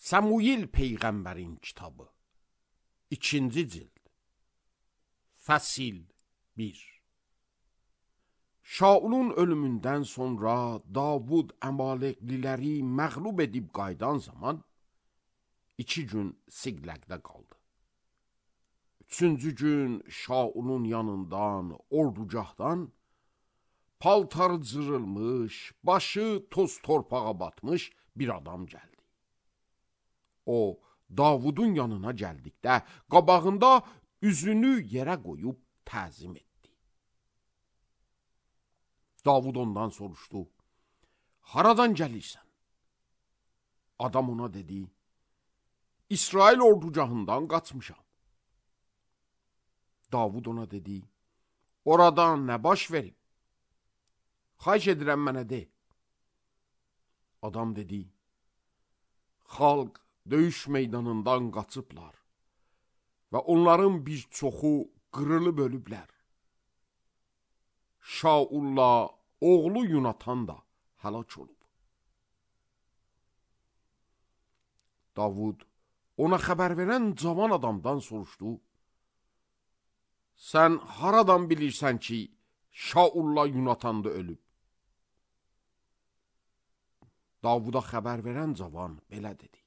Samuel Peyğəmbərin kitabı 2-ci cild Fəsil 1. Şaulun ölümündən sonra Davud Əmalekliləri məğlub edib qaydan zaman 2 gün Siqləqdə qaldı. 3-cü gün Şaulun yanından, ordugahdan paltarı cırılmış, başı toz torpağa batmış bir adam gəldi. O, Davudun yanına gəldikdə, qabağında üzünü yerə qoyub təzim etdi. Davud ondan soruşdu, haradan gəlirsən? Adam ona dedi, İsrail ordugahından qaçmışam. Davud ona dedi, oradan nə baş verib? Xahiş edirəm mənə de. Adam dedi, xalq döyüş meydanından qaçıblar və onların bir çoxu qırılıb ölüblər. Şaulla oğlu Yunatan da həlak olub. Davud ona xəbər verən cavan adamdan soruşdu, sən haradan bilirsən ki, Şaulla Yunatan da ölüb? Davuda xəbər verən cavan belə dedi.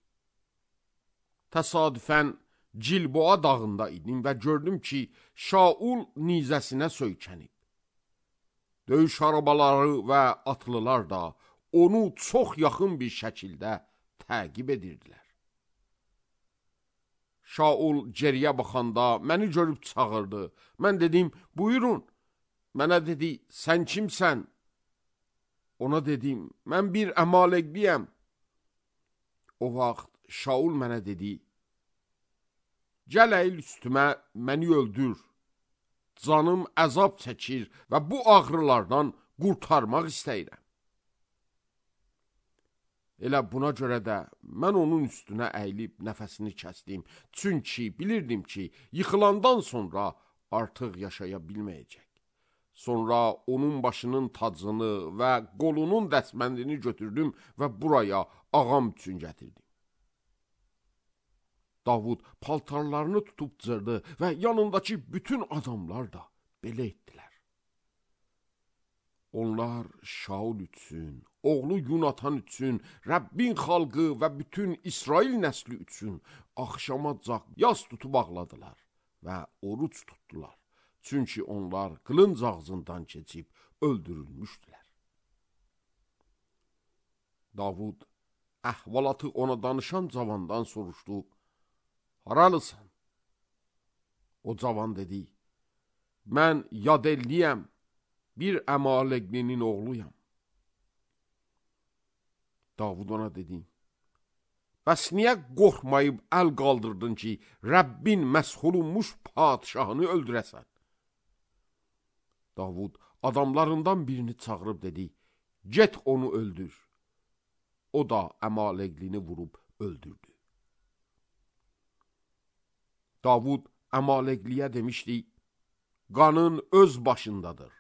Təsadüfən Cilboa dağında idim və gördüm ki, Şaul nizəsinə söykənib. Döyüş arabaları və atlılar da onu çox yaxın bir şəkildə təqib edirdilər. Şaul geriyə baxanda məni görüb çağırdı. Mən dedim, buyurun. Mənə dedi, sən kimsən? Ona dedim, mən bir Əmaleqliyəm. O vaxt Şaul mənə dedi, gəl əyil üstümə, məni öldür. Canım əzab çəkir və bu ağrılardan qurtarmaq istəyirəm. Elə buna görə də mən onun üstünə əyilib nəfəsini kəsdim. Çünki bilirdim ki, yıxılandan sonra artıq yaşaya bilməyəcək. Sonra onun başının tacını və qolunun dəsməndini götürdüm və buraya ağam üçün gətirdim. Davud paltarlarını tutub cırdı və yanındakı bütün adamlar da belə etdilər. Onlar Şaul üçün, oğlu Yunatan üçün, Rəbbin xalqı və bütün İsrail nəsli üçün axşamacaq yas tutub ağladılar və oruç tutdular. Çünki onlar qılınc ağzından keçib öldürülmüşdülər. Davud əhvalatı ona danışan cavandan soruşdu, haralısan? O cavan dedi, mən Yadelliyəm, bir Əmaleqlinin oğluyam. Davud ona dedi, bəs niyə qorxmayıb əl qaldırdın ki, Rəbbin məshulunmuş padişahını öldürəsən? Davud adamlarından birini çağırıb dedi, get onu öldür. O da Əmaleqlini vurub öldürdü. Davud Əmaleqliyə demişdi, qanın öz başındadır.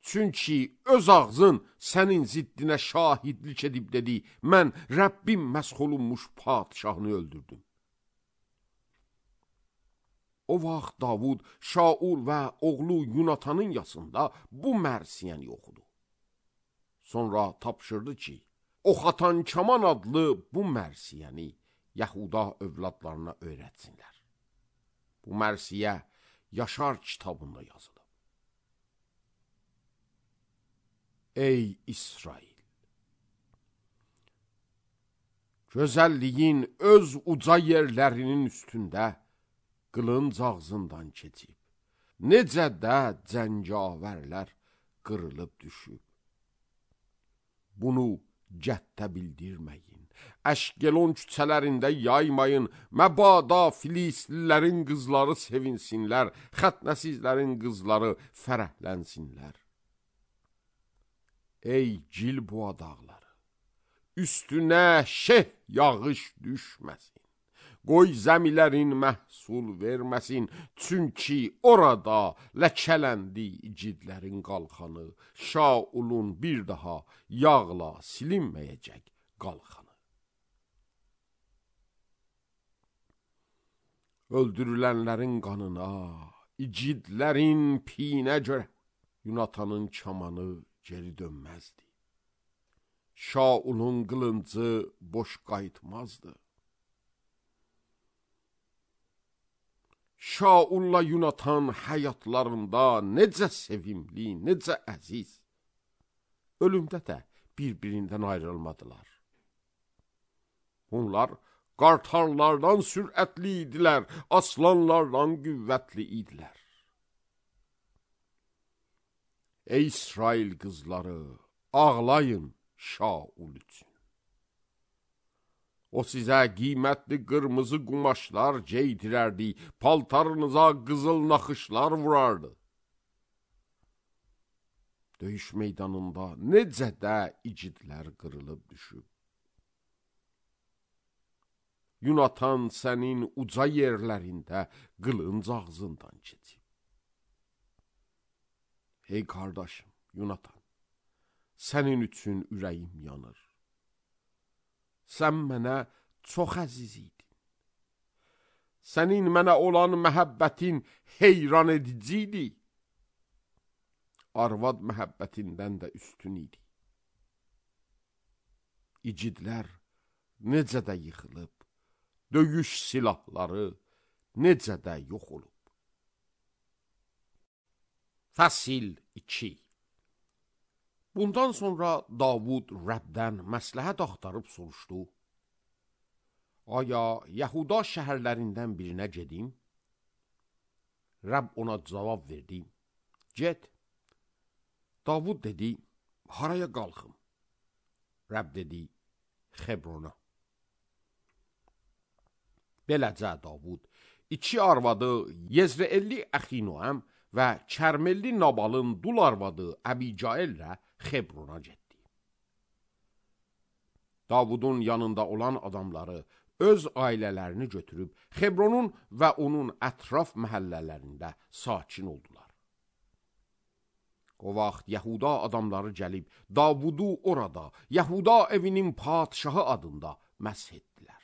Çünki öz ağzın sənin ziddinə şahidlik edib dedi, mən Rəbbim məshulunmuş padişahını öldürdüm. O vaxt Davud, Şaul və oğlu Yunatanın yasında bu mərsiyəni oxudu. Sonra tapşırdı ki, Oxatan Kaman adlı bu mərsiyəni Yahuda övladlarına öyrətsinlər. Bu mərsiyə Yaşar kitabında yazılıb. Ey İsrail! Gözəlliyin öz uca yerlərinin üstündə qılınc ağzından keçib, necə də cəngavərlər qırılıb düşüb. Bunu cəhdə bildirməyin, Əşkelon küçələrində yaymayın, məbada Filistlilərin qızları sevinsinlər, xətnəsizlərin qızları fərəhlənsinlər. Ey Cilboa dağları, üstünə şeh yağış düşməsin. Qoy zəmilərin məhsul verməsin, çünki orada ləkələndi igidlərin qalxanı, Şaulun bir daha yağla silinməyəcək qalxanı. Öldürülənlərin qanına, igidlərin piyinə görə Yunatanın kamanı geri dönməzdi. Şaulun qılıncı boş qayıtmazdı. Şaulla Yunatan həyatlarında necə sevimli, necə əziz. Ölümdə də bir-birindən ayrılmadılar. Onlar qartallardan sürətli idilər, aslanlardan qüvvətli idilər. Ey İsrail qızları, ağlayın Şaul üçün. O sizə qiymətli qırmızı qumaşlar geydirərdi, paltarınıza qızıl naxışlar vurardı. Döyüş meydanında necə də igidlər qırılıb düşüb. Yunatan sənin uca yerlərində qılınc ağzından keçib. Ey qardaşım, Yunatan, sənin üçün ürəyim yanır. Sən mənə çox əziz idin. Sənin mənə olan məhəbbətin heyran edici idi. Arvad məhəbbətindən də üstün idi. İgidlər necə də yıxılıb, döyüş silahları necə də yox olub. Fəsil 2. Bundan sonra Davud Rəbdən məsləhət axtarıb soruşdu. Aya, Yahuda şəhərlərindən birinə gedim? Rəbb ona cavab verdi. Get. Davud dedi, haraya qalxım? Rəbb dedi, Xebrona. Beləcə Davud 2 arvadı Yezreelli Əxinoəm və Kərmelli Nabalın dul arvadı Əbicaillə Xebrona getdi. Davudun yanında olan adamları öz ailələrini götürüb Xebronun və onun ətraf məhəllələrində sakin oldular. O vaxt Yahuda adamları gəlib Davudu orada Yahuda evinin padişahı adında məsh etdilər.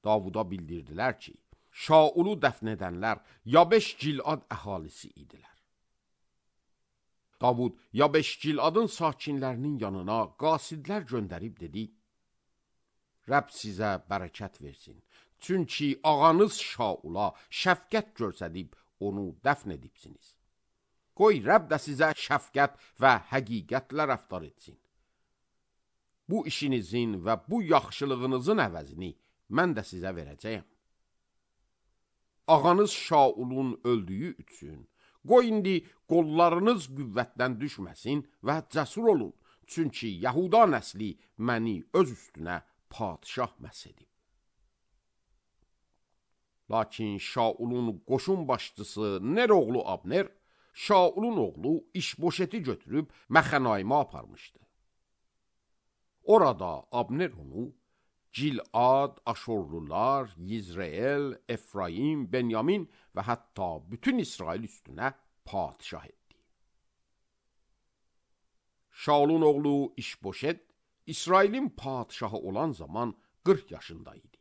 Davuda bildirdilər ki, Şaulu dəfn edənlər Yabeş Gilad əhalisi idilər. Davud Yabeş Giladın sakinlərinin yanına qasidlər göndərib dedi, Rəbb sizə bərəkət versin, çünki ağanız Şaula şəfqət göstərib onu dəfn edibsiniz. Qoy Rəbb də sizə şəfqət və həqiqətlə rəftar etsin. Bu işinizin və bu yaxşılığınızın əvəzini mən də sizə verəcəyəm. Ağanız Şaulun öldüyü üçün, qoy indi qollarınız qüvvətdən düşməsin və cəsur olun, çünki Yahuda nəsli məni öz üstünə padişah məs edib. Lakin Şaulun qoşun başçısı Ner oğlu Abner, Şaulun oğlu İşboşeti götürüb Məxənayimə aparmışdı. Orada Abner onu Gilad, Aşorlular, Yizreel, Efraim, Benyamin və hətta bütün İsrail üstünə padişah etdi. Şaulun oğlu İşboşet, İsrailin padişahı olan zaman 40 yaşında idi.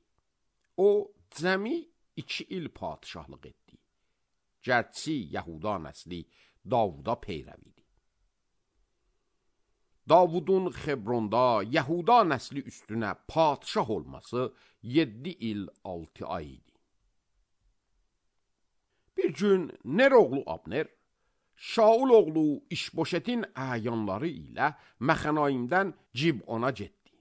O, cəmi 2 il padişahlıq etdi. Gərçi Yahuda nəsli Davuda peyrəv idi. Davudun Xebronda Yahuda nəsli üstünə padişah olması 7 il 6 ay idi. Bir gün Ner oğlu Abner, Şaul oğlu İşboşetin əyanları ilə Məxənayimdən Cibona getdi.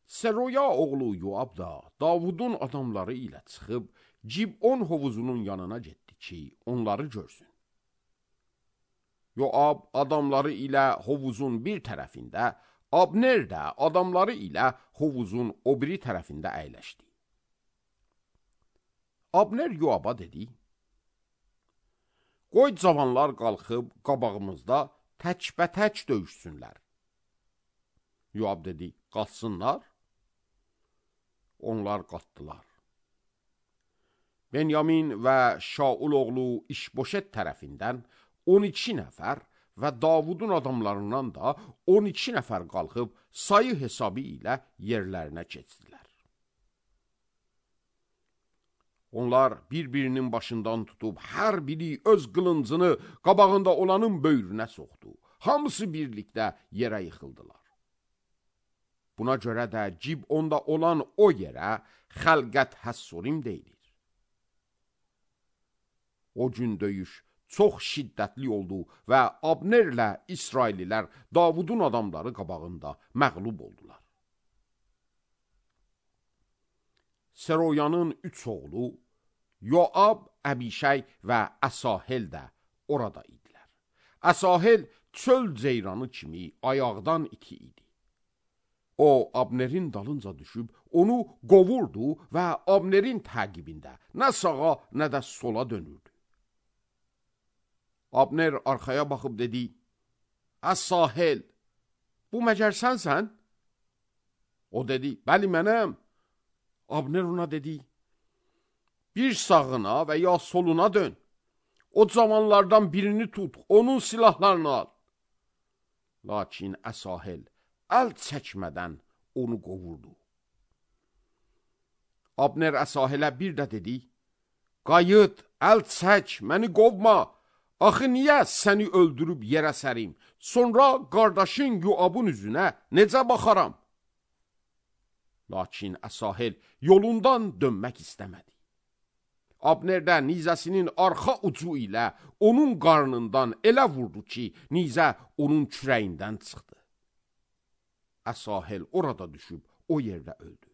Seroya oğlu Yoab da Davudun adamları ilə çıxıb Cibon hovuzunun yanına getdi ki, onları görsün. Yoab adamları ilə hovuzun bir tərəfində, Abner də adamları ilə hovuzun o biri tərəfində əyləşdi. Abner Yoaba dedi, qoy cavanlar qalxıb qabağımızda tək-bətək döyüşsünlər. Yoab dedi, qalsınlar. Onlar qalxdılar. Benyamin və Şaul oğlu İşboşet tərəfindən 12 nəfər və Davudun adamlarından da 12 nəfər qalxıb sayı hesabı ilə yerlərinə keçdilər. Onlar bir-birinin başından tutub, hər biri öz qılıncını qabağında olanın böyrünə soxdu. Hamısı birlikdə yerə yıxıldılar. Buna görə də Cibonda olan o yerə Xəlqət Həssurim deyilir. O gün döyüş çox şiddətli oldu və Abnerlə İsraillilər Davudun adamları qabağında məğlub oldular. Seroyanın 3 oğlu Yoab, Əbişəy və Əsahel də orada idilər. Əsahel çöl ceyranı kimi ayaqdan iti idi. O, Abnerin dalınca düşüb, onu qovurdu və Abnerin təqibində nə sağa, nə də sola dönürdü. Abner arxaya baxıb dedi, Əsahel, bu məgər sənsən? O dedi, bəli mənəm. Abner ona dedi, bir sağına və ya soluna dön. O cavanlardan birini tut, onun silahlarını al. Lakin Əsahel əl çəkmədən onu qovurdu. Abner Əsahelə bir də dedi, qayıt, əl çək, məni qovma. Axı niyə səni öldürüb yerə sərim? Sonra qardaşın Yoabın üzünə necə baxaram? Lakin Əsahel yolundan dönmək istəmədi. Abner də nizəsinin arxa ucu ilə onun qarnından elə vurdu ki, nizə onun kürəyindən çıxdı. Əsahel orada düşüb o yerdə öldü.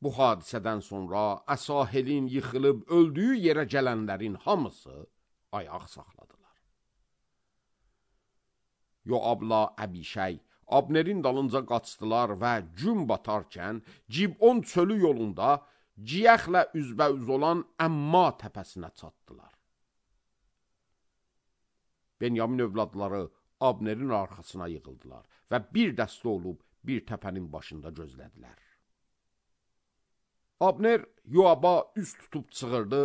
Bu hadisədən sonra Əsahelin yıxılıb öldüyü yerə gələnlərin hamısı ayaq saxladılar. Yoabla Əbişəy Abnerin dalınca qaçdılar və gün batarkən Cibon çölü yolunda Ciyəxlə üzbəüz olan Əmma təpəsinə çatdılar. Benyamin övladları Abnerin arxasına yığıldılar və bir dəstə olub bir təpənin başında gözlədilər. Abner Yoaba üst tutub çığırdı,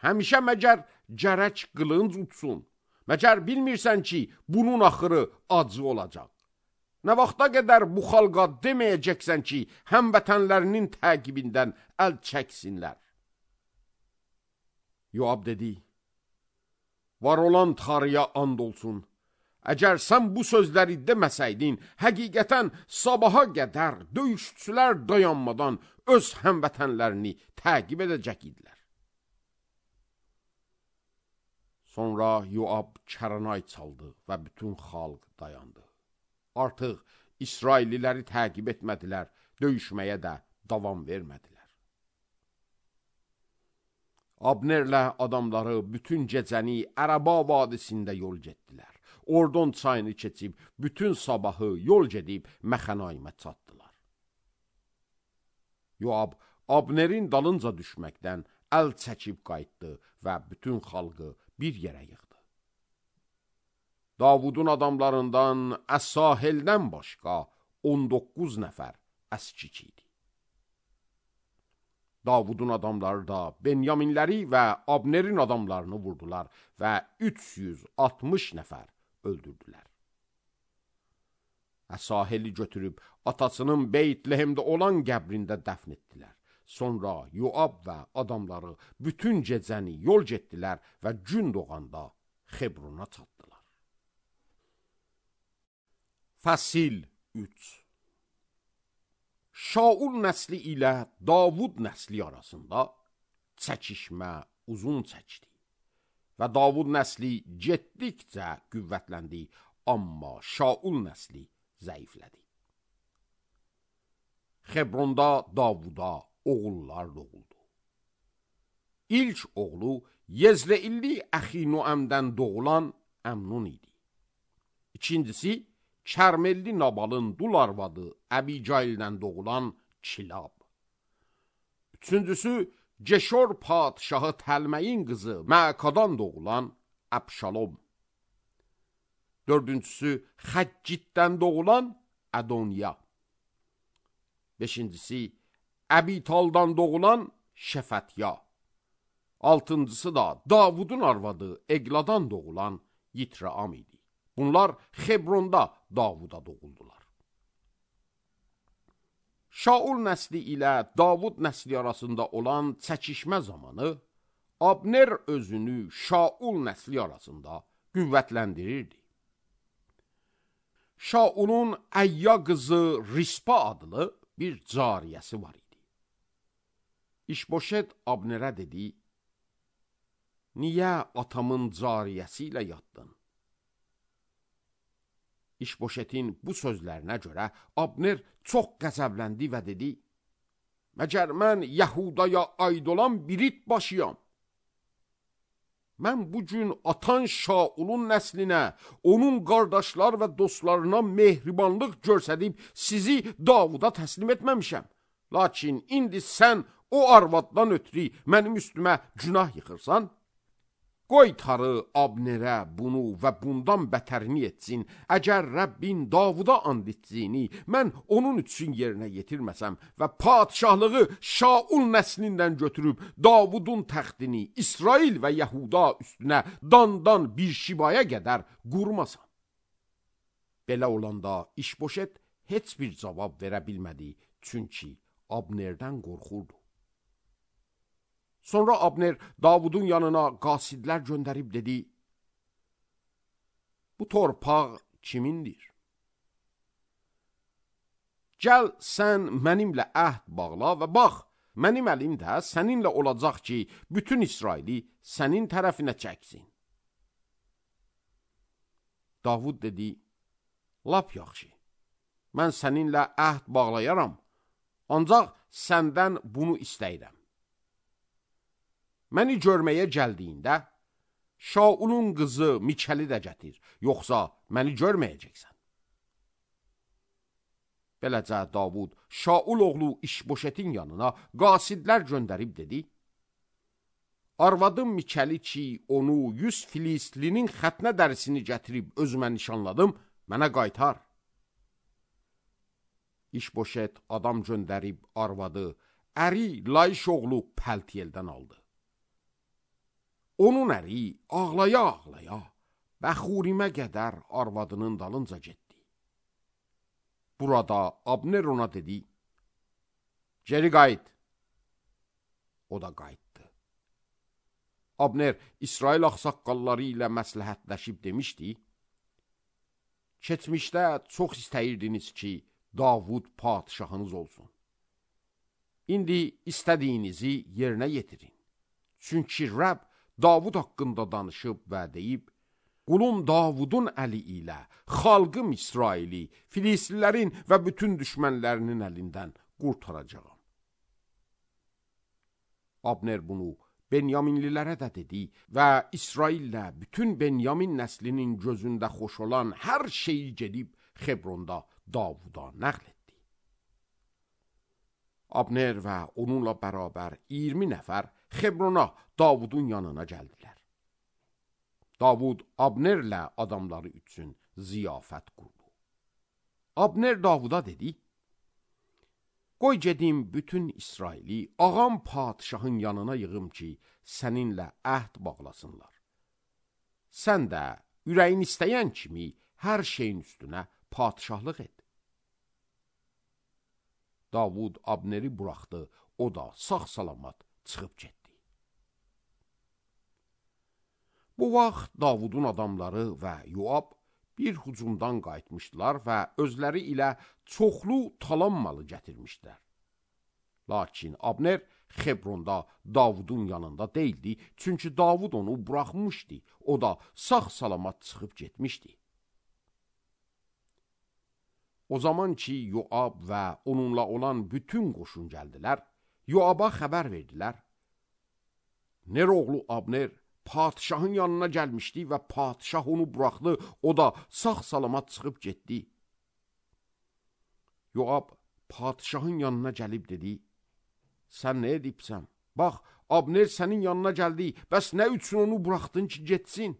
həmişə məgər gərək qılınc utsun, məgər bilmirsən ki, bunun axırı acı olacaq. Nə vaxta qədər bu xalqa deməyəcəksən ki, həmvətənlərinin təqibindən əl çəksinlər. Yoab dedi, var olan Tanrıya and olsun, əgər sən bu sözləri deməsəydin, həqiqətən sabaha qədər döyüşçülər dayanmadan öz həmvətənlərini təqib edəcək idilər. Sonra Yoab kəranay çaldı və bütün xalq dayandı. Artıq İsrailliləri təqib etmədilər, döyüşməyə də davam vermədilər. Abnerlə adamları bütün gecəni Ərəba vadisində yol getdilər. Ordon çayını keçib, bütün sabahı yol gedib Məxənaymə çatdılar. Yoab Abnerin dalınca düşməkdən əl çəkib qayıtdı və bütün xalqı bir yerə yığdı. Davudun adamlarından Əsaheldən başqa 19 nəfər əskik idi. Davudun adamları da Benyaminləri və Abnerin adamlarını vurdular və 360 nəfər öldürdülər. Əsaheli götürüb atasının Beytlehemdə olan qəbrində dəfn etdilər. Sonra Yoab və adamları bütün gecəni yol getdilər və gün doğanda Xebrona çatdılar. Fəsil 3. Şaul nəsli ilə Davud nəsli arasında çəkişmə uzun çəkdi və Davud nəsli getdikcə qüvvətləndi, amma Şaul nəsli zəiflədi. Xebronda Davuda oğullar doğuldu. İlk oğlu Yezreilli Əxinoəmdən doğulan Əmnun idi. İkincisi Kərmelli Nabalın dul arvadı Əbicaildən doğulan Kilab. Üçüncüsü Ceşor padşahı Təlməyin qızı Məkadan doğulan Əbşalom. Dördüncüsü Xəccitdən doğulan Ədoniya. Beşincisi Əbitaldan doğulan Şəfətya. Altıncısı da Davudun arvadı Egladan doğulan Yitraam idi. Bunlar Xebronda Davuda doğuldular. Şaul nəsli ilə Davud nəsli arasında olan çəkişmə zamanı Abner özünü Şaul nəsli arasında qüvvətləndirirdi. Şaulun Əyya qızı Rispa adlı bir cariyəsi var idi. İşboşet Abnerə dedi, niyə atamın cariyəsi ilə yatdın? İşboşetin bu sözlərinə görə Abner çox qəzəbləndi və dedi, məgər mən Yəhudaya aid olan bir it başıyam. Mən bu gün atan Şaulun nəslinə, onun qardaşlar və dostlarına mehribanlıq göstərib sizi Davuda təslim etməmişəm. Lakin indi sən o arvaddan ötürü mənim üstümə günah yıxırsan. Qoy Tanrı Abnerə bunu və bundan bətərini etsin. Əgər Rəbbin Davuda and etdiyini mən onun üçün yerinə yetirməsəm və padişahlığı Şaul nəslindən götürüb Davudun təxtini İsrail və Yəhuda üstünə dandan bir şibaya qədər qurmasam. Belə olanda İşboşet heç bir cavab verə bilmədi, çünki Abnerdən qorxurdu. Sonra Abner Davudun yanına qasidlər göndərib dedi, bu torpaq kimindir? Gəl sən mənimlə əhd bağla və bax, mənim əlim də səninlə olacaq ki, bütün İsraili sənin tərəfinə çəksin. Davud dedi, lap yaxşı, mən səninlə əhd bağlayaram, ancaq səndən bunu istəyirəm. Məni görməyə gəldiyində, Şaulun qızı Mikəli də gətir, yoxsa məni görməyəcəksən. Beləcə Davud Şaul oğlu İşboşetin yanına qasidlər göndərib dedi, arvadım Mikəli ki, onu 100 Filistlinin xətnə dərisini gətirib özümə nişanladım, mənə qaytar. İşboşet adam göndərib arvadı, əri Layış oğlu Pəltiyeldən aldı. Onun əri ağlaya-ağlaya Bəxurimə qədər arvadının dalınca getdi. Burada Abner ona dedi, geri qayıt. O da qayıtdı. Abner İsrail ağsaqqalları ilə məsləhətləşib demişdi, keçmişdə çox istəyirdiniz ki, Davud padişahınız olsun. İndi istədiyinizi yerinə yetirin. Çünki Rəbb Davud haqqında danışıb və deyib, qulum Davudun əli ilə xalqım İsraili, Filistlilərin və bütün düşmənlərinin əlindən qurtaracağam. Abner bunu Benyaminlilərə də dedi və İsraillə bütün Benyamin nəslinin gözündə xoş olan hər şeyi gedib Xebronda Davuda nəql etdi. Abner və onunla bərabər 20 nəfər Xebrona Davudun yanına gəldilər. Davud Abnerlə adamları üçün ziyafət qurdu. Abner Davuda dedi, qoy gedim bütün İsraili ağam padişahın yanına yığım ki, səninlə əhd bağlasınlar. Sən də ürəyin istəyən kimi hər şeyin üstünə padişahlıq et. Davud Abneri buraxdı, o da sağ-salamat çıxıb getdi. Bu vaxt Davudun adamları və Yoab bir hücumdan qayıtmışdılar və özləri ilə çoxlu talan malı gətirmişdilər. Lakin Abner Xebronda Davudun yanında deyildi, çünki Davud onu buraxmışdı, o da sağ-salamat çıxıb getmişdi. O zaman ki, Yoab və onunla olan bütün qoşun gəldilər, Yoaba xəbər verdilər. Ner oğlu Abner padişahın yanına gəlmişdi və padişah onu buraxdı, o da sağ-salamat çıxıb getdi. Yoab padişahın yanına gəlib dedi, sən nə edibsən? Bax, Abner sənin yanına gəldi, bəs nə üçün onu buraxdın ki, getsin?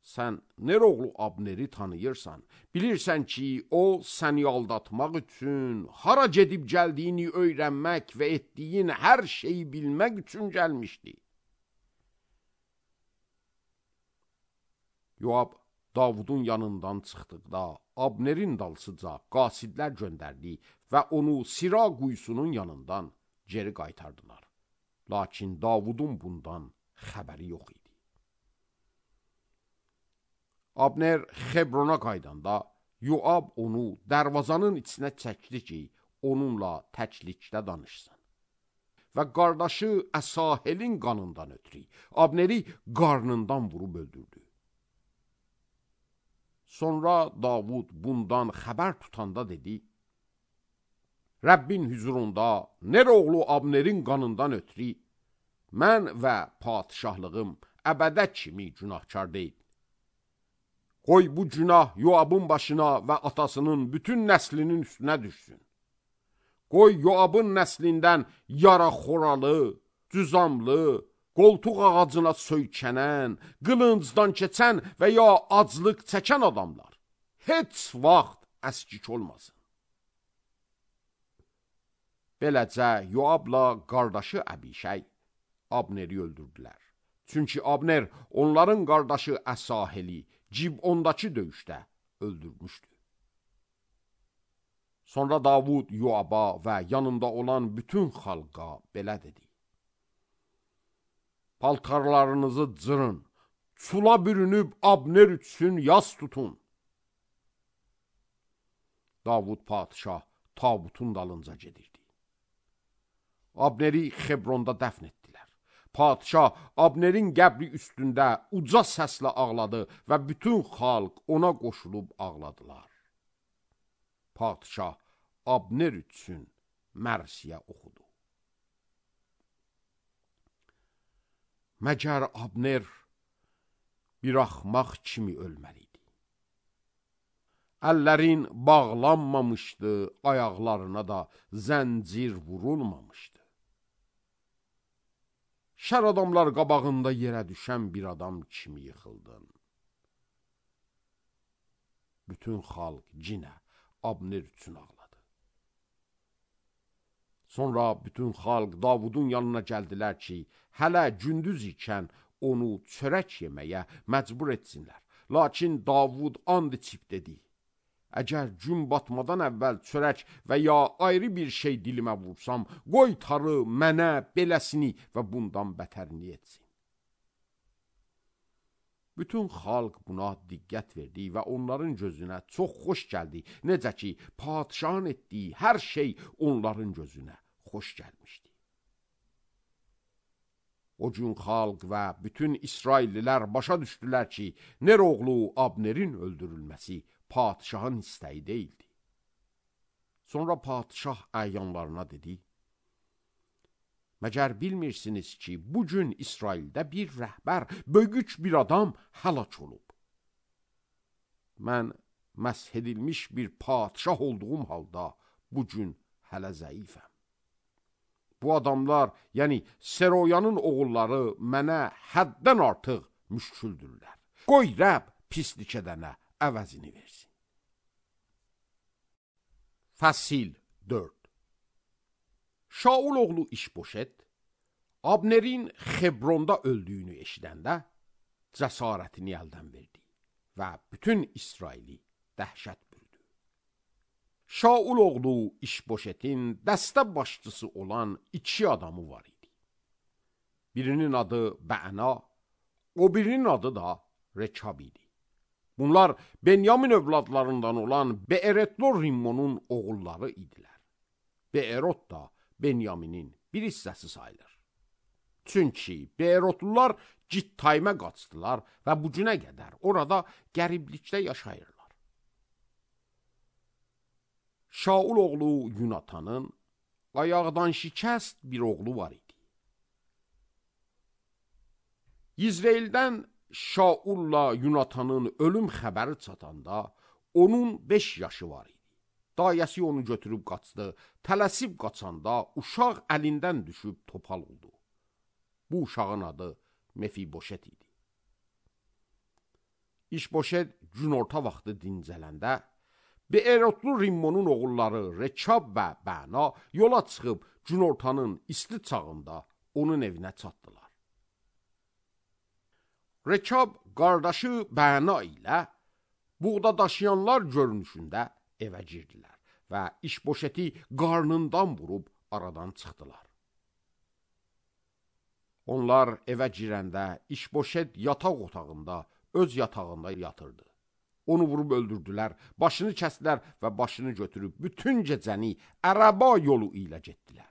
Sən Ner oğlu Abneri tanıyırsan, bilirsən ki, o səni aldatmaq üçün, hara gedib gəldiyini öyrənmək və etdiyin hər şeyi bilmək üçün gəlmişdi. Yoab Davudun yanından çıxdıqda Abnerin dalsıca qasidlər göndərdi və onu Sira quyusunun yanından geri qaytardılar. Lakin Davudun bundan xəbəri yox idi. Abner Xebrona qaydanda Yoab onu dərvazanın içinə çəkdi ki, onunla təklikdə danışsın. Və qardaşı Əsahelin qanından ötürü Abneri qarnından vurub öldürdü. Sonra Davud bundan xəbər tutanda dedi, Rəbbin hüzurunda Ner oğlu Abnerin qanından ötürü mən və padişahlığım əbədə kimi günahkar deyil. Qoy bu günah Yoabın başına və atasının bütün nəslinin üstünə düşsün. Qoy Yoabın nəslindən yaraxoralı, cüzamlı, qoltuq ağacına söykənən, qılıncdan keçən və ya aclıq çəkən adamlar heç vaxt əskik olmasın. Beləcə Yoabla qardaşı Əbişəy Abneri öldürdülər. Çünki Abner onların qardaşı Əsaheli Cibondakı döyüşdə öldürmüşdü. Sonra Davud Yoaba və yanında olan bütün xalqa belə dedi. Paltarlarınızı cırın, çula bürünüb Abner üçün yas tutun. Davud padişah tabutun dalınca gedirdi. Abneri Xebronda dəfn etdilər. Padişah Abnerin qəbri üstündə uca səslə ağladı və bütün xalq ona qoşulub ağladılar. Padişah Abner üçün mərsiyə oxudu. Məgər Abner bir axmaq kimi ölməliydi. Əllərin bağlanmamışdı, ayaqlarına da zəncir vurulmamışdı. Şər adamlar qabağında yerə düşən bir adam kimi yıxıldın. Bütün xalq cinə Abner üçün ağladı. Sonra bütün xalq Davudun yanına gəldilər ki, hələ gündüz ikən onu çörək yeməyə məcbur etsinlər. Lakin Davud and içib dedi, əgər gün batmadan əvvəl çörək və ya ayrı bir şey dilimə vursam, qoy tarı mənə beləsini və bundan bətərini etsin. Bütün xalq buna diqqət verdi və onların gözünə çox xoş gəldi. Necə ki, padişahın etdiyi hər şey onların gözünə xoş gəlmişdi. O gün xalq və bütün İsraillilər başa düşdülər ki, Ner oğlu Abnerin öldürülməsi padişahın istəyi deyildi. Sonra padişah əyanlarına dedi, məgər bilmirsiniz ki, bugün İsraildə bir rəhbər, böyük bir adam həlak olub. Mən məsh edilmiş bir padişah olduğum halda bugün hələ zəifəm. Bu adamlar, yəni Seroyanın oğulları mənə həddən artıq müşküldürlər. Qoy Rəbb pislik edənə əvəzini versin. Fəsil 4. Şaul oğlu İşboşet, Abnerin Xebronda öldüyünü eşidəndə cəsarətini əldən verdi və bütün İsraili dəhşət bürüdü. Şaul oğlu İşboşetin dəstə başçısı olan 2 adamı var idi. Birinin adı Bəna, o birinin adı da Rekab idi. Bunlar Benyamin övladlarından olan Beeretlo Rimmonun oğulları idilər. Beerot da Benyaminin bir hissəsi sayılır. Çünki Beerotlular Cittaymə qaçdılar və bu günə qədər orada qəriblikdə yaşayırlar. Şaul oğlu Yunatanın ayaqdan şikəst bir oğlu var idi. İzraildən Şaulla Yunatanın ölüm xəbəri çatanda onun 5 yaşı var idi. Dayəsi onu götürüb qaçdı. Tələsib qaçanda uşaq əlindən düşüb topal oldu. Bu uşağın adı Mefiboşet idi. İşboşet günorta vaxtı dincələndə Beerotlu Rimmonun oğulları Rekab və Bəna yola çıxıb günortanın isti çağında onun evinə çatdılar. Rekab qardaşı Bəna ilə buğda daşıyanlar görünüşündə evə girdilər və İşboşeti qarnından vurub aradan çıxdılar. Onlar evə girəndə İşboşet yataq otağında, öz yatağında yatırdı. Onu vurub öldürdülər, başını kəsdilər və başını götürüb bütün gecəni ərəba yolu ilə getdilər.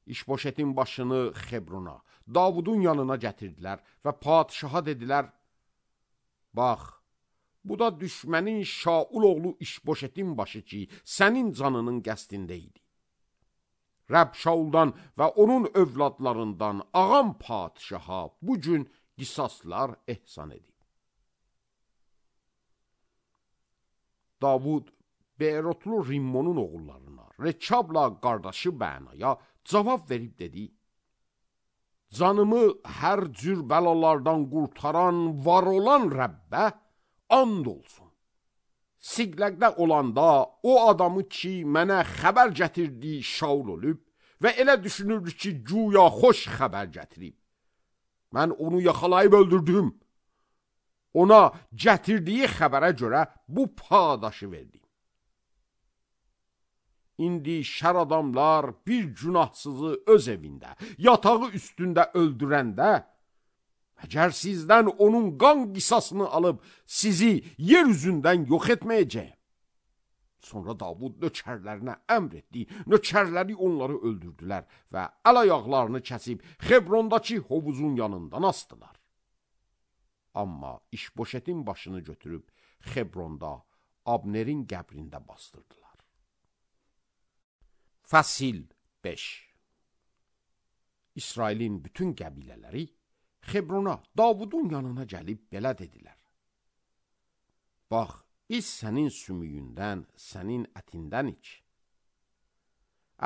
İşboşetin başını Xebrona, Davudun yanına gətirdilər və padişaha dedilər, bax, bu da düşmənin Şaul oğlu İşboşetin başı ki, sənin canının qəsdində idi. Rəbb Şauldan və onun övladlarından ağam padişaha bu gün qisaslar ehsan edib. Davud Beerotlu Rimmonun oğullarına, Rekabla qardaşı Bənaya cavab verib dedi, canımı hər cür bəlalardan qurtaran, var olan Rəbbə and olsun. Siqləqdə olanda o adamı ki, mənə xəbər gətirdi Şaul olub və elə düşünürdü ki, güya xoş xəbər gətirib. Mən onu yaxalayıb öldürdüm. Ona gətirdiyi xəbərə görə bu padaşı verdim. İndi şər adamlar bir günahsızı öz evində, yatağı üstündə öldürəndə, əgər sizdən onun qan qisasını alıb sizi yer üzündən yox etməyəcək. Sonra Davud nökərlərinə əmr etdi, nökərləri onları öldürdülər və əl ayaqlarını kəsib Xebrondakı hovuzun yanından asdılar. Amma İşboşetin başını götürüb Xebronda Abnerin qəbrində bastırdılar. Fəsil 5. İsrailin bütün qəbilələri Xebrona, Davudun yanına gəlib belə dedilər. Bax, biz sənin sümüyündən, sənin ətindən iç.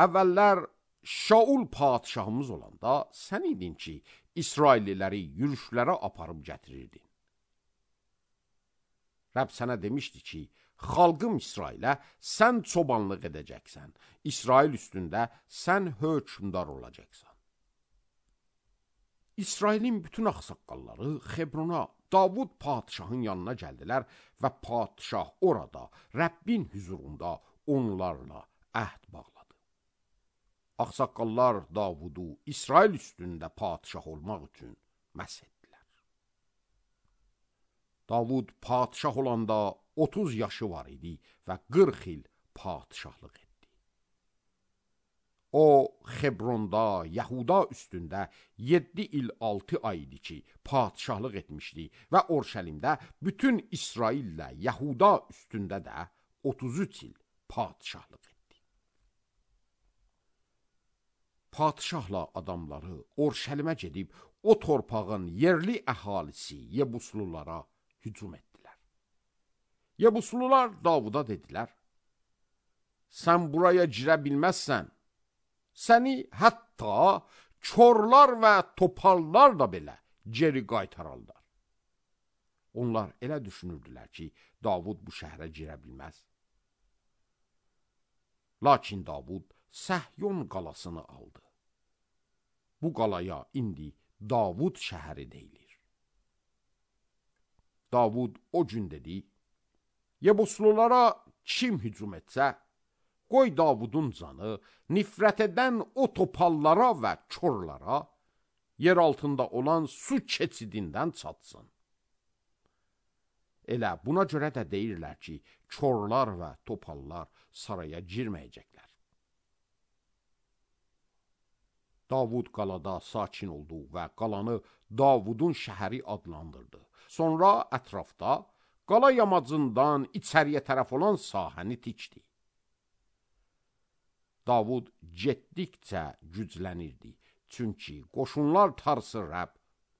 Əvvəllər Şaul padişahımız olanda sən idin ki, İsrailliləri yürüşlərə aparıb gətirirdin. Rəbb sənə demişdi ki, xalqım İsrailə sən çobanlıq edəcəksən, İsrail üstündə sən hökmdar olacaqsan. İsrailin bütün ağsaqqalları Xebrona, Davud padişahın yanına gəldilər və padişah orada, Rəbbin hüzurunda onlarla əhd bağladı. Ağsaqqallar Davudu İsrail üstündə padişah olmaq üçün məs etdilər. Davud padişah olanda 30 yaşı var idi və 40 il padişahlıq etdi. O, Xebronda, Yahuda üstündə 7 il 6 ay idi ki, padişahlıq etmişdi və Orşəlimdə bütün İsraillə Yahuda üstündə də 33 il padişahlıq etdi. Padişahla adamları Orşəlimə gedib o torpağın yerli əhalisi Yebuslulara hücum etdilər. Yebuslular Davuda dedilər, sən buraya girə bilməzsən, səni hətta korlar və topallar da belə geri qaytararlar. Onlar elə düşünürdülər ki, Davud bu şəhərə girə bilməz. Lakin Davud Səhyon qalasını aldı. Bu qalaya indi Davud şəhəri deyilir. Davud o gün dedi, Yebuslulara kim hücum etsə, qoy Davudun canı nifrət edən o topallara və korlara yer altında olan su keçidindən çatsın. Elə buna görə də deyirlər ki, korlar və topallar saraya girməyəcəklər. Davud qalada sakin oldu və qalanı Davudun şəhəri adlandırdı. Sonra ətrafda qala yamacından içəriyə tərəf olan sahəni tikdi. Davud getdikcə güclənirdi, çünki qoşunlar tarsı Rəbb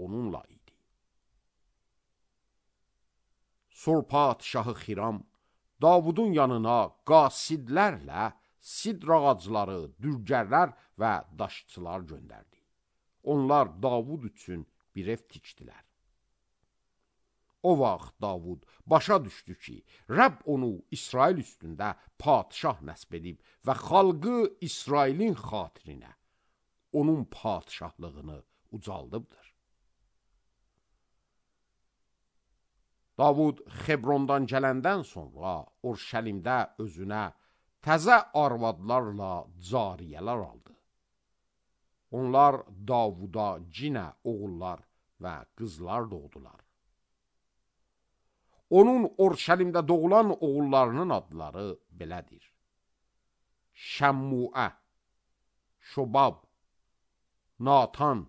onunla idi. Sur padişahı Xiram Davudun yanına qasidlərlə sidr ağacları, dürgərlər və daşçılar göndərdi. Onlar Davud üçün bir ev tikdilər. O vaxt Davud başa düşdü ki, Rəbb onu İsrail üstündə padişah nəsb edib və xalqı İsrailin xatirinə onun padişahlığını ucaldıbdır. Davud Xebrondan gələndən sonra Urşəlimdə özünə təzə arvadlarla cariyələr aldı. Onlar Davuda cinə oğullar və qızlar doğdular. Onun Urşəlimdə doğulan oğullarının adları belədir: Şəmmuə, Şobab, Natan,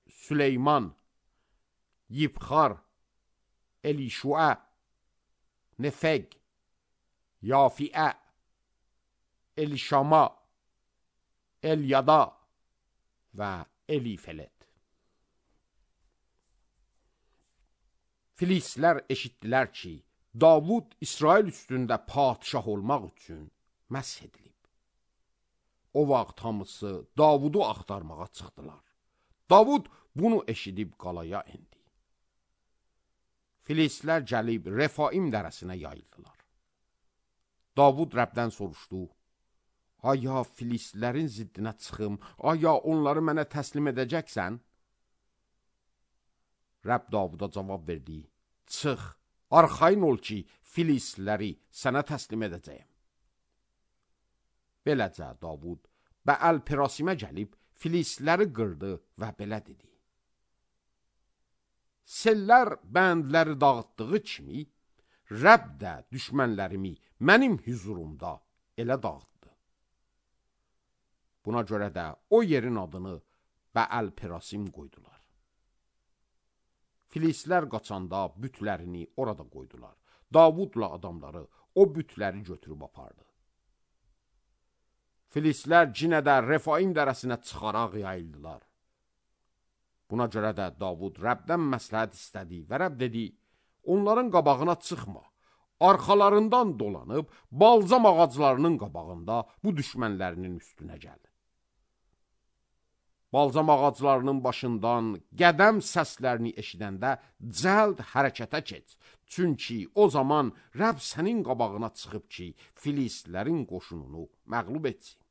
Süleyman, Yibxar, Elişuə, Nefeg, Yafiə, Elişama, Elyada və Elifelet. Filistlər eşitdilər ki, Davud İsrail üstündə padişah olmaq üçün məsh edilib. O vaxt hamısı Davudu axtarmağa çıxdılar. Davud bunu eşidib qalaya indi. Filistlər gəlib Refaim dərəsinə yayıldılar. Davud Rəbdən soruşdu: Aya Filistlərin ziddinə çıxım, aya onları mənə təslim edəcəksən? Rəbb Davuda cavab verdi: Çıx, arxayın ol ki, Filistləri sənə təslim edəcəyəm. Beləcə Davud Bəəl-Perasimə gəlib Filistləri qırdı və belə dedi: Sellər bəndləri dağıtdığı kimi, Rəbb də düşmənlərimi mənim hüzurumda elə dağıtdı. Buna görə də o yerin adını Bəəl-Perasim qoydular. Filistlər qaçanda bütlərini orada qoydular. Davudla adamları o bütləri götürüb apardı. Filistlər cinə də Refaim dərəsinə çıxaraq yayıldılar. Buna görə də Davud Rəbdən məsləhət istədi və Rəbb dedi: Onların qabağına çıxma, arxalarından dolanıb balzam ağaclarının qabağında bu düşmənlərinin üstünə gəl. Balzam ağaclarının başından qədəm səslərini eşidəndə cəld hərəkətə keç. Çünki o zaman Rəbb sənin qabağına çıxıb ki, Filistlərin qoşununu məğlub etsin.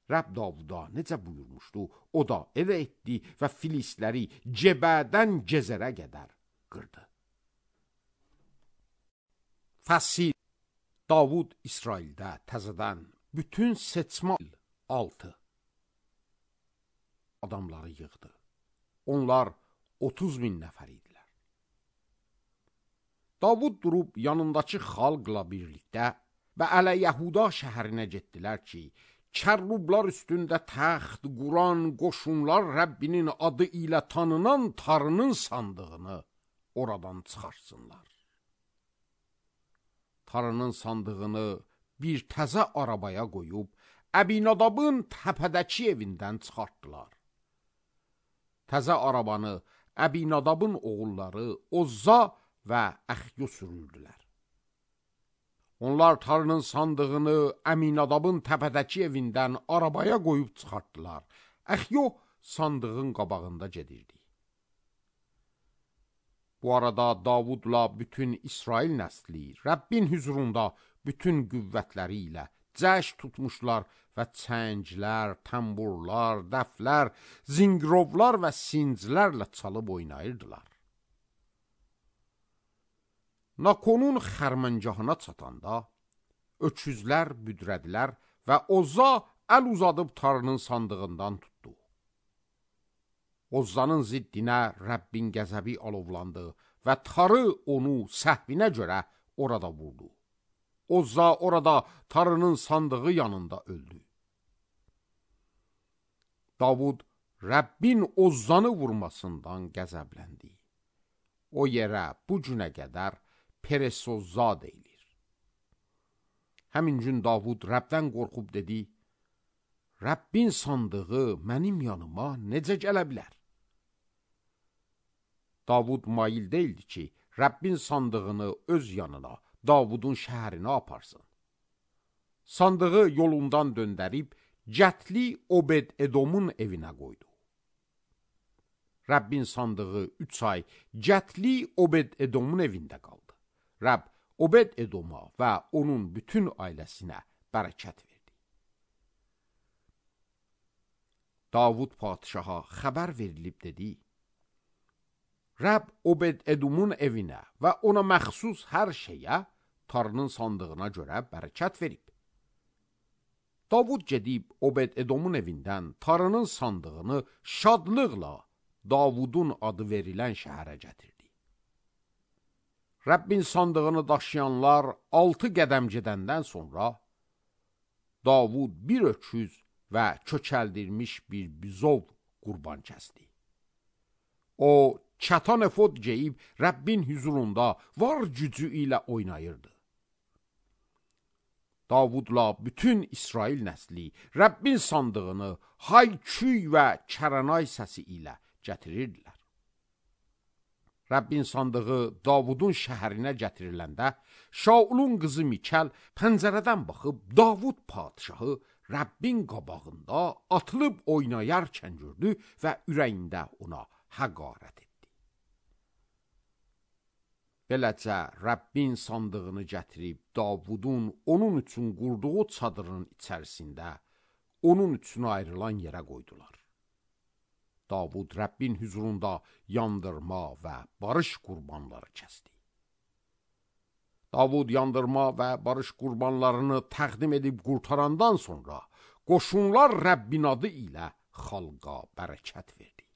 Rəbb Davuda necə buyurmuşdu, o da elə etdi və Filistləri Cebədən Gezerə qədər qırdı. Fəsil. Davud İsraildə təzədən bütün seçmə 6 adamları yığdı. Onlar 30.000 nəfər idilər. Davud durub yanındakı xalqla birlikdə Bəələ-Yəhuda şəhərinə getdilər ki, kərrublar üstündə təxt quran qoşunlar Rəbbinin adı ilə tanınan tarının sandığını oradan çıxarsınlar. Tarının sandığını bir təzə arabaya qoyub, Əbinadabın təpədəki evindən çıxartdılar. Təzə arabanı Əbinadabın oğulları Ozza və Əxyo sürürdülər. Onlar tarının sandığını Əminadabın təpədəki evindən arabaya qoyub çıxartdılar. Əxyo sandığın qabağında gedirdi. Bu arada Davudla bütün İsrail nəsli Rəbbin hüzurunda bütün qüvvətləri ilə cəş tutmuşlar və çənglər, tamburlar, dəflər, zingirovlar və sinclərlə çalıb oynayırdılar. Nakonun xərməncahına çatanda öküzlər büdrədilər və Ozza əl uzadıb tarının sandığından tutdu. Ozzanın ziddinə Rəbbin qəzəbi alovlandı və tarı onu səhvinə görə orada vurdu. Ozza orada tarının sandığı yanında öldü. Davud Rəbbin Ozzanı vurmasından qəzəbləndi. O yerə bu günə qədər Peresozza deyilir. Həmin gün Davud Rəbdən qorxub dedi: Rəbbin sandığı mənim yanıma necə gələ bilər? Davud mail deyildi ki, Rəbbin sandığını öz yanına, Davudun şəhərinə aparsın. Sandığı yolundan döndərib, Cətli Obed-Edomun evinə qoydu. Rəbbin sandığı 3 ay Cətli Obed-Edomun evində qaldı. Rəbb Obed-Edoma və onun bütün ailəsinə bərəkət verdi. Davud padişaha xəbər verilib dedi: Rəbb Obed-Edomun evinə və ona məxsus hər şeyə Tanrının sandığına görə bərəkət verib. Davud gedib Obed-Edomun evindən Tanrının sandığını şadlıqla Davudun adı verilən şəhərə gətirdi. Rəbbin sandığını daşıyanlar 6 qədəm gedəndən sonra Davud bir öküz və kökəldirmiş bir bizov qurban kəsdi. O, çatan efod geyib Rəbbin huzurunda var gücü ilə oynayırdı. Davudla bütün İsrail nəsli Rəbbin sandığını hay-küy və kəranay səsi ilə gətirirdilər. Rəbbin sandığı Davudun şəhərinə gətiriləndə, Şaulun qızı Mikəl pəncərədən baxıb Davud padişahı Rəbbin qabağında atılıb oynayarkən gördü və ürəyində ona həqarət etdi. Beləcə, Rəbbin sandığını gətirib Davudun onun üçün qurduğu çadırın içərisində onun üçün ayrılan yerə qoydular. Davud Rəbbin huzurunda yandırma və barış qurbanları kəsdi. Davud yandırma və barış qurbanlarını təqdim edib qurtarandan sonra qoşunlar Rəbbin adı ilə xalqa bərəkət verdi.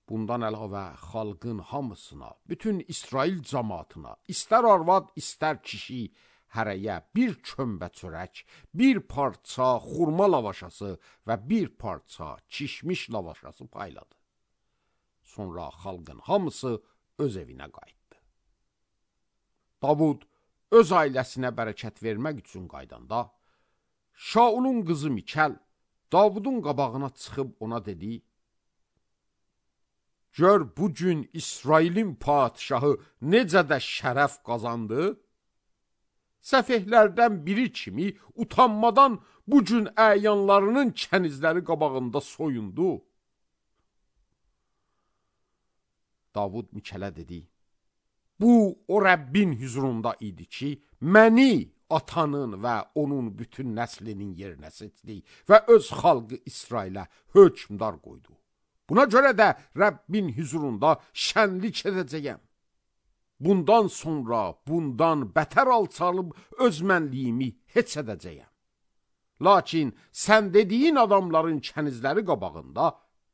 Bundan əlavə xalqın hamısına, bütün İsrail cəmaatına, istər arvad, istər kişi, hərəyə bir kömbə çörək, bir parça xurma lavaşası və bir parça kişmiş lavaşası payladı. Sonra xalqın hamısı öz evinə qayıtdı. Davud öz ailəsinə bərəkət vermək üçün qaydanda, Şaulun qızı Mikəl Davudun qabağına çıxıb ona dedi: "Gör bugün İsrailin padişahı necə də şərəf qazandı? Səfehlərdən biri kimi utanmadan bugün əyanlarının kənizləri qabağında soyundu." Davud Mikələ dedi: "Bu o Rəbbin huzurunda idi ki, məni atanın və onun bütün nəslinin yerinə seçdi və öz xalqı İsrailə hökmdar qoydu. Buna görə də Rəbbin huzurunda şənlik edəcəyəm. Bundan sonra bundan bətər alçalıb öz mənliyimi heç edəcəyəm. Lakin sən dediyin adamların kənizləri qabağında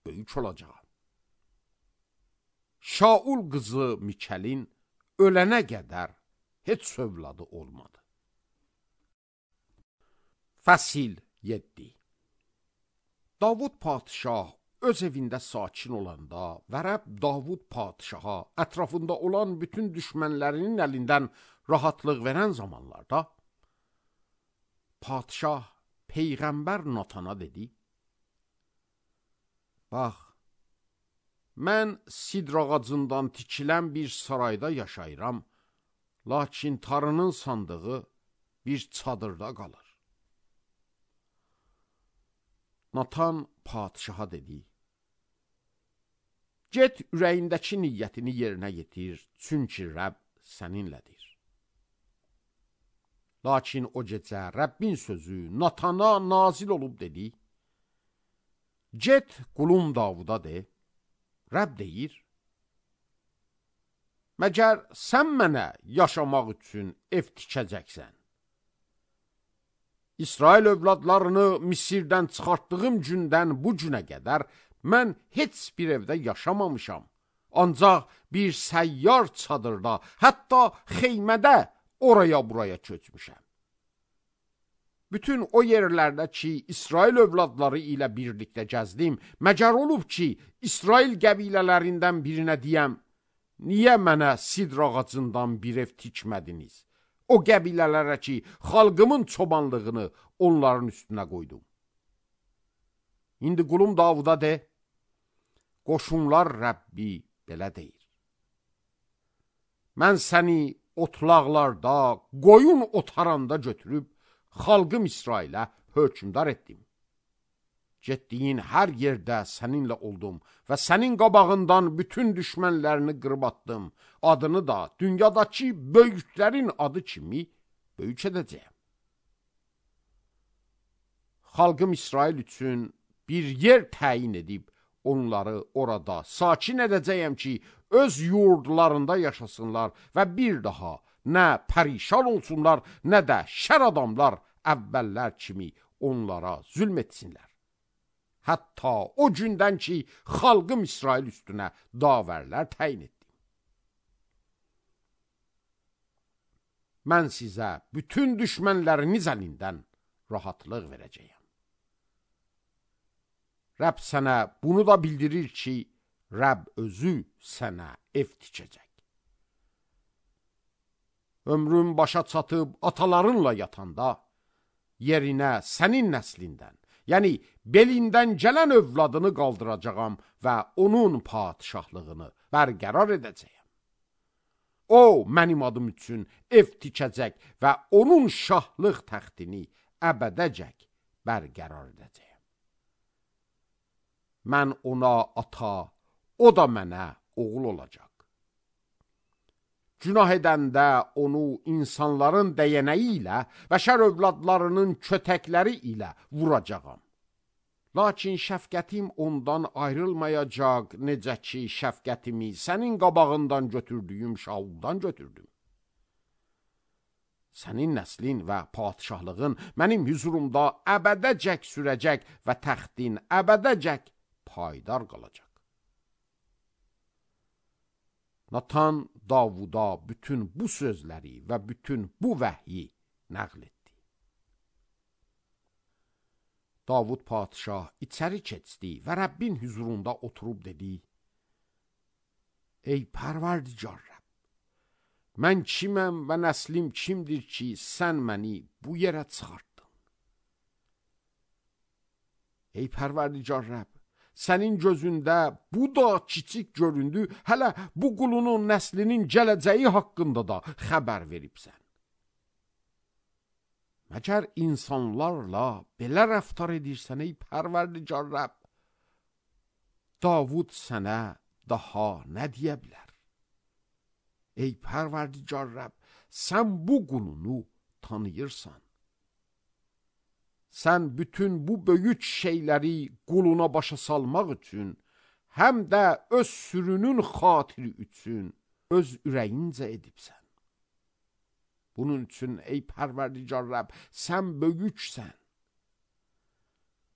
böyük olacağam." Şaul qızı Mikəlin ölənə qədər heç övladı olmadı. Fəsil 7. Davud padişah öz evində sakin olanda və Rəbb Davud padişaha ətrafında olan bütün düşmənlərinin əlindən rahatlıq verən zamanlarda, padişah Peyğəmbər Natana dedi: "Bax, mən sidr ağacından tikilən bir sarayda yaşayıram, lakin Tanrının sandığı bir çadırda qalır." Natan padişaha dedi: "Get ürəyindəki niyyətini yerinə yetir, çünki Rəbb səninlədir." Lakin o gecə Rəbbin sözü Natana nazil olub dedi: "Get qulum Davuda de, Rəbb deyir: Məgər sən mənə yaşamaq üçün ev tikəcəksən? İsrail övladlarını Misirdən çıxartdığım gündən bu günə qədər mən heç bir evdə yaşamamışam. Ancaq bir səyyar çadırda, hətta xeymədə oraya-buraya köçmüşəm. Bütün o yerlərdə ki, İsrail övladları ilə birlikdə gəzdim, məgər olub ki, İsrail qəbilələrindən birinə deyəm: niyə mənə sidr ağacından bir ev tikmədiniz? O qəbilələrə ki, xalqımın çobanlığını onların üstünə qoydum. İndi qulum Davuda de, qoşunlar Rəbbi belə deyir: mən səni otlaqlarda, qoyun otaranda götürüb, xalqım İsrailə hökmdar etdim. Getdiyin hər yerdə səninlə oldum və sənin qabağından bütün düşmənlərini qırıb atdım. Adını da dünyadakı böyüklərin adı kimi böyük edəcəyəm. Xalqım İsrail üçün bir yer təyin edib, onları orada sakin edəcəyəm ki, öz yurdlarında yaşasınlar və bir daha nə pərişan olsunlar, nə də şər adamlar əvvəllər kimi onlara zülm etsinlər. Hətta o gündən ki, xalqım İsrail üstünə davərlər təyin etdim. Mən sizə bütün düşmənləriniz əlindən rahatlıq verəcəyəm. Rəbb sənə bunu da bildirir ki, Rəbb özü sənə ev tikəcək. Ömrün başa çatıb atalarınla yatanda, yerinə sənin nəslindən, yəni belindən gələn övladını qaldıracağam və onun padişahlığını bərqərar edəcəyəm. O, mənim adım üçün ev tikəcək və onun şahlıq təxtini əbədəcək bərqərar edəcəyəm. Mən ona ata, o da mənə oğul olacaq. Günah edəndə onu insanların dəyənəyi ilə, bəşər övladlarının kötəkləri ilə vuracağam. Lakin şəfqətim ondan ayrılmayacaq, necə ki, şəfqətimi sənin qabağından götürdüyüm Şauldan götürdüm. Sənin nəslin və padişahlığın mənim hüzurumda əbədəcək sürəcək və təxtin əbədəcək paydar qalacaq. Natan Davuda bütün bu sözləri və bütün bu vəhyi nəql etdi. Davud padişah içəri keçdi və Rəbbin hüzurunda oturub dedi: Ey pərverdigar Rəbb, mən kiməm və nəslim kimdir ki, sən məni bu yerə çıxartdın? Ey pərverdigar Rəbb, sənin gözündə bu da kiçik göründü, hələ bu qulunun nəslinin gələcəyi haqqında da xəbər veribsən. Məgər insanlarla belə rəftar edirsən, ey pərverdigar Rəbb, Davud sənə daha nə deyə bilər? Ey pərverdigar Rəbb, sən bu qulunu tanıyırsan. Sən bütün bu böyük şeyləri quluna başa salmaq üçün, həm də öz sürünün xatiri üçün öz ürəyincə edibsən. Bunun üçün, ey pərverdigar Rəbb, sən böyüksən.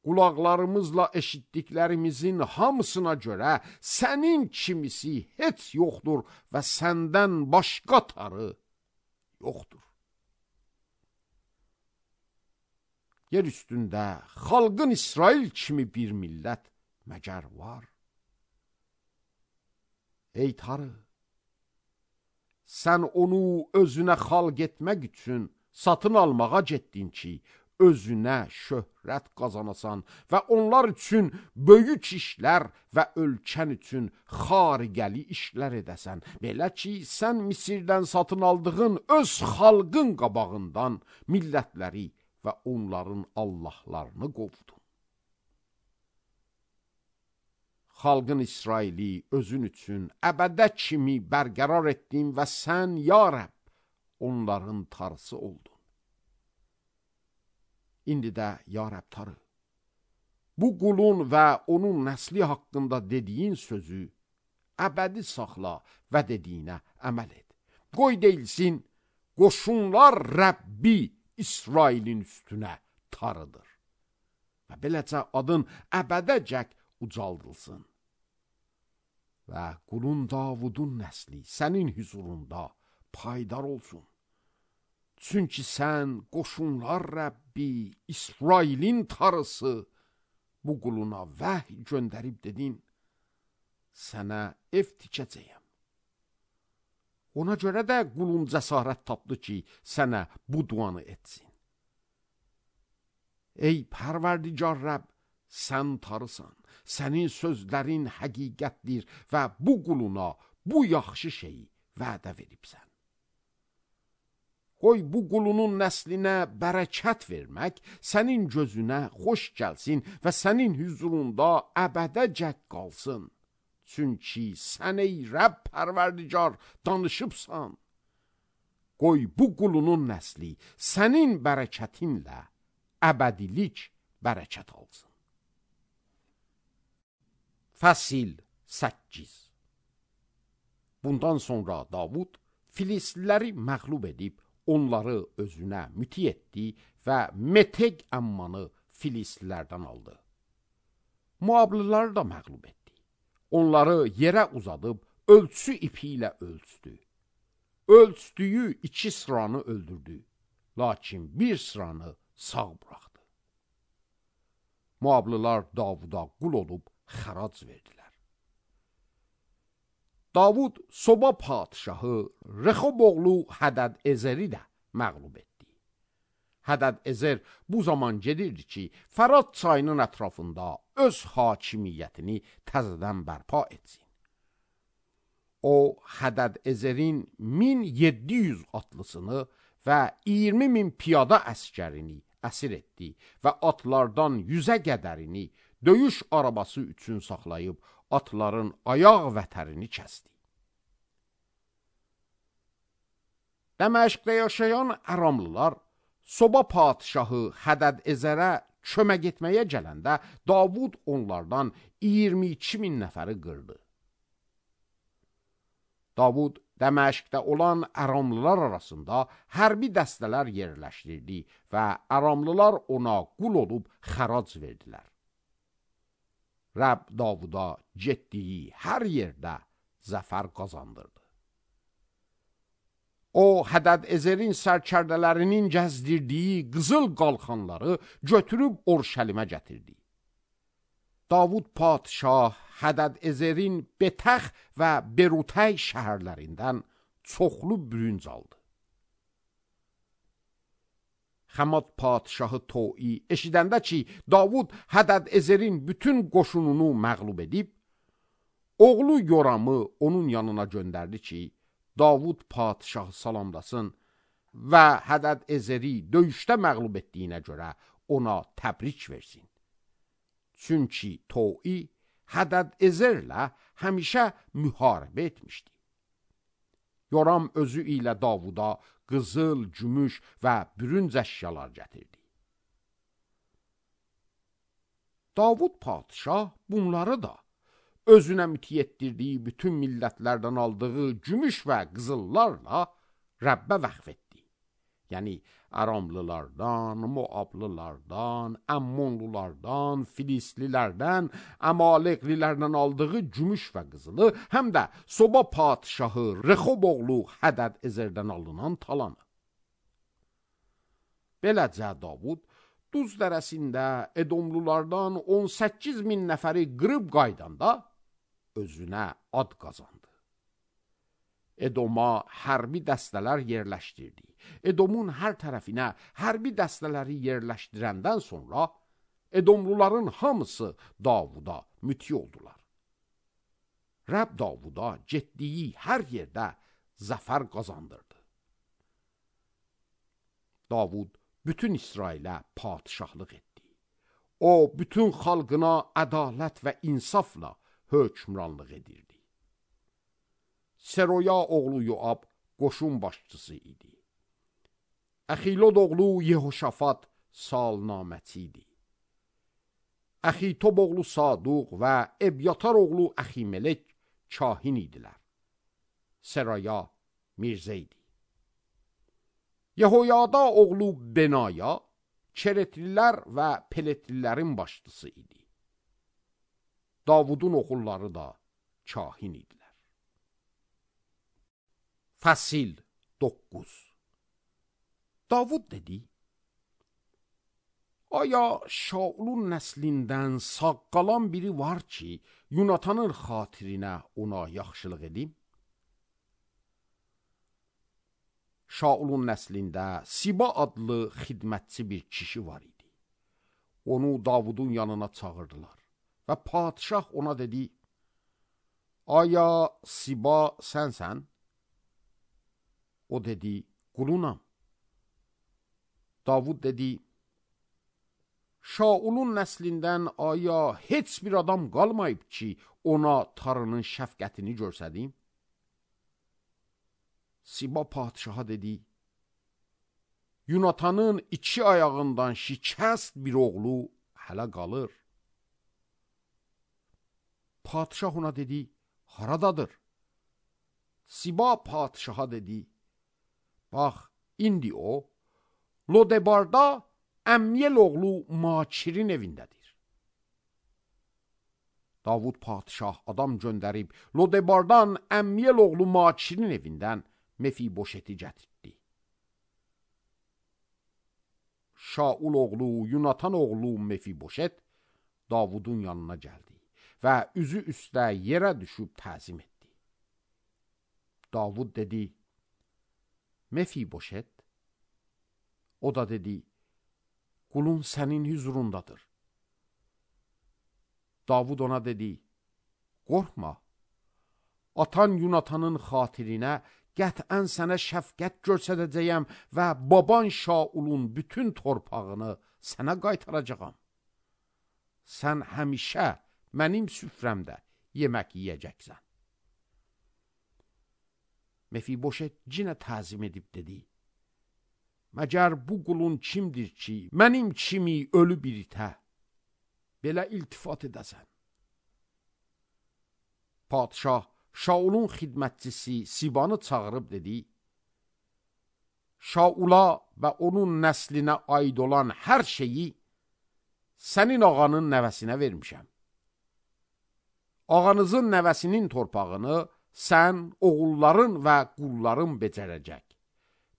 Qulaqlarımızla eşitdiklərimizin hamısına görə sənin kimisi heç yoxdur və səndən başqa tarı yoxdur. Yer üstündə xalqın İsrail kimi bir millət məgər var? Ey tarı, sən onu özünə xalq etmək üçün satın almağa getdin ki, özünə şöhrət qazanasan və onlar üçün böyük işlər və ölkən üçün xariqəli işlər edəsən. Belə ki, sən Misirdən satın aldığın öz xalqın qabağından millətləri və onların Allahlarını qovdun. Xalqın İsraili özün üçün əbədə kimi bərqərar etdin və sən, ya Rəbb, onların tarısı oldun. İndi də, ya Rəbb tarı, bu qulun və onun nəsli haqqında dediyin sözü əbədi saxla və dediyinə əməl et. Qoy deyilsin, qoşunlar Rəbbi İsrailin üstünə tarıdır. Və beləcə adın əbədəcək ucaldılsın. Və qulun Davudun nəsli sənin hüzurunda paydar olsun. Çünki sən qoşunlar Rəbbi, İsrailin tarısı, bu quluna vəhy göndərib dedin, sənə ev tikəcəyəm. Ona görə də qulun cəsarət tapdı ki, sənə bu duanı etsin. Ey pərverdigar Rəbb, sən tarısan, sənin sözlərin həqiqətdir və bu quluna bu yaxşı şeyi vədə veribsən. Qoy bu qulunun nəslinə bərəkət vermək sənin gözünə xoş gəlsin və sənin hüzurunda əbədəcək qalsın. Çünki sən, ey Rəbb pərverdigar, danışıbsan. Qoy bu qulunun nəsli sənin bərəkətinlə əbədilik bərəkət alsın. Fəsil 8. Bundan sonra Davud Filistliləri məğlub edib, onları özünə müti etdi və Meteg əmmanı Filistlilərdən aldı. Moabliləri da məğlub etdi. Onları yerə uzadıb, ölçü ipi ilə ölçdü. Ölçdüyü 2 sıranı öldürdü, lakin bir sıranı sağ buraxdı. Moablilər Davuda qul olub xərac verdilər. Davud Soba padşahı Rexob oğlu Hədəd-Ezeri də məğlub etdi. Hədəd-Ezer bu zaman gedirdi ki, Fərat çayının ətrafında öz hakimiyyətini təzədən bərpa etsin. O, Hədəd-Ezerin 1700 atlısını və 20.000 piyada əskərini əsir etdi və atlardan 100-ə qədərini döyüş arabası üçün saxlayıb, atların ayaq vətərini kəsdi. Dəməşqdə yaşayan Əramlılar Soba padşahı Hədəd-Ezərə kömək etməyə gələndə Davud onlardan 22.000 nəfəri qırdı. Davud Dəməşqdə olan Əramlılar arasında hərbi dəstələr yerləşdirdi və Əramlılar ona qul olub xərac verdilər. Rəbb Davuda getdiyi hər yerdə zəfər qazandırdı. O, Hədəd-Ezerin sərkərdələrinin gəzdirdiyi qızıl qalxanları götürüb Orşəlimə gətirdi. Davud padşah Hədəd-Ezerin Betəx və Berutəy şəhərlərindən çoxlu bürünc aldı. Xəmad padşahı Toi eşidəndə ki, Davud Hədəd-Ezerin bütün qoşununu məğlub edib, oğlu Yoramı onun yanına göndərdi ki, Davud padşahı salamlasın və Hədəd-Ezeri döyüşdə məğlub etdiyinə görə ona təbrik versin. Çünki Toi Hədəd-Ezerlə həmişə müharibə etmişdi. Yoram özü ilə Davuda qızıl, gümüş və bürünc əşyalar gətirdi. Davud padşah bunları da özünə müti etdirdiyi bütün millətlərdən aldığı gümüş və qızıllarla Rəbbə vəqf etdi. Yəni, Aramlılardan, Moablılardan, Əmmonlulardan, Filistlilərdən, Əmaleqlilərdən aldığı gümüş və qızılı, həm də Soba padşahı Rexob oğlu Hədəd-Ezerdən alınan talanı. Beləcə Davud Duz dərəsində Edomlulardan 18.000 nəfəri qırıb qaydanda özünə ad qazandı. Edoma hərbi dəstələr yerləşdirdi. Edomun hər tərəfinə hərbi dəstələri yerləşdirəndən sonra Edomluların hamısı Davuda müti oldular. Rəbb Davuda getdiyi hər yerdə zəfər qazandırdı. Davud bütün İsrailə padşahlıq etdi. O, bütün xalqına ədalət və insafla hökmranlıq edirdi. Seroya oğlu Yoab qoşun başçısı idi. Əxilod oğlu Yehoşafat salnaməçi idi. Əxitob oğlu Saduq və Ebyatar oğlu Əximelek kahin idilər. Seraya Mirzə idi. Yehoyada oğlu Benaya Keretlilər və Peletlilərin başçısı idi. Davudun oğulları da kahin idilər. Fəsil 9. Davud dedi, aya Şaulun nəslindən sağ qalan biri var ki, Yunatanın xatirinə ona yaxşılıq edim? Şaulun nəslində Siba adlı xidmətçi bir kişi var idi. Onu Davudun yanına çağırdılar və padşah ona dedi, aya Siba sənsən? O dedi, qulunam. Davud dedi, Şaulun nəslindən aya heç bir adam qalmayıb ki, ona tarının şəfqətini görsədim? Siba padşaha dedi, Yunatanın 2 ayağından şikəst bir oğlu hələ qalır. Padişah ona dedi, haradadır? Siba padişaha dedi, bax, indi o, Lodebarda Əmyəl oğlu Makirin evindədir. Davud padişah adam göndərib, Lodebardan Əmyəl oğlu Makirin evindən Mefiboşeti gətirdi. Şaul oğlu, Yunatan oğlu Mefiboşet Davudun yanına gəldi və üzü üstə yerə düşüb təzim etdi. Davud dedi, Mefiboşet. O da dedi, qulun sənin hüzurundadır. Davud ona dedi, qorxma, atan Yunatanın xatirinə qətən sənə şəfqət göstərəcəyəm və baban Şaulun bütün torpağını sənə qaytaracağam. Sən həmişə mənim süfrəmdə yemək yiyəcəksən. Mefiboşet cinə təzim edib dedi, məgər bu qulun kimdir ki, mənim kimi ölü bir itə belə iltifat edəsən? Padişah Şaulun xidmətçisi Sibanı çağırıb dedi, Şaula və onun nəslinə aid olan hər şeyi sənin ağanın nəvəsinə vermişəm. Ağanızın nəvəsinin torpağını sən, oğulların və qulların becərəcək.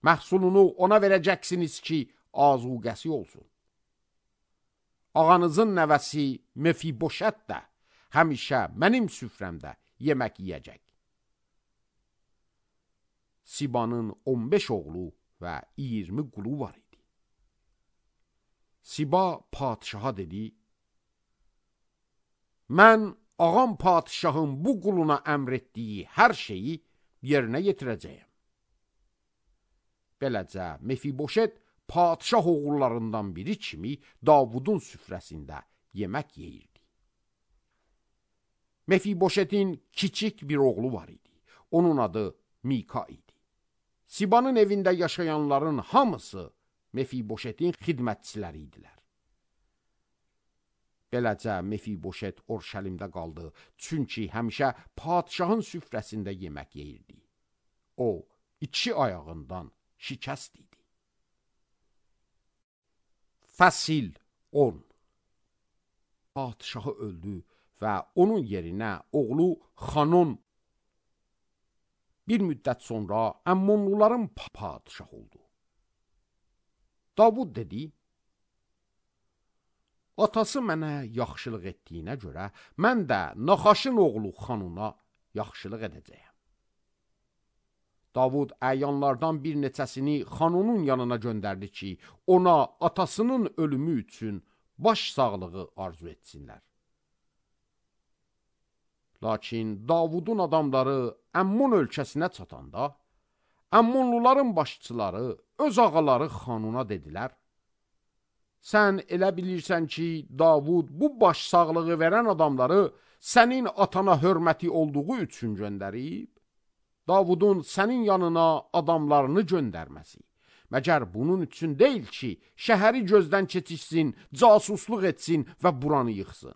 Məhsulunu ona verəcəksiniz ki, azuqəsi olsun. Ağanızın nəvəsi Mefiboşət də həmişə mənim süfrəmdə yemək yiyəcək. Sibanın 15 oğlu və 20 qulu var idi. Siba padişaha dedi, mən ağam padişahın bu quluna əmr etdiyi hər şeyi yerinə yetirəcəyəm. Beləcə, Mefiboşet padişah oğullarından biri kimi Davudun süfrəsində yemək yeyirdi. Mefiboşetin kiçik bir oğlu var idi. Onun adı Mika idi. Sibanın evində yaşayanların hamısı Mefiboşetin xidmətçiləri idilər. Beləcə, Mefiboşet Orşəlimdə qaldı, çünki həmişə padişahın süfrəsində yemək yeyirdi. O, 2 ayağından şikəst idi. Fəsil 10. Padişahı öldü və onun yerinə oğlu Xanon bir müddət sonra Əmmonluların padişahı oldu. Davud dedi, atası mənə yaxşılıq etdiyinə görə mən də Naxaşın oğlu Xanona yaxşılıq edəcəyəm. Davud əyanlardan bir neçəsini Xanonun yanına göndərdi ki, ona atasının ölümü üçün baş sağlığı arzu etsinlər. Lakin Davudun adamları Əmmon ölkəsinə çatanda, Əmmonluların başçıları öz ağaları Xanuna dedilər, sən elə bilirsən ki, Davud bu baş sağlığı verən adamları sənin atana hörməti olduğu üçün göndərib, Davudun sənin yanına adamlarını göndərməsi, məgər bunun üçün deyil ki, şəhəri gözdən keçirsin, casusluq etsin və buranı yıxsın.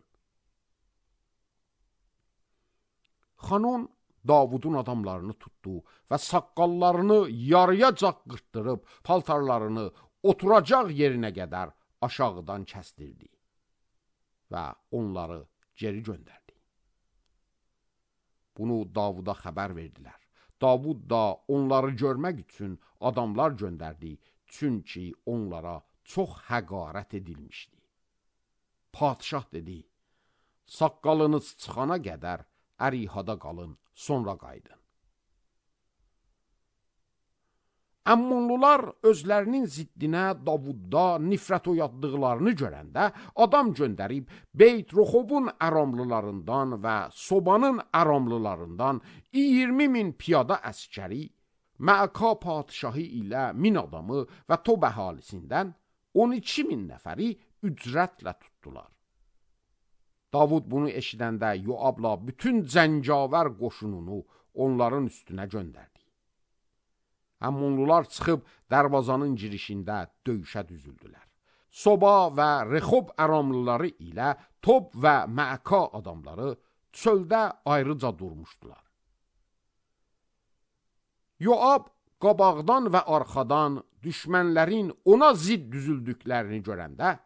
Xanon Davudun adamlarını tutdu və saqqallarını yarıyacaq qırtdırıb, paltarlarını oturacaq yerinə qədər aşağıdan kəsdirdi və onları geri göndərdi. Bunu Davuda xəbər verdilər. Davud da onları görmək üçün adamlar göndərdi, çünki onlara çox həqarət edilmişdi. Padişah dedi, saqqalınız çıxana qədər ərihada qalın, sonra qaydın. Əmmonlular özlərinin ziddinə Davudda nifrət oyatdıqlarını görəndə adam göndərib Beyt Roxobun əramlılarından və Sobanın əramlılarından 20.000 piyada əskəri, Məaka padişahı ilə 1000 adamı və Tob əhalisindən 12.000 nəfəri ücrətlə tutdular. Davud bunu eşidəndə Yoabla bütün cəngavər qoşununu onların üstünə göndərdi. Əmmonlular çıxıb dərvazanın girişində döyüşə düzüldülər. Soba və Rexob əramlıları ilə Tob və Məaka adamları çöldə ayrıca durmuşdular. Yoab qabaqdan və arxadan düşmənlərin ona zid düzüldüklərini görəndə,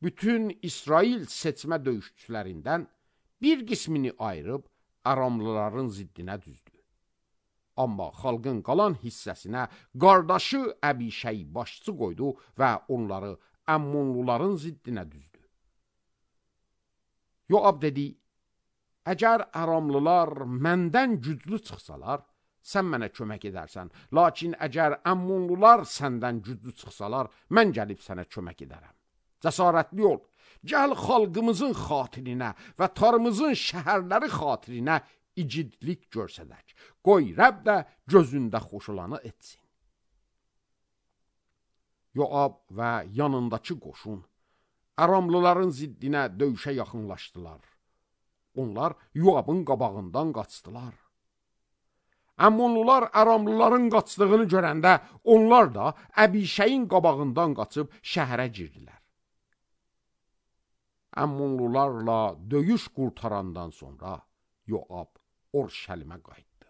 bütün İsrail seçmə döyüşçülərindən bir qismini ayırıb Aramlıların ziddinə düzdü. Amma xalqın qalan hissəsinə qardaşı Əbişəy başçı qoydu və onları Əmmonluların ziddinə düzdü. Yoab dedi, əgər Aramlılar məndən güclü çıxsalar, sən mənə kömək edərsən. Lakin əgər Əmmonlular səndən güclü çıxsalar, mən gəlib sənə kömək edərəm. Cəsarətli ol, gəl xalqımızın xatirinə və tarımızın şəhərləri xatirinə igidlik görsədək. Qoy Rəbb də gözündə xoş olanı etsin. Yoab və yanındakı qoşun Aramlıların ziddinə döyüşə yaxınlaşdılar. Onlar Yoabın qabağından qaçdılar. Əmmonlular Aramlıların qaçdığını görəndə onlar da Əbişəyin qabağından qaçıb şəhərə girdilər. Əmmonlularla döyüş qurtarandan sonra Yoab Orşəlimə qayıtdı.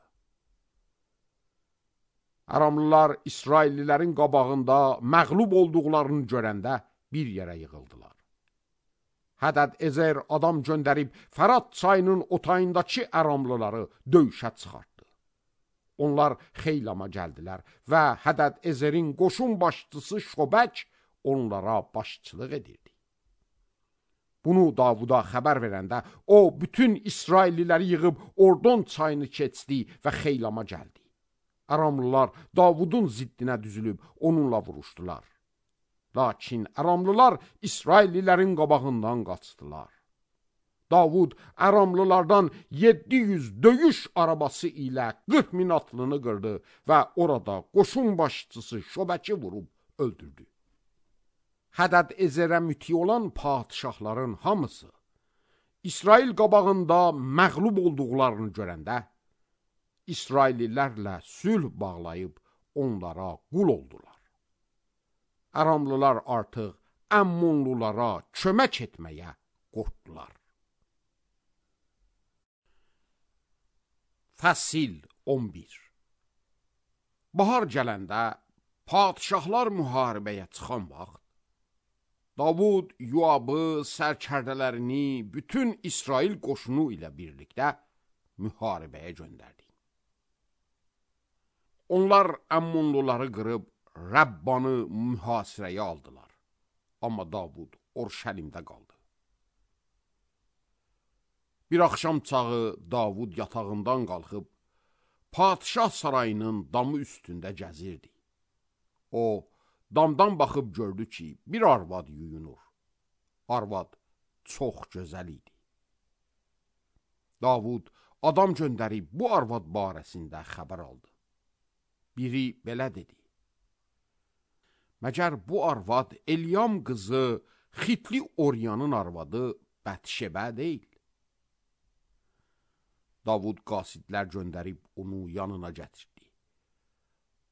Aramlılar İsraillilərin qabağında məğlub olduqlarını görəndə bir yerə yığıldılar. Hədəd Ezer adam göndərib Fərat çayının otayındakı Aramlıları döyüşə çıxartdı. Onlar Xeylama gəldilər və Hədəd Ezerin qoşun başçısı Şobək onlara başçılıq edirdi. Bunu Davuda xəbər verəndə o bütün İsrailliləri yığıb Ordon çayını keçdi və Xeylama gəldi. Aramlılar Davudun ziddinə düzülüb onunla vuruşdular. Lakin Aramlılar İsraillilərin qabağından qaçdılar. Davud Aramlılardan 700 döyüş arabası ilə 40 min atlını qırdı və orada qoşun başçısı Şobəki vurub öldürdü. Hədəd Ezerə müti olan padişahların hamısı İsrail qabağında məğlub olduqlarını görəndə İsraillilərlə sülh bağlayıb onlara qul oldular. Aramlılar artıq Əmmonlulara kömək etməyə qorxdular. Fəsil 11. Bahar gələndə padişahlar müharibəyə çıxan vaxt Davud Yoabı, sərkərdələrini bütün İsrail qoşunu ilə birlikdə müharibəyə göndərdi. Onlar Əmmonluları qırıb Rəbbanı mühasirəyə aldılar. Amma Davud Orşəlimdə qaldı. Bir axşam çağı Davud yatağından qalxıb padişah sarayının damı üstündə gəzirdi. O, damdan baxıb gördü ki, bir arvad yuyunur. Arvad çox gözəl idi. Davud adam göndərib bu arvad barəsində xəbər aldı. Biri belə dedi: Məgər bu arvad Elyam qızı Xitli Oryanın arvadı Bətşebə deyil? Davud qasidlər göndərib onu yanına gətirdi.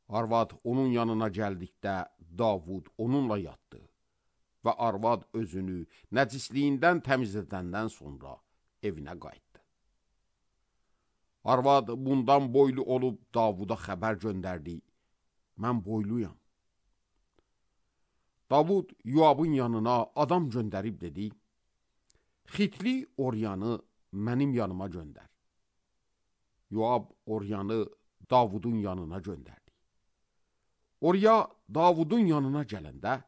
Arvad onun yanına gəldikdə Davud onunla yatdı və arvad özünü nəcisliyindən təmizlədəndən sonra evinə qayıtdı. Arvad bundan boylu olub Davuda xəbər göndərdi: Mən boyluyam. Davud Yoabın yanına adam göndərib dedi: Xitli Oryanı mənim yanıma göndər. Yoab Oryanı Davudun yanına göndərdi. Orya Davudun yanına gələndə,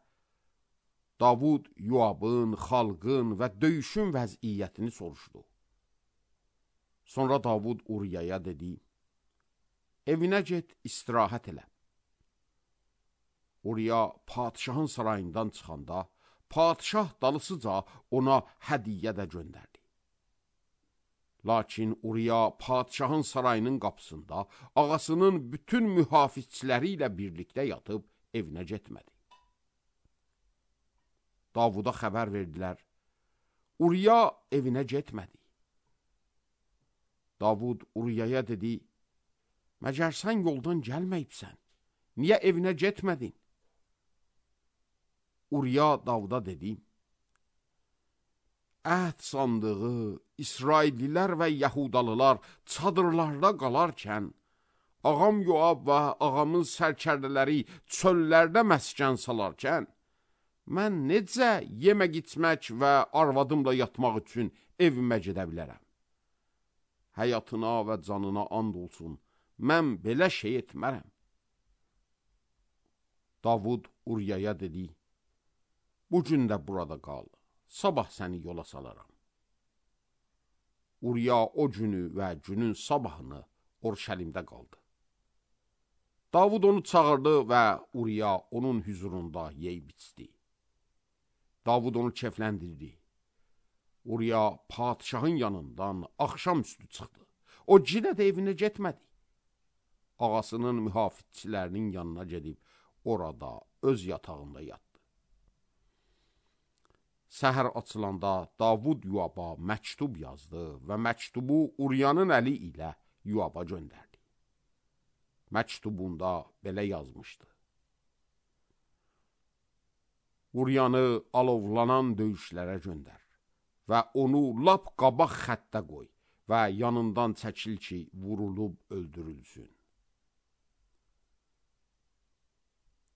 Davud Yoabın, xalqın və döyüşün vəziyyətini soruşdu. Sonra Davud Uriyaya dedi: Evinə get, istirahət elə. Uriya padişahın sarayından çıxanda, padişah dalısıca ona hədiyyə də göndərdi. Lakin Uriya padişahın sarayının qapısında ağasının bütün mühafizçiləri ilə birlikdə yatıb evinə getmədi. Davuda xəbər verdilər: Uriya evinə getmədi. Davud Uriyaya dedi: Məgər sən yoldan gəlməyibsən, niyə evinə getmədin? Uriya Davuda dedi: əhd sandığı, İsraillilər və Yahudalılar çadırlarda qalarkən, ağam Yoab və ağamın sərkərdələri çöllərdə məskən salarkən, mən necə yemək içmək və arvadımla yatmaq üçün evimə gedə bilərəm? Həyatına və canına and olsun, mən belə şey etmərəm. Davud Uriyaya dedi, bu gün də burada qal, sabah səni yola salaram. Uriya o günü və günün sabahını Orşəlimdə qaldı. Davud onu çağırdı və Uriya onun hüzurunda yeyib içdi. Davud onu kefləndirdi. Uriya padişahın yanından axşamüstü çıxdı. O yenə də evinə getmədi. Ağasının mühafizçilərinin yanına gedib, orada öz yatağında yatdı. Səhər açılanda Davud Yoaba məktub yazdı və məktubu Uriyanın əli ilə Yoaba göndərdi. Məktubunda belə yazmışdı. Uriyanı alovlanan döyüşlərə göndər və onu lap qabaq xəttə qoy və yanından çəkil ki, vurulub öldürülsün.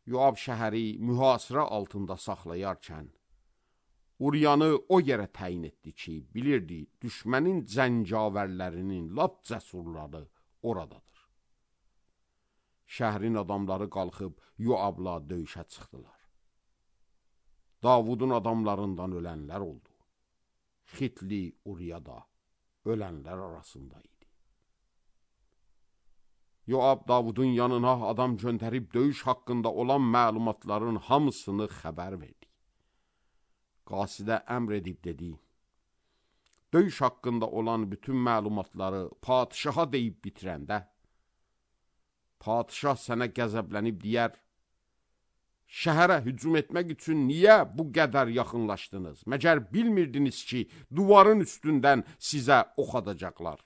Yoab şəhəri mühasirə altında saxlayarkən, Uriyanı o yerə təyin etdi ki, bilirdi, düşmənin cəngavərlərinin lap cəsurları oradadır. Şəhrin adamları qalxıb Yoabla döyüşə çıxdılar. Davudun adamlarından ölənlər oldu. Xitli Uriya da ölənlər arasında idi. Yoab Davudun yanına adam göndərib döyüş haqqında olan məlumatların hamısını xəbər verdi. Qasidə əmr edib dedi, döyüş haqqında olan bütün məlumatları padişaha deyib bitirəndə, padişah sənə qəzəblənib deyər, şəhərə hücum etmək üçün niyə bu qədər yaxınlaşdınız? Məgər bilmirdiniz ki, duvarın üstündən sizə ox atacaqlar.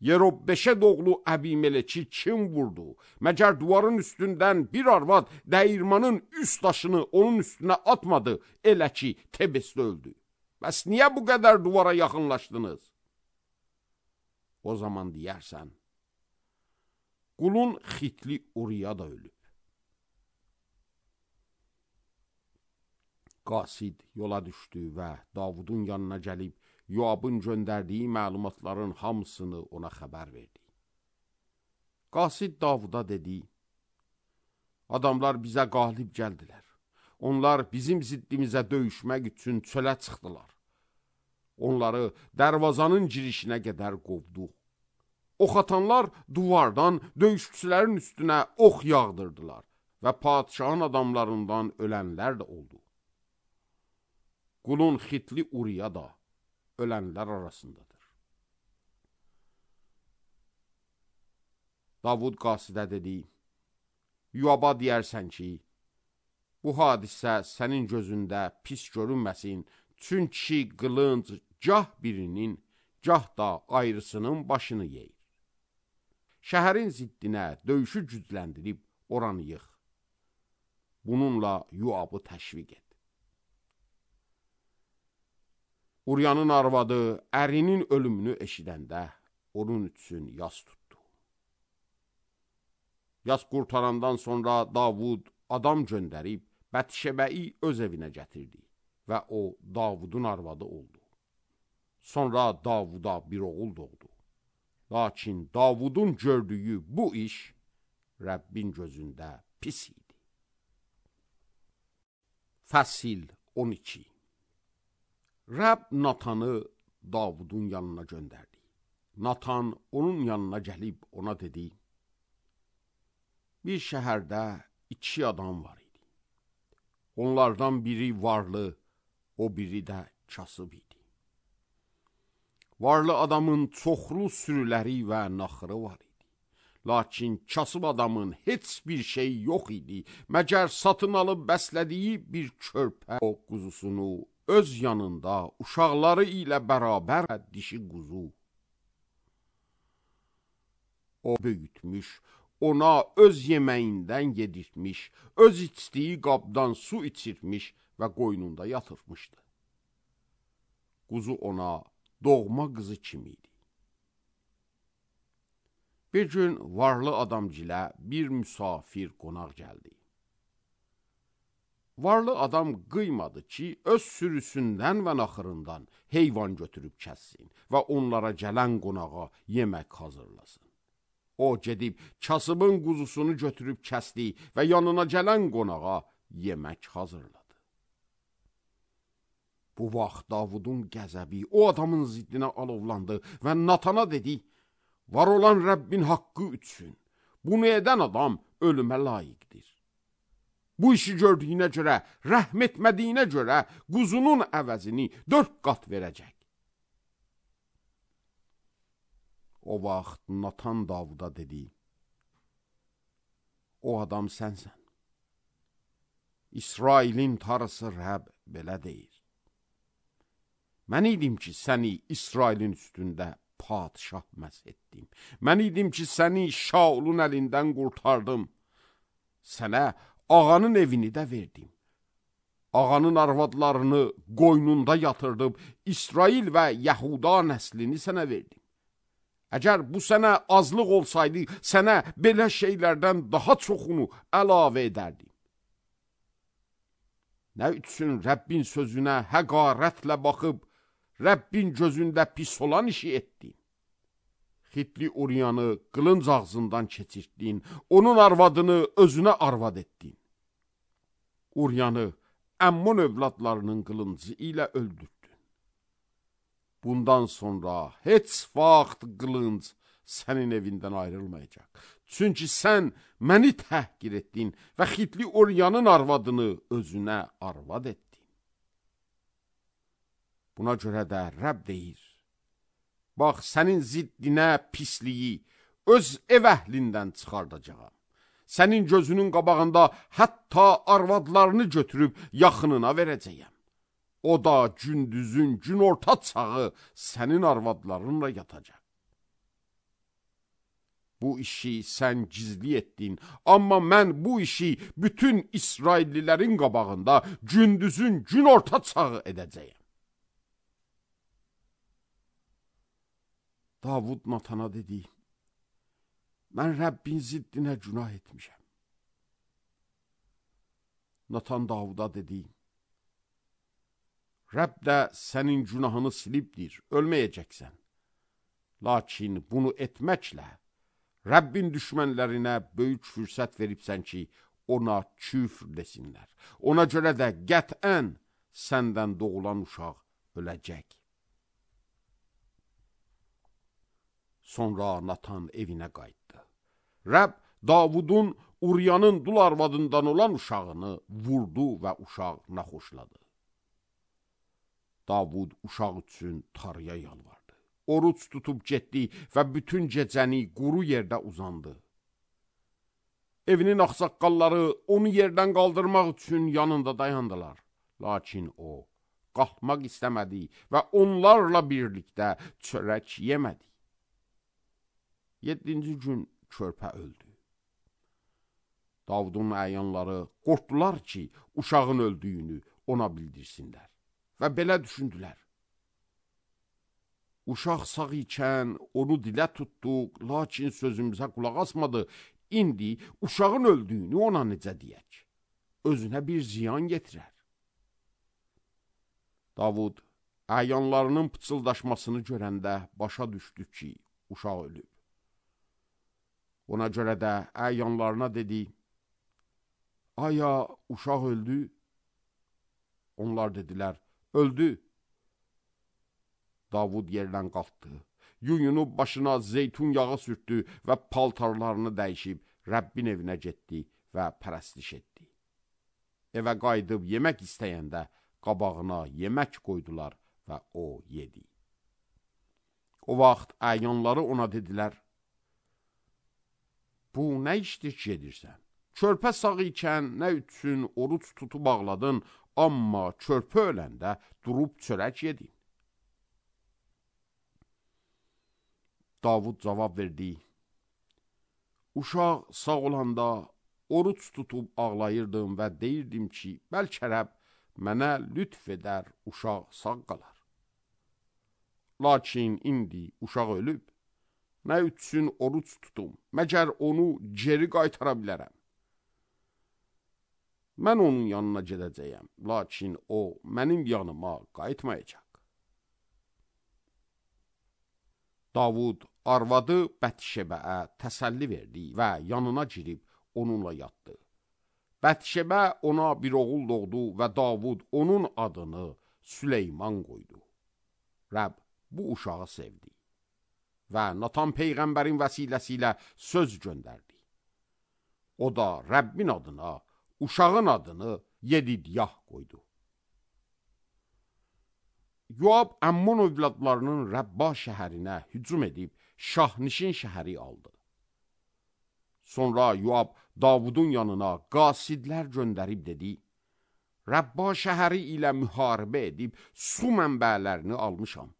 Yerobbeşed oğlu Əbimeleçi kim vurdu? Məgər duvarın üstündən bir arvad dəyirmanın üst daşını onun üstünə atmadı, elə ki, Tebesdə öldü. Bəs niyə bu qədər duvara yaxınlaşdınız? O zaman deyərsən, qulun Xitli Uriya da ölüb. Qasid yola düşdü və Davudun yanına gəlib, Yoabın göndərdiyi məlumatların hamısını ona xəbər verdi. Qasid Davuda dedi, adamlar bizə qalib gəldilər. Onlar bizim ziddimizə döyüşmək üçün çölə çıxdılar. Onları dərvazanın girişinə qədər qovduq. Ox atanlar duvardan döyüşçülərin üstünə ox yağdırdılar və padişahın adamlarından ölənlər də oldu. Qulun Xitli Uriya da ölənlər arasındadır. Davud Qasidə dedi, Yoaba deyərsən ki, bu hadisə sənin gözündə pis görünməsin, çünki qılınc gah birinin, gah da ayrısının başını yeyir. Şəhərin ziddinə döyüşü gücləndirib oranı yıx. Bununla Yoabı təşviq et. Uriyanın arvadı ərinin ölümünü eşidəndə onun üçün yas tutdu. Yas qurtarandan sonra Davud adam göndərib Bətşebəyi öz evinə gətirdi və o Davudun arvadı oldu. Sonra Davuda bir oğul doğdu. Lakin Davudun gördüyü bu iş Rəbbin gözündə pis idi. Fəsil 12. Rəbb Natanı Davudun yanına göndərdi. Natan onun yanına gəlib ona dedi, bir şəhərdə 2 adam var idi. Onlardan biri varlı, o biri də kasıb idi. Varlı adamın çoxlu sürüləri və naxırı var idi. Lakin kasıb adamın heç bir şey yox idi, məgər satın alıb bəslədiyi bir körpə o quzusunu öz yanında uşaqları ilə bərabər dişi quzu. O böyütmüş, ona öz yeməyindən yedirtmiş, öz içdiyi qabdan su içirtmiş və qoynunda yatırtmışdı. quzu ona doğma qızı kimi idi. Bir gün varlı adamgilə bir müsafir qonaq gəldi. Varlı adam qıymadı ki, öz sürüsündən və naxırından heyvan götürüb kəssin və onlara gələn qonağa yemək hazırlasın. O gedib kasıbın quzusunu götürüb kəsdi və yanına gələn qonağa yemək hazırladı. Bu vaxt Davudun qəzəbi o adamın ziddinə alovlandı və Natana dedi, var olan Rəbbin haqqı üçün, bunu edən adam ölümə layiqdir. Bu işi gördüyünə görə, rəhm etmədiyinə görə quzunun əvəzini 4 qat verəcək. O vaxt Natan Davuda dedi, o adam sənsən. İsrailin tarısı Rəbb belə deyir. Mən idim ki, səni İsrailin üstündə padişah məs etdim. Mən idim ki, səni Şaulun əlindən qurtardım. Sənə ağanın evini də verdim. Ağanın arvadlarını qoynunda yatırdım. İsrail və Yahuda nəslini sənə verdim. Əgər bu sənə azlıq olsaydı, sənə belə şeylərdən daha çoxunu əlavə edərdim. Nə üçün Rəbbin sözünə həqarətlə baxıb, Rəbbin gözündə pis olan işi etdin? Xitli Uriyanı qılınc ağzından keçirtdin, onun arvadını özünə arvad etdin. Uriyanı Əmmon övladlarının qılıncı ilə öldürdün. Bundan sonra heç vaxt qılınc sənin evindən ayrılmayacaq. Çünki sən məni təhqir etdin və Xitli Uriyanın arvadını özünə arvad etdin. Buna görə də Rəbb deyir, bax, sənin ziddinə pisliyi öz ev əhlindən çıxardacağam. Sənin gözünün qabağında hətta arvadlarını götürüb yaxınına verəcəyəm. O da gündüzün günorta çağı sənin arvadlarınla yatacaq. Bu işi sən gizli etdin, amma mən bu işi bütün İsraillilərin qabağında gündüzün günorta çağı edəcəyəm. Davud Natana dedi, mən Rəbbin ziddinə günah etmişəm. Natan Davuda dedi, Rəbb də sənin günahını silibdir, ölməyəcəksən. Lakin bunu etməklə Rəbbin düşmənlərinə böyük fürsət veribsən ki, ona küfr desinlər. Ona görə də qətən səndən doğulan uşaq öləcək. Sonra Natan evinə qayıtdı. Rəbb Davudun Uriyanın dul arvadından olan uşağını vurdu və uşaq naxoşladı. Davud uşaq üçün Tanrıya yalvardı. Oruç tutub getdi və bütün gecəni quru yerdə uzandı. Evinin ağsaqqalları onu yerdən qaldırmaq üçün yanında dayandılar. Lakin o qalxmaq istəmədi və onlarla birlikdə çörək yemədi. 7-ci gün körpə öldü. Davudun əyanları qorxdular ki, uşağın öldüyünü ona bildirsinlər. Və belə düşündülər. Uşaq sağ ikən onu dilə tutduq, lakin sözümüzə qulaq asmadı. İndi uşağın öldüyünü ona necə deyək? Özünə bir ziyan getirər. Davud əyanlarının pıçıldaşmasını görəndə başa düşdü ki, uşaq ölüb. Ona görə də əyanlarına dedi, aya uşaq öldü? Onlar dedilər, öldü. Davud yerdən qalxdı, yuyunub başına zeytun yağı sürtdü və paltarlarını dəyişib Rəbbin evinə getdi və pərəstiş etdi. Evə qayıdıb yemək istəyəndə qabağına yemək qoydular və o yedi. O vaxt əyanları ona dedilər, bu nə işdir ki edirsən? Körpə sağ ikən nə üçün oruç tutub ağladın, amma körpə öləndə durub çörək yedin? Davud cavab verdi, uşaq sağ olanda oruç tutub ağlayırdım və deyirdim ki, bəlkə Rəbb mənə lütf edər, uşaq sağ qalar. Lakin indi uşaq ölüb, nə üçün oruç tutum, məgər onu geri qaytara bilərəm. Mən onun yanına gedəcəyəm, lakin o mənim yanıma qayıtmayacaq. Davud arvadı Bətşebəyə təsəlli verdi və yanına girib onunla yatdı. Bətşebə ona bir oğul doğdu və Davud onun adını Süleyman qoydu. Rəbb bu uşağı sevdi və Natan Peyğəmbərin vəsiləsi ilə söz göndərdi. O da Rəbbin adına uşağın adını Yedidyah qoydu. Yoab Əmmon övladlarının Rəbba şəhərinə hücum edib Şahnişin şəhəri aldı. Sonra Yoab Davudun yanına qasidlər göndərib dedi, Rəbba şəhəri ilə müharibə edib su mənbələrini almışam.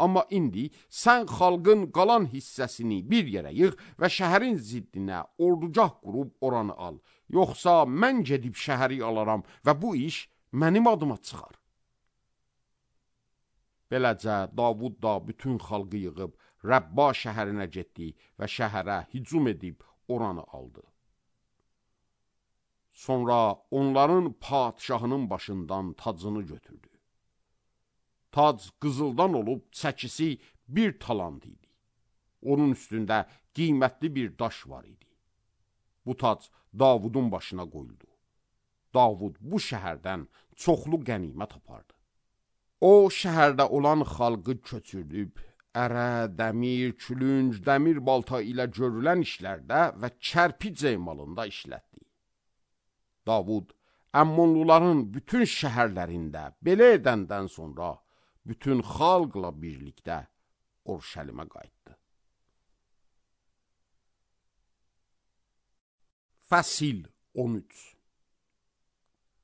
Amma indi sən xalqın qalan hissəsini bir yerə yığ və şəhərin ziddinə ordugah qurub oranı al. Yoxsa mən gedib şəhəri alaram və bu iş mənim adıma çıxar. Beləcə Davud da bütün xalqı yığıb Rəbba şəhərinə getdi və şəhərə hücum edib oranı aldı. Sonra onların padşahının başından tacını götürdü. Tac qızıldan olub çəkisi bir talant idi. Onun üstündə qiymətli bir daş var idi. Bu tac Davudun başına qoyuldu. Davud bu şəhərdən çoxlu qənimət apardı. O şəhərdə olan xalqı köçürdüb, ərə, dəmir, külünc, dəmir balta ilə görülən işlərdə və kərpic emalında işlətdi. Davud Əmmonluların bütün şəhərlərində belə edəndən sonra bütün xalqla birlikdə Orşəlimə qayıtdı. Fəsil 13.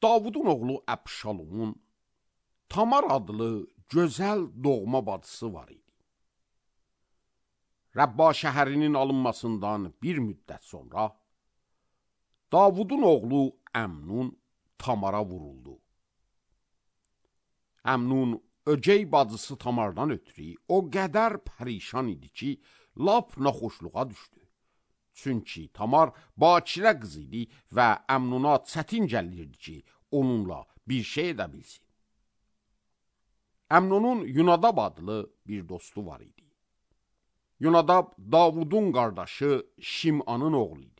Davudun oğlu Əbşalomun Tamar adlı gözəl doğma bacısı var idi. Rəbba şəhərinin alınmasından bir müddət sonra Davudun oğlu Əmnun Tamara vuruldu. Əmnun ögey bacısı Tamardan ötürü o qədər pərişan idi ki, lap naxoşluğa düşdü. Çünki Tamar bakirə qız idi və Əmnuna çətin gəlirdi ki, onunla bir şey edə bilsin. Əmnunun Yunadab adlı bir dostu var idi. Yunadab Davudun qardaşı Şimanın oğlu idi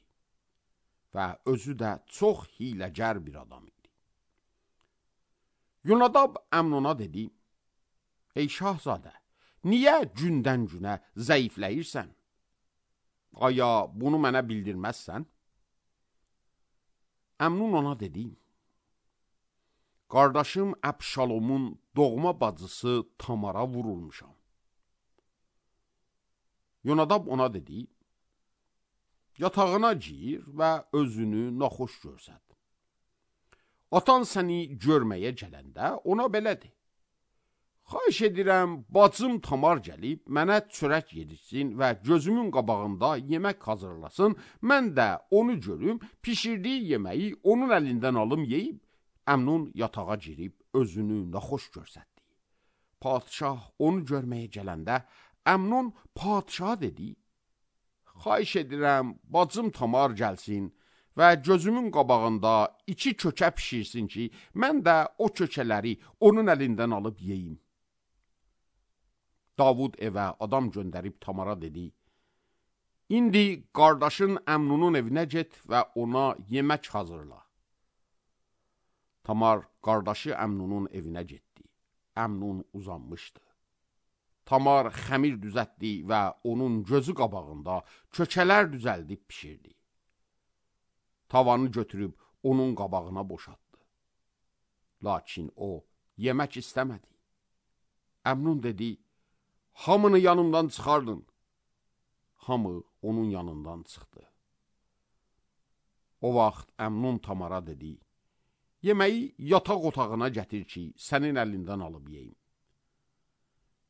və özü də çox hiləgər bir adam idi. Yunadab Əmnuna dedi, ey şahzadə, niyə gündən günə zəifləyirsən? Aya bunu mənə bildirməzsən? Əmnun ona dedi, qardaşım Əbşalomun doğma bacısı Tamara vurulmuşam. Yonadab ona dedi, yatağına gir və özünü naxoş görsət. Atan səni görməyə gələndə ona belə de. Xahiş edirəm, bacım Tamar gəlib, mənə çörək yedirsin və gözümün qabağında yemək hazırlasın, mən də onu görüm, pişirdiyi yeməyi onun əlindən alım yeyib, Əmnun yatağa girib özünü naxoş görsətdi. Padişah onu görməyə gələndə, Əmnun padişaha dedi, xahiş edirəm, bacım Tamar gəlsin və gözümün qabağında 2 kökə pişirsin ki, mən də o kökələri onun əlindən alıb yeyim. Davud evə adam göndərib Tamara dedi, indi qardaşın Əmnunun evinə get və ona yemək hazırla. Tamar qardaşı Əmnunun evinə getdi. Əmnun uzanmışdı. Tamar xəmir düzətdi və onun gözü qabağında kökələr düzəldib pişirdi. Tavanı götürüb onun qabağına boşaltdı. Lakin o yemək istəmədi. Əmnun dedi, hamını yanımdan çıxardın. Hamı onun yanından çıxdı. O vaxt Əmnun Tamara dedi, yeməyi yataq otağına gətir ki, sənin əlindən alıb yeyim.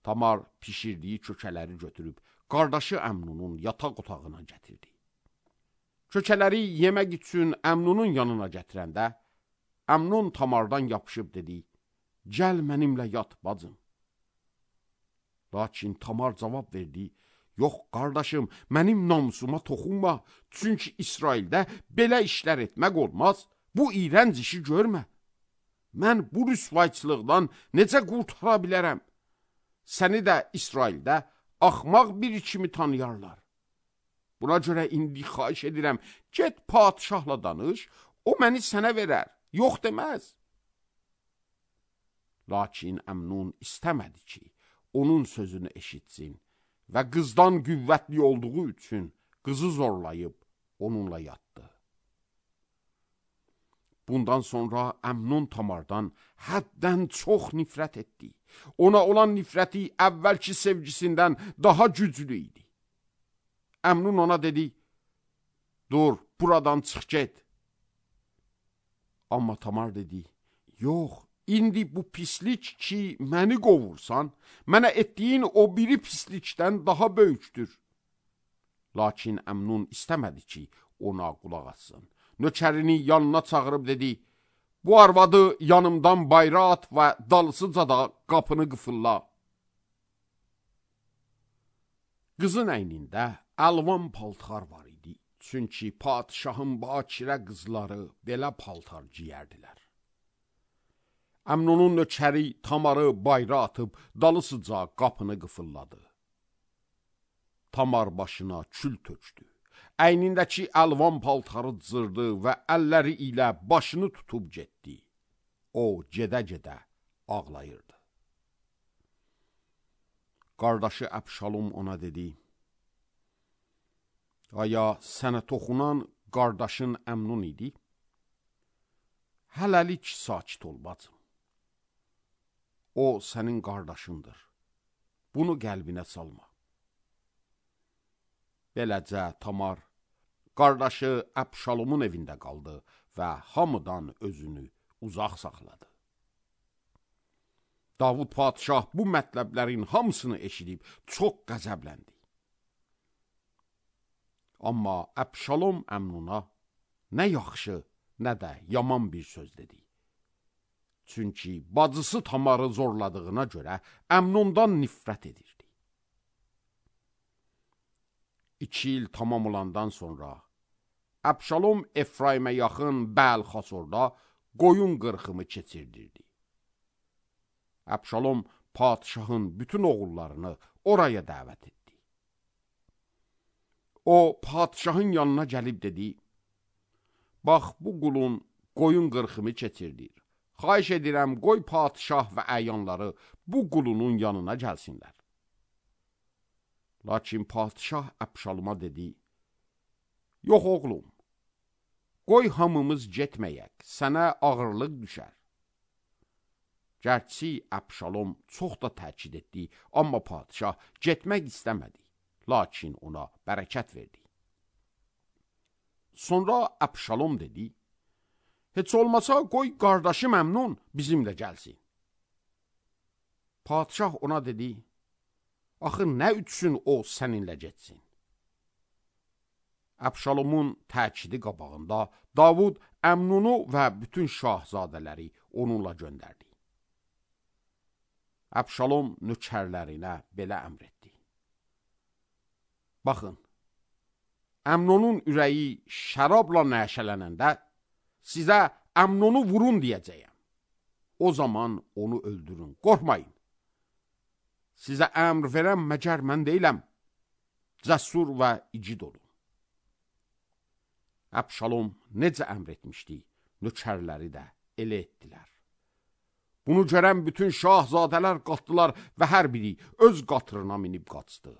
Tamar pişirdiyi kökələri götürüb qardaşı Əmnunun yataq otağına gətirdi. Kökələri yemək üçün Əmnunun yanına gətirəndə, Əmnun Tamardan yapışıb dedi, gəl mənimlə yat bacım. Lakin Tamar cavab verdi, yox qardaşım, mənim namusuma toxunma, çünki İsraildə belə işlər etmək olmaz, bu iyrənc işi görmə. Mən bu rüsvayçılıqdan necə qurtara bilərəm? Səni də İsraildə axmaq biri kimi tanıyarlar. Buna görə indi xahiş edirəm, get padişahla danış, o məni sənə verər, yox deməz. Lakin Əmnun istəmədi ki, onun sözünü eşitsin və qızdan qüvvətli olduğu üçün qızı zorlayıb onunla yatdı. Bundan sonra Əmnun Tamardan həddən çox nifrət etdi. Ona olan nifrəti əvvəlki sevgisindən daha güclü idi. Əmnun ona dedi, dur, buradan çıx get. Amma Tamar dedi, yox, indi bu pislik ki, məni qovursan, mənə etdiyin o biri pislikdən daha böyükdür. Lakin Əmnun istəmədi ki, ona qulaq atsın. Nökərini yanına çağırıb dedi, bu arvadı yanımdan bayra at və dalısıca da qapını qıfılla. Qızın əynində əlvan paltar var idi, çünki padişahın bakirə qızları belə paltar giyərdilər. Əmnunun nökəri Tamarı bayra atıb dalısıca qapını qıfılladı. Tamar başına kül tökdü. Əynindəki əlvan paltarı cırdı və əlləri ilə başını tutub getdi. O, gedə-gedə ağlayırdı. Qardaşı Əbşalom ona dedi, aya sənə toxunan qardaşın Əmnun idi? Hələlik sakit ol bacım. O, sənin qardaşındır. Bunu qəlbinə salma. Beləcə Tamar, qardaşı Əbşalomun evində qaldı və hamıdan özünü uzaq saxladı. Davud padişah bu mətləblərin hamısını eşidib çox qəzəbləndi. Amma Əbşalom Əmnuna nə yaxşı, nə də yaman bir söz dedi. Çünki bacısı Tamarı zorladığına görə Əmnundan nifrət edirdi. 2 il tamam olandan sonra Əbşalom Efraimə yaxın Bəl-Xasorda qoyun qırxımı keçirdirdi. Əbşalom padişahın bütün oğullarını oraya dəvət etdi. O, padişahın yanına gəlib dedi, bax, bu qulun qoyun qırxımı keçirdir. Xahiş edirəm, qoy padişah və əyanları bu qulunun yanına gəlsinlər. Lakin padişah Əbşaloma dedi, yox oğlum, qoy hamımız getməyək, sənə ağırlıq düşər. Gərçi Əbşalom çox da təkid etdi, amma padişah getmək istəmədi, lakin ona bərəkət verdi. Sonra Əbşalom dedi, heç olmasa qoy qardaşım Əmnun bizimlə gəlsin. Padişah ona dedi, axı nə üçün o səninlə getsin? Əbşalomun təkidi qabağında Davud Əmnunu və bütün şahzadələri onunla göndərdi. Əbşalom nökərlərinə belə əmr etdi. Baxın, Əmnunun ürəyi şərabla nəşələnəndə sizə Əmnunu vurun deyəcəyəm. O zaman onu öldürün, qorxmayın. Sizə əmr verəm məgər mən deyiləm, cəsur və igid olun. Əbşalom necə əmr etmişdi, nökərləri də elə etdilər. Bunu görən bütün şahzadələr qalxdılar və hər biri öz qatırına minib qaçdı.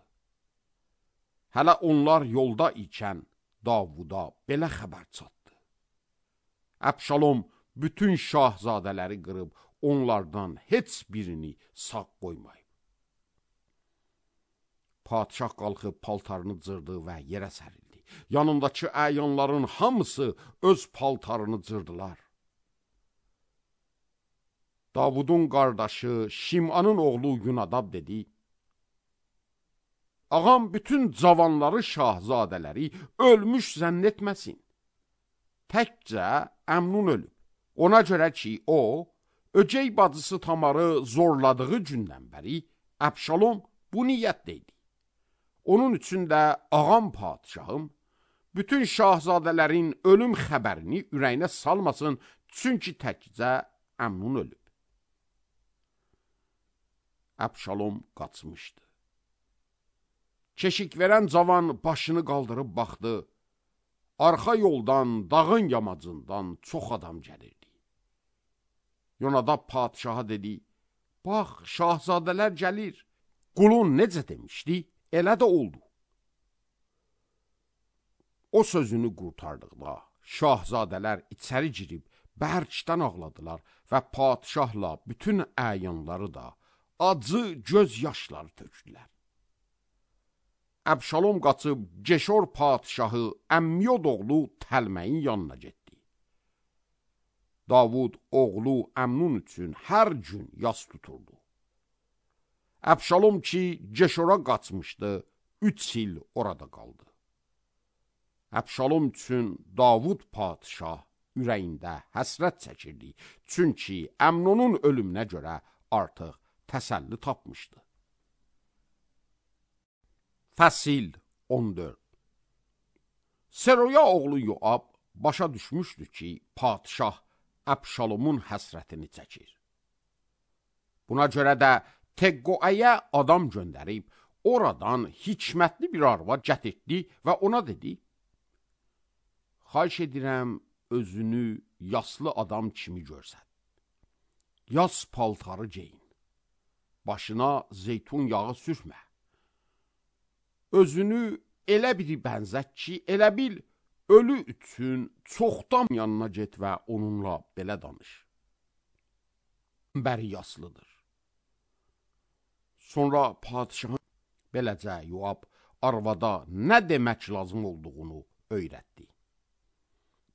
Hələ onlar yolda ikən Davuda belə xəbər çatdı. Əbşalom bütün şahzadələri qırıb onlardan heç birini sağ qoymayıb. Padişah qalxıb paltarını cırdı və yerə sərildi. Yanındakı əyanların hamısı öz paltarını cırdılar. Davudun qardaşı Şimanın oğlu Yunadab dedi, ağam bütün cavanları şahzadələri ölmüş zənn etməsin. Təkcə Əmnun ölüb. Ona görə ki, o, ögey bacısı Tamarı zorladığı gündən bəri Əbşalom bu niyyətdə idi. Onun üçün də ağam padişahım bütün şahzadələrin ölüm xəbərini ürəyinə salmasın, çünki təkcə Əmnun ölüb. Əbşalom qaçmışdı. Keşik verən cavan başını qaldırıb baxdı. Arxa yoldan, dağın yamacından çox adam gəlirdi. Yonadab padişaha dedi, bax, şahzadələr gəlir. Qulun necə demişdi, elə də oldu. O sözünü qurtardıqda, şahzadələr içəri girib, bərkdən ağladılar və padişahla bütün əyanları da acı göz yaşları tökdülər. Əbşalom qaçıb Ceşor padişahı Əmmiyod oğlu Təlməyin yanına getdi. Davud oğlu Əmnun üçün hər gün yas tuturdu. Əbşalom ki Ceşora qaçmışdı, 3 il orada qaldı. Əbşalom üçün Davud padişah ürəyində həsrət çəkirdi, çünki Əmnunun ölümünə görə artıq təsəlli tapmışdı. Fəsil 14. Seroya oğlu Yoab başa düşmüşdü ki, padişah Əbşalomun həsrətini çəkir. Buna görə də Teqqoəyə adam göndərib, oradan hikmətli bir arvad gətirdi və ona dedi, xahiş edirəm, özünü yaslı adam kimi görsən. Yas paltarı geyin, başına zeytun yağı sürmə. Özünü elə biri bənzət ki, elə bil, ölü üçün çoxdan yanına get və onunla belə danış. Bəri yaslıdır. Sonra padişahın beləcə Yoab arvada nə demək lazım olduğunu öyrətdi.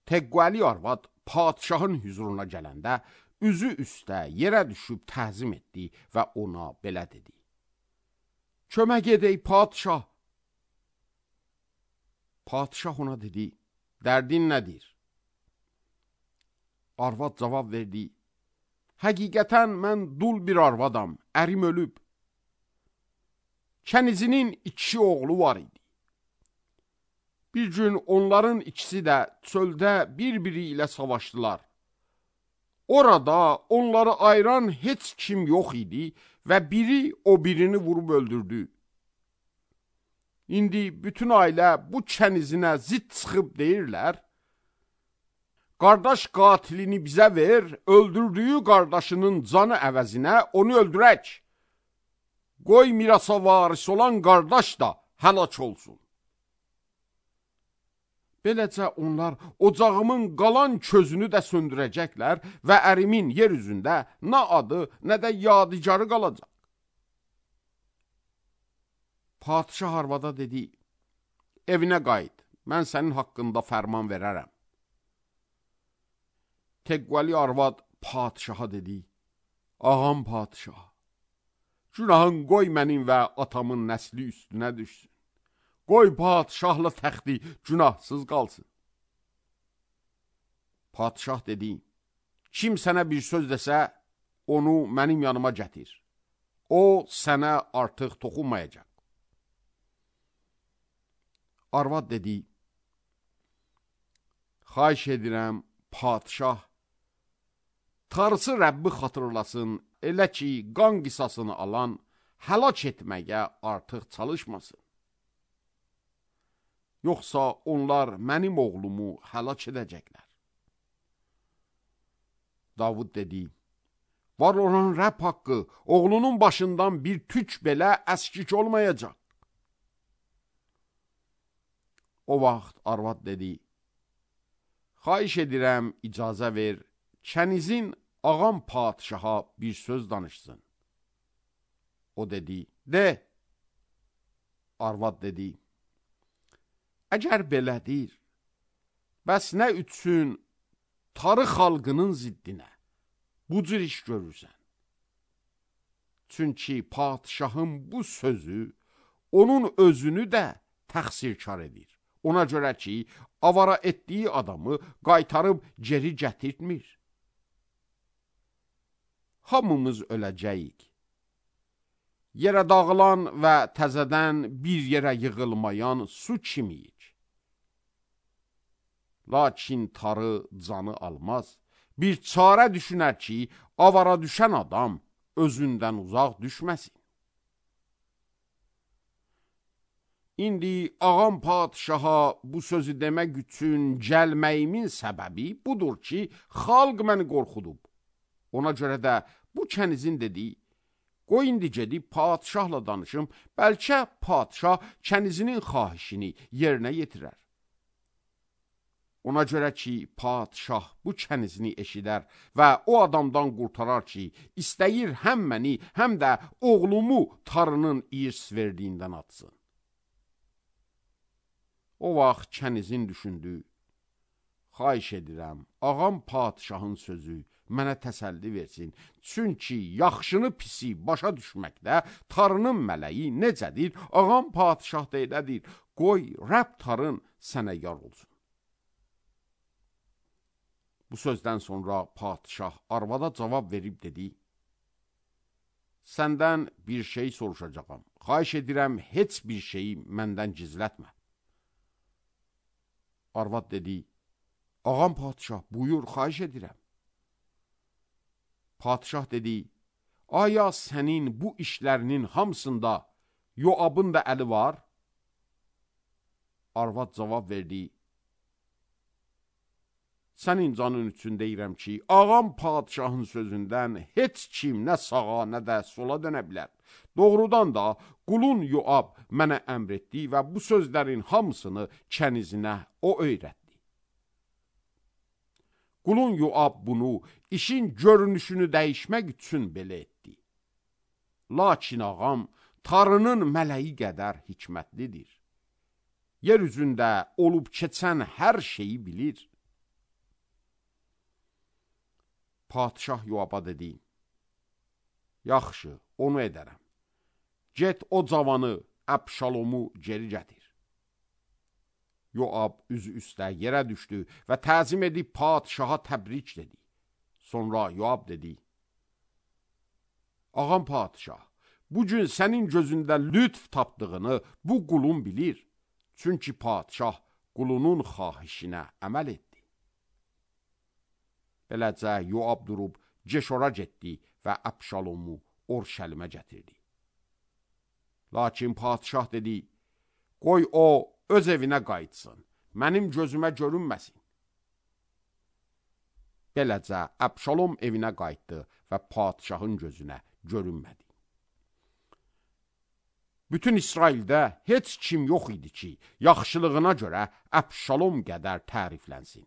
Teqqoəli arvad padişahın hüzuruna gələndə üzü üstə yerə düşüb təzim etdi və ona belə dedi. Kömək edək padişah. Padişah ona dedi, dərdin nədir? Arvad cavab verdi, həqiqətən mən dul bir arvadam, ərim ölüb. Kənizinin 2 oğlu var idi. Bir gün onların ikisi də çöldə bir-biri ilə savaşdılar. Orada onları ayıran heç kim yox idi və biri o birini vurub öldürdü. İndi bütün ailə bu kənizinə zid çıxıb deyirlər, qardaş qatilini bizə ver, öldürdüyü qardaşının canı əvəzinə onu öldürək. Qoy mirasa varis olan qardaş da həlak olsun. Beləcə onlar ocağımın qalan közünü də söndürəcəklər və ərimin yer üzündə nə adı, nə də yadigarı qalacaq. Padişah arvada dedi, evinə qayıt, mən sənin haqqında fərman verərəm. Teqqoəli arvad padişaha dedi, ağam padişah, günahın qoy mənim və atamın nəsli üstünə düşsün. Qoy padişahla təxti günahsız qalsın. Padişah dedi, kim sənə bir söz desə, onu mənim yanıma gətir. O sənə artıq toxunmayacaq. Arvad dedi, xahiş edirəm, padişah, Tanrısı Rəbbi xatırlasın, elə ki, qan qisasını alan, həlak etməyə artıq çalışmasın. Yoxsa onlar mənim oğlumu həlak edəcəklər. Davud dedi, var olan Rəbb haqqı, oğlunun başından bir tük belə əskik olmayacaq. O vaxt arvad dedi, xahiş edirəm, icazə ver, kənizin ağam padişaha bir söz danışsın. O dedi, de. Arvad dedi, əgər belədir, bəs nə üçün tarix xalqının ziddinə bu cür iş görürsən? Çünki padişahın bu sözü onun özünü də təqsirkar edir. Ona görə ki, avara etdiyi adamı qaytarıb geri gətirtmir. Hamımız öləcəyik. yerə dağılan və təzədən bir yerə yığılmayan su kimiyik. Lakin tarı canı almaz. Bir çarə düşünər ki, avara düşən adam özündən uzaq düşməsin. İndi ağam padişaha bu sözü demək üçün gəlməyimin səbəbi budur ki, xalq məni qorxudub. Ona görə də bu kənizin dediyi, qoy indi gedib padişahla danışım, bəlkə padişah kənizinin xahişini yerinə yetirər. Ona görə ki, padişah bu kənizini eşidər və o adamdan qurtarar ki, istəyir həm məni, həm də oğlumu tarının irs verdiyindən atsın. O vaxt kənizin düşündü, xahiş edirəm, ağam padişahın sözü mənə təsəlli versin, çünki yaxşını pisi başa düşməkdə tarının mələyi necədir, ağam padişah da elədir, qoy Rəbb tarın sənə yar olsun. Bu sözdən sonra padişah arvada cavab verib dedi, səndən bir şey soruşacağam, xahiş edirəm, heç bir şeyi məndən gizlətmə. Arvad dedi, ağam padişah, buyur, xahiş edirəm. Padişah dedi, aya sənin bu işlərinin hamısında Yoabın da əli var? Arvad cavab verdi, sənin canın üçün deyirəm ki, ağam padişahın sözündən heç kim nə sağa, nə də sola dönə bilər. Doğrudan da qulun Yoab mənə əmr etdi və bu sözlərin hamısını kənizinə o öyrətdi. Qulun Yoab bunu işin görünüşünü dəyişmək üçün belə etdi. Lakin ağam tarının mələyi qədər hikmətlidir. Yer üzündə olub keçən hər şeyi bilir. Padişah Yoaba dedi, yaxşı, onu edərəm. Get o cavanı, Əbşalomu geri gətir. Yoab üzü üstə yerə düşdü və təzim edib padişaha təbrik dedi. Sonra Yoab dedi, ağam padişah, bugün sənin gözündə lütf tapdığını bu qulun bilir. Çünki padişah qulunun xahişinə əməl etdi. Beləcə Yoab durub Ceşora getdi və Əbşalomu Orşəlimə gətirdi. Lakin padişah dedi, qoy o öz evinə qayıtsın, mənim gözümə görünməsin. Beləcə Əbşalom evinə qayıtdı və padişahın gözünə görünmədi. Bütün İsraildə heç kim yox idi ki, yaxşılığına görə Əbşalom qədər təriflənsin.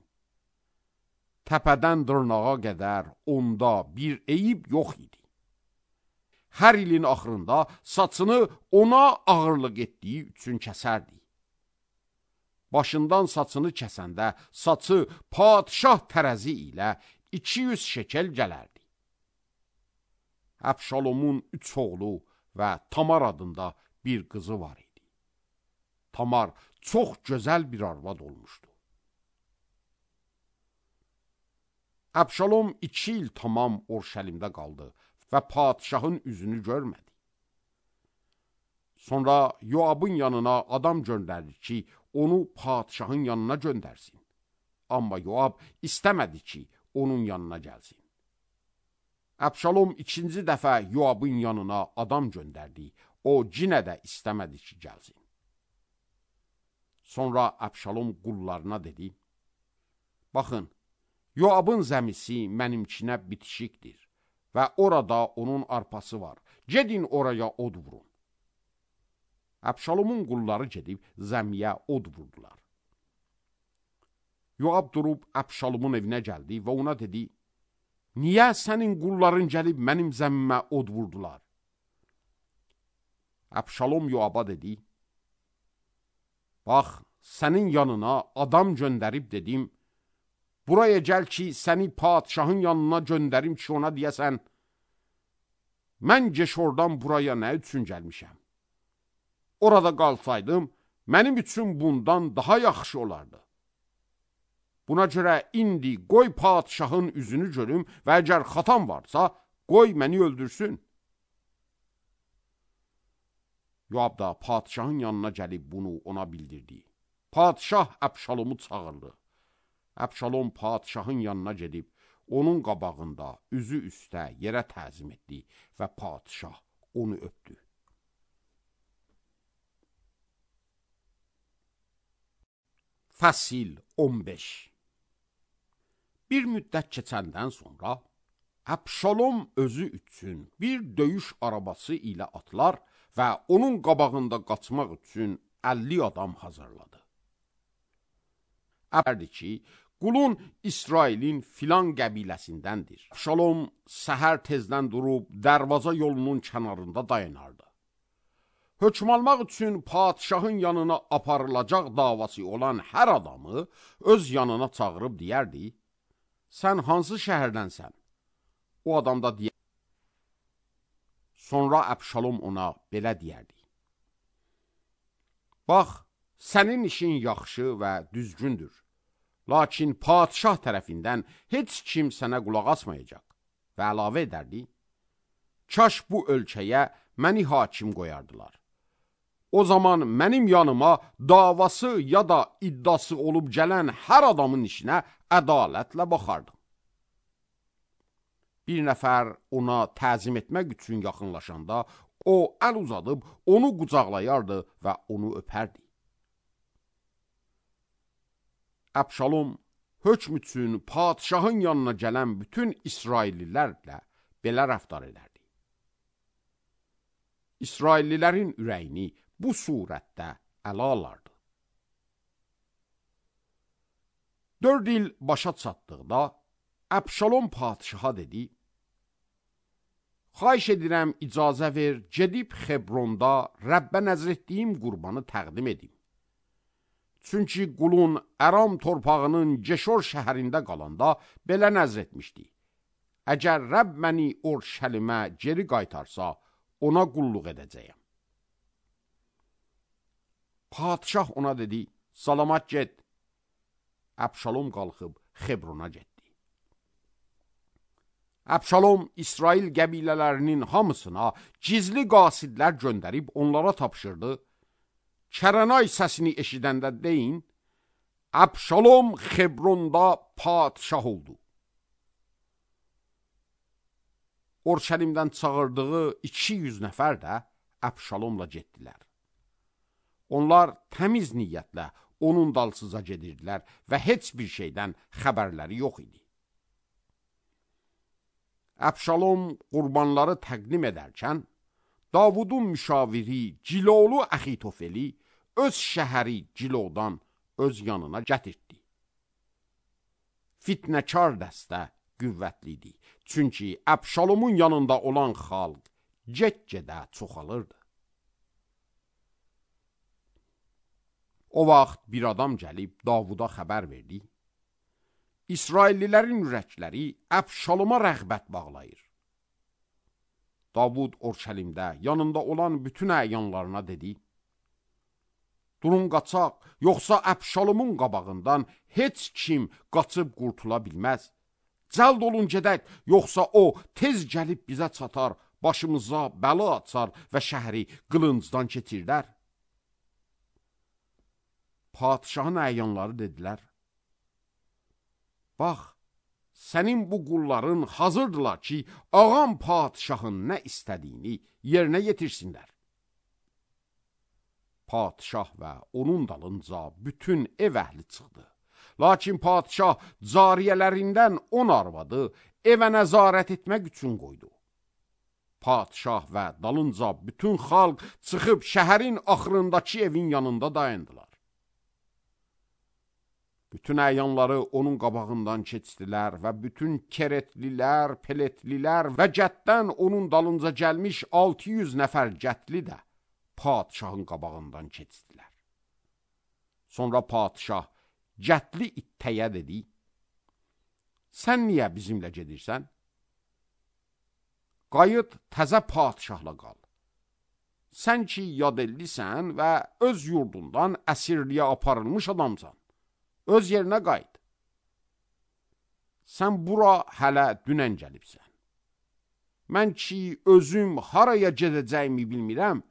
Təpədən dırnağa qədər onda bir eyib yox idi. Hər ilin axırında saçını ona ağırlıq etdiyi üçün kəsərdi. Başından saçını kəsəndə saçı padişah tərəzi ilə 200 şekel gələrdi. Əbşalomun 3 oğlu və Tamar adında bir qızı var idi. Tamar çox gözəl bir arvad olmuşdu. Əbşalom 2 il tamam Orşəlimdə qaldı və padişahın üzünü görmədi. Sonra Yoabın yanına adam göndərdi ki, onu padişahın yanına göndərsin. Amma Yoab istəmədi ki, onun yanına gəlsin. Əbşalom 2-ci dəfə Yoabın yanına adam göndərdi. O yenə də istəmədi ki, gəlsin. Sonra Əbşalom qullarına dedi, baxın, Yoabın zəmisi mənimkinə bitişikdir və orada onun arpası var. Gedin oraya od vurun. Əbşalomun qulları gedib zəmiyə od vurdular. Yoab durub Əbşalomun evinə gəldi və ona dedi, niyə sənin qulların gəlib mənim zəmimə od vurdular? Əbşalom Yoaba dedi, bax, sənin yanına adam göndərib dedim, buraya gəl ki, səni padişahın yanına göndərim ki, ona deyəsən, mən Geşordan buraya nə üçün gəlmişəm? Orada qalsaydım, mənim üçün bundan daha yaxşı olardı. Buna görə indi qoy padişahın üzünü görüm və əgər xatam varsa, qoy məni öldürsün. Yoab da padişahın yanına gəlib bunu ona bildirdi. Padişah Əbşalomu çağırdı. Əbşalom padişahın yanına gedib, onun qabağında üzü üstə yerə təzim etdi və padişah onu öpdü. Fəsil 15. Bir müddət keçəndən sonra Əbşalom özü üçün bir döyüş arabası ilə atlar və onun qabağında qaçmaq üçün 50 adam hazırladı. Əbərdi ki, qulun İsrailin filan qəbiləsindəndir. Əbşalom səhər tezdən durub dərvaza yolunun kənarında dayanardı. Hökm almaq üçün padişahın yanına aparılacaq davası olan hər adamı öz yanına çağırıb deyərdi, sən hansı şəhərdənsən? O adam da deyər. Sonra Əbşalom ona belə deyərdi. Bax, sənin işin yaxşı və düzgündür. Lakin padişah tərəfindən heç kim sənə qulaq asmayacaq. Və əlavə edərdi, kaş bu ölkəyə məni hakim qoyardılar. O zaman mənim yanıma davası ya da iddiası olub gələn hər adamın işinə ədalətlə baxardım. Bir nəfər ona təzim etmək üçün yaxınlaşanda, o əl uzadıb onu qucaqlayardı və onu öpərdi. Əbşalom hökm üçün padişahın yanına gələn bütün İsraillilərlə belə rəftar edərdi. İsraillilərin ürəyini bu surətdə ələ alardı. 4 il başa çatdıqda Əbşalom padişaha dedi, xahiş edirəm icazə ver, gedib Xebronda Rəbbə nəzr etdiyim qurbanı təqdim edim. Çünki qulun Əram torpağının Geşor şəhərində qalanda belə nəzr etmişdi. Əgər Rəbb məni Orşəlimə geri qaytarsa, ona qulluq edəcəyəm. Padişah ona dedi, salamat get. Əbşalom qalxıb Xebrona getdi. Əbşalom İsrail qəbilələrinin hamısına gizli qasidlər göndərib onlara tapşırdı. Kərənay səsini eşidəndə deyin, Əbşalom Xebronda padişah oldu. Orşəlimdən çağırdığı 200 nəfər də Əbşalomla getdilər. Onlar təmiz niyyətlə onun dalsıza gedirdilər və heç bir şeydən xəbərləri yox idi. Əbşalom qurbanları təqdim edərkən, Davudun müşaviri Ciloğlu Əxitofeli öz şəhəri Cilodan öz yanına gətirdi. Fitnəkar dəstə qüvvətli idi, çünki Əbşalomun yanında olan xalq get-gedə çoxalırdı. O vaxt bir adam gəlib Davuda xəbər verdi. İsraillilərin ürəkləri Əbşaloma rəğbət bağlayır. Davud Orşəlimdə yanında olan bütün əyanlarına dedi, durun qaçaq, yoxsa Əbşalomun qabağından heç kim qaçıb qurtula bilməz. Cəld olun gedək, yoxsa o tez gəlib bizə çatar, başımıza bəla açar və şəhəri qılıncdan keçirdər. Padişahın əyanları dedilər, bax, sənin bu qulların hazırdılar ki, ağam padişahın nə istədiyini yerinə yetirsinlər. Padişah və onun dalınca bütün ev əhli çıxdı. Lakin padişah cariyələrindən 10 arvadı evə nəzarət etmək üçün qoydu. Padişah və dalınca bütün xalq çıxıb şəhərin axırındakı evin yanında dayandılar. Bütün əyanları onun qabağından keçdilər və bütün keretlilər, peletlilər və cətdən onun dalınca gəlmiş 600 nəfər cətli də padişahın qabağından keçdilər. Sonra padişah cətli ittəyə dedi, sən niyə bizimlə gedirsən? Qayıt təzə padişahla qal. Sən ki yadellisən və öz yurdundan əsirliyə aparılmış adamsan. Öz yerinə qayıt. Sən bura hələ dünən gəlibsən. Mən ki özüm haraya gedəcəyimi bilmirəm,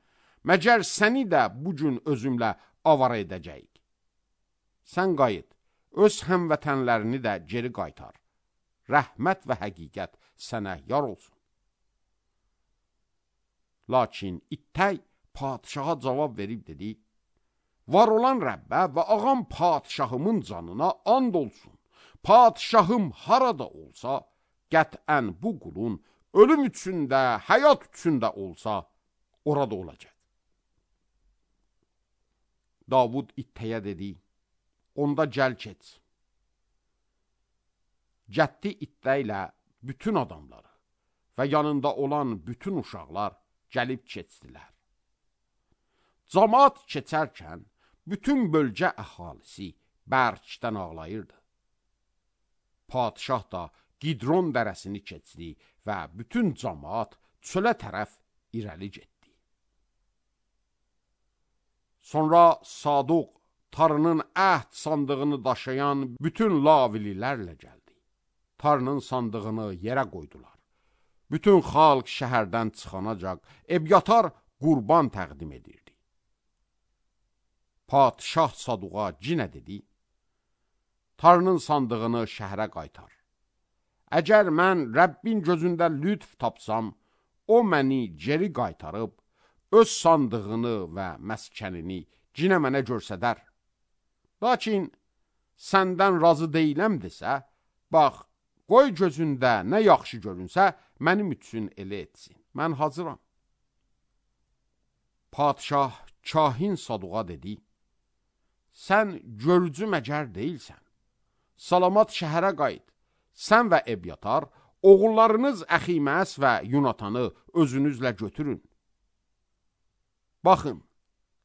Məcər səni də bu gün özümlə avara edəcəyik. Sən qayıt, öz həmvətənlərini də geri qaytar. Rəhmət və həqiqət sənə yar olsun. Lakin İttək padişaha cavab verib dedi, var olan Rəbbə və ağam padişahımın canına and olsun. Padişahım harada olsa, qətən bu qulun ölüm üçün də, həyat üçün də olsa, orada olacaq. Davud İttəyə dedi, onda gəl keç. Cəddi İttəylə bütün adamları və yanında olan bütün uşaqlar gəlib keçdilər. Camaat keçərkən bütün bölgə əhalisi bərkdən ağlayırdı. Padişah da Qidron dərəsini keçdi və bütün camaat çölə tərəf irəli getdi. Sonra Saduq Tarının əhd sandığını daşıyan bütün lavililərlə gəldi. Tarının sandığını yerə qoydular. Bütün xalq şəhərdən çıxanacaq Ebyatar qurban təqdim edirdi. Padişah Saduqa cinə dedi, Tarının sandığını şəhərə qaytar. Əgər mən Rəbbin gözündə lütf tapsam, o məni geri qaytarıb, öz sandığını və məskənini cinə mənə görsədər. Lakin səndən razı deyiləm desə, bax, qoy gözündə nə yaxşı görünsə, mənim üçün elə etsin. Mən hazıram. Padişah kahin Saduqa dedi, sən görücü məcər deyilsən. Salamat şəhərə qayıt. Sən və Ebyatar, oğullarınız Əximəs və Yunatanı özünüzlə götürün. Baxın,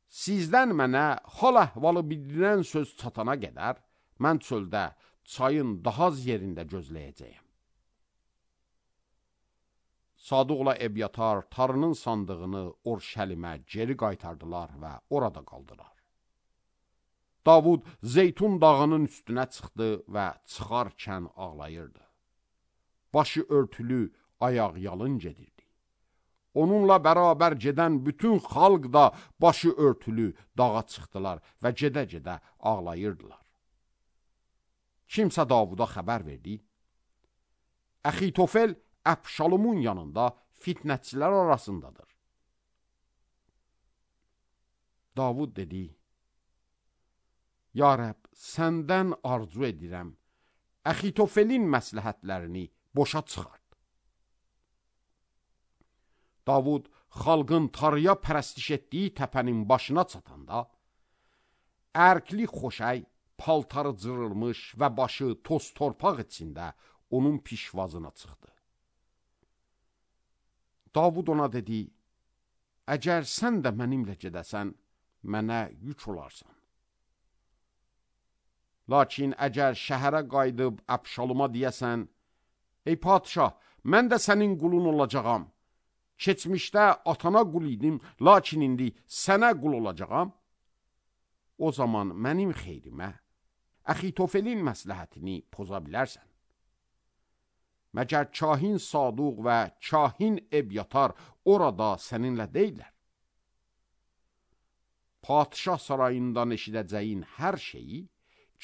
sizdən mənə hal əhvalı bildirən söz çatana qədər, mən çöldə çayın daha az yerində gözləyəcəyəm. Saduqla Ebyatar Tarının sandığını Orşəlimə geri qaytardılar və orada qaldılar. Davud Zeytun dağının üstünə çıxdı və çıxarkən ağlayırdı. Başı örtülü, ayaq yalın gedirdi. Onunla bərabər gedən bütün xalq da başı örtülü dağa çıxdılar və gedə-gedə ağlayırdılar. Kimsə Davuda xəbər verdi. Əxitofel Əbşalomun yanında fitnətçilər arasındadır. Davud dedi, Ya Rəbb, səndən arzu edirəm, Əxitofelin məsləhətlərini boşa çıxart. Davud xalqın Tarıya pərəstiş etdiyi təpənin başına çatanda, ərkli xoşəy, paltarı cırılmış və başı toz torpaq içində onun pişvazına çıxdı. Davud ona dedi, əgər sən də mənimlə gedəsən, mənə yük olarsan. Lakin əgər şəhərə qayıdıb Əbşaloma deyəsən, ey padişah, mən də sənin qulun olacağam. Keçmişdə atana qul idim, lakin indi sənə qul olacağam. O zaman mənim xeyrimə, Əxitofelin məsləhətini poza bilərsən. Məgər kahin Saduq və kahin Ebyatar orada səninlə deyilər. Padişah sarayından eşidəcəyin hər şeyi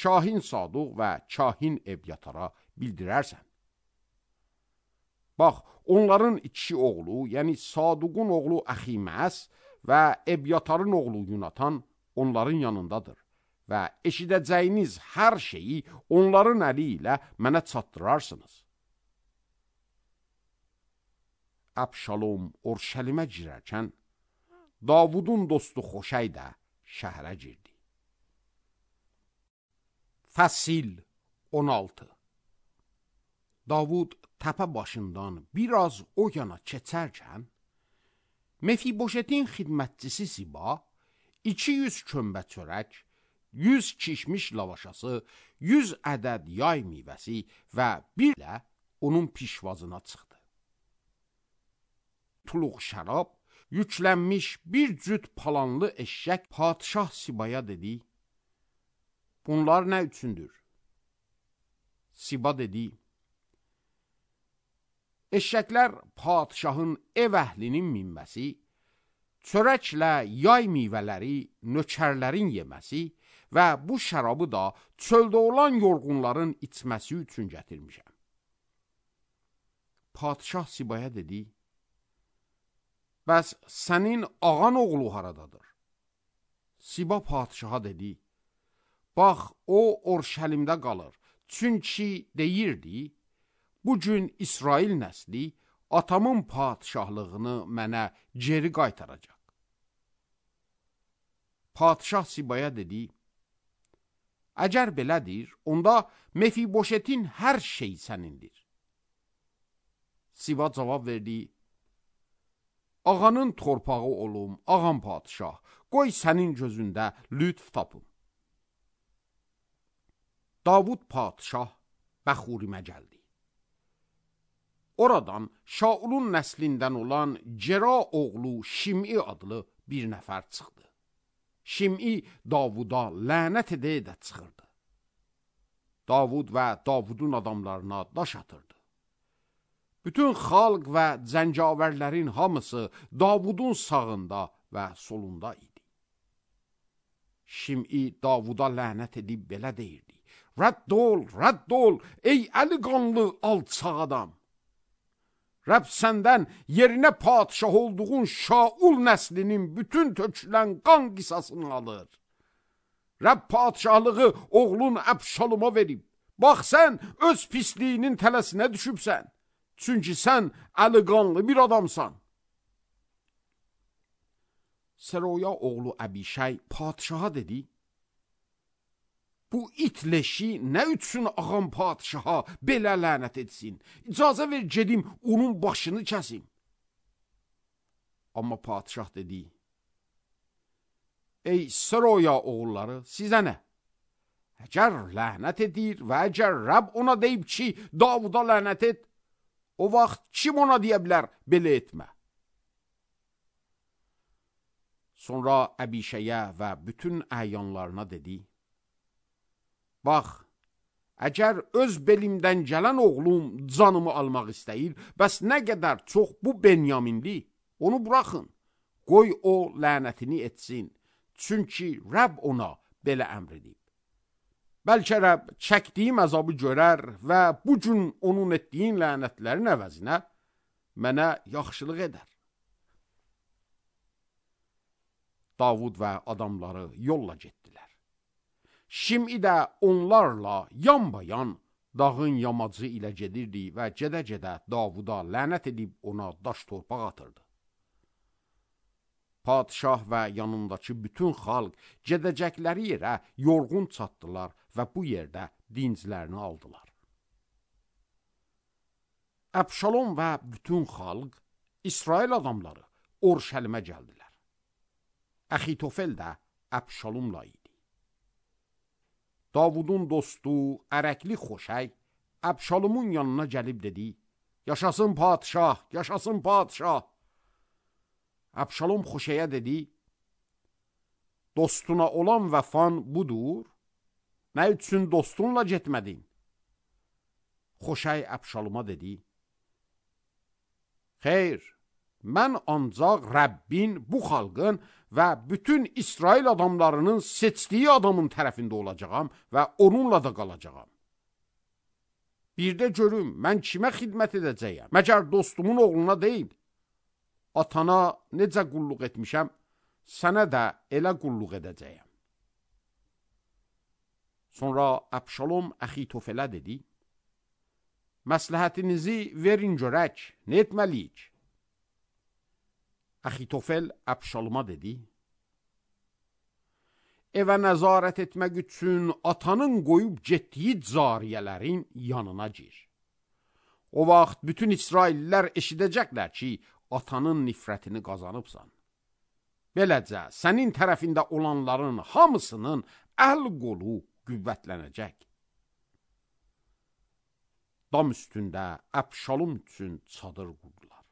kahin Saduq və kahin Ebyatara bildirərsən. Bax, onların iki oğlu, yəni Saduqun oğlu Əximəs və Ebyatarın oğlu Yunatan onların yanındadır və eşidəcəyiniz hər şeyi onların əli ilə mənə çatdırarsınız. Əbşalom Orşəlimə girərkən, Davudun dostu Xoşəy də şəhərə girdi. Fəsil 16. Davud təpə başından biraz o yana keçərkən, Mefiboşetin xidmətçisi Siba 200 kömbə çörək, 100 kişmiş lavaşası, 100 ədəd yay meyvəsi və bir ilə onun pişvazına çıxdı. Tuluq şərab, yüklənmiş bir cüt palanlı eşşək padişah Sibaya dedi, bunlar nə üçündür? Siba dedi, eşşəklər padişahın ev əhlinin minməsi, çörəklə yay meyvələri nökərlərin yeməsi və bu şərabı da çöldə olan yorğunların içməsi üçün gətirmişəm. Padişah Sibaya dedi, bəs sənin ağan oğlu haradadır? Siba padişaha dedi, bax, o Orşəlimdə qalır, çünki deyirdi, bugün İsrail nəsli atamın padişahlığını mənə geri qaytaracaq. Padişah Sibaya dedi, əgər belədir, onda Mefiboşetin hər şey sənindir. Siba cavab verdi, ağanın torpağı olum, ağam padişah, qoy sənin gözündə lütf tapım. Davud padişah Bəxurimə gəldi. Oradan Şaulun nəslindən olan Cera oğlu Şim'i adlı bir nəfər çıxdı. Şim'i Davuda lənət edə çıxırdı. Davud və Davudun adamlarına daş atırdı. Bütün xalq və zəncavərlərin hamısı Davudun sağında və solunda idi. Şim'i Davuda lənət edib belə deyirdi, rədd ol, ey əli qanlı alçaq adam. Rəbb səndən yerinə padişah olduğun Şaul nəslinin bütün tökülən qan qisasını alır. Rəbb padişahlığı oğlun Əbşaloma verib. Bax, sən öz pisliyinin tələsinə düşübsən. Çünki sən əli qanlı bir adamsan. Seroya oğlu Əbişay padişaha dedi, bu it leşi nə üçün ağam padişaha belə lənət etsin? İcazə ver gedim, onun başını kəsim. Amma padişah dedi, ey Seroya oğulları, sizə nə? Əgər lənət edir və əgər Rəbb ona deyib ki, Davuda lənət et, o vaxt kim ona deyə bilər, belə etmə? Sonra Əbişəyə və bütün əyanlarına dedi, bax, əgər öz belimdən gələn oğlum canımı almaq istəyir, bəs nə qədər çox bu Benyaminli, onu buraxın, qoy o lənətini etsin, çünki Rəbb ona belə əmr edib. Bəlkə Rəbb çəkdiyim əzabı görər və bu gün onun etdiyin lənətlərin əvəzinə mənə yaxşılıq edər. Davud və adamları yolla getdilər. Şim'i də onlarla yanbayan dağın yamacı ilə gedirdi və gedə-gedə Davuda lənət edib ona daş torpaq atırdı. Padişah və yanındakı bütün xalq gedəcəkləri yerə yorğun çatdılar və bu yerdə dinclərini aldılar. Əbşalom və bütün xalq, İsrail adamları Orşəlimə gəldilər. Əxitofel də Əbşalomla idi. Davudun dostu, ərəkli Xoşay, Əbşalomun yanına gəlib dedi, yaşasın padişah, yaşasın padişah. Əbşalom Xoşaya dedi, dostuna olan vəfan budur, nə üçün dostunla getmədin? Xoşay Əbşaloma dedi, xeyr, mən ancaq Rəbbin, bu xalqın və bütün İsrail adamlarının seçdiyi adamın tərəfində olacağam və onunla da qalacağam. Bir də görüm, mən kimə xidmət edəcəyəm? Məgər dostumun oğluna deyil, atana necə qulluq etmişəm, sənə də elə qulluq edəcəyəm. Sonra Əbşalom Əxitofələ dedi, məsləhətinizi verin görək, nə etməliyik? Əxitofel Əbşaloma dedi, evə nəzarət etmək üçün atanın qoyub getdiyi cariyələrin yanına gir. O vaxt bütün İsraillilər eşidəcəklər ki, atanın nifrətini qazanıbsan. Beləcə, sənin tərəfində olanların hamısının əl-qolu qüvvətlənəcək. Dam üstündə Əbşalom üçün çadır qurdular.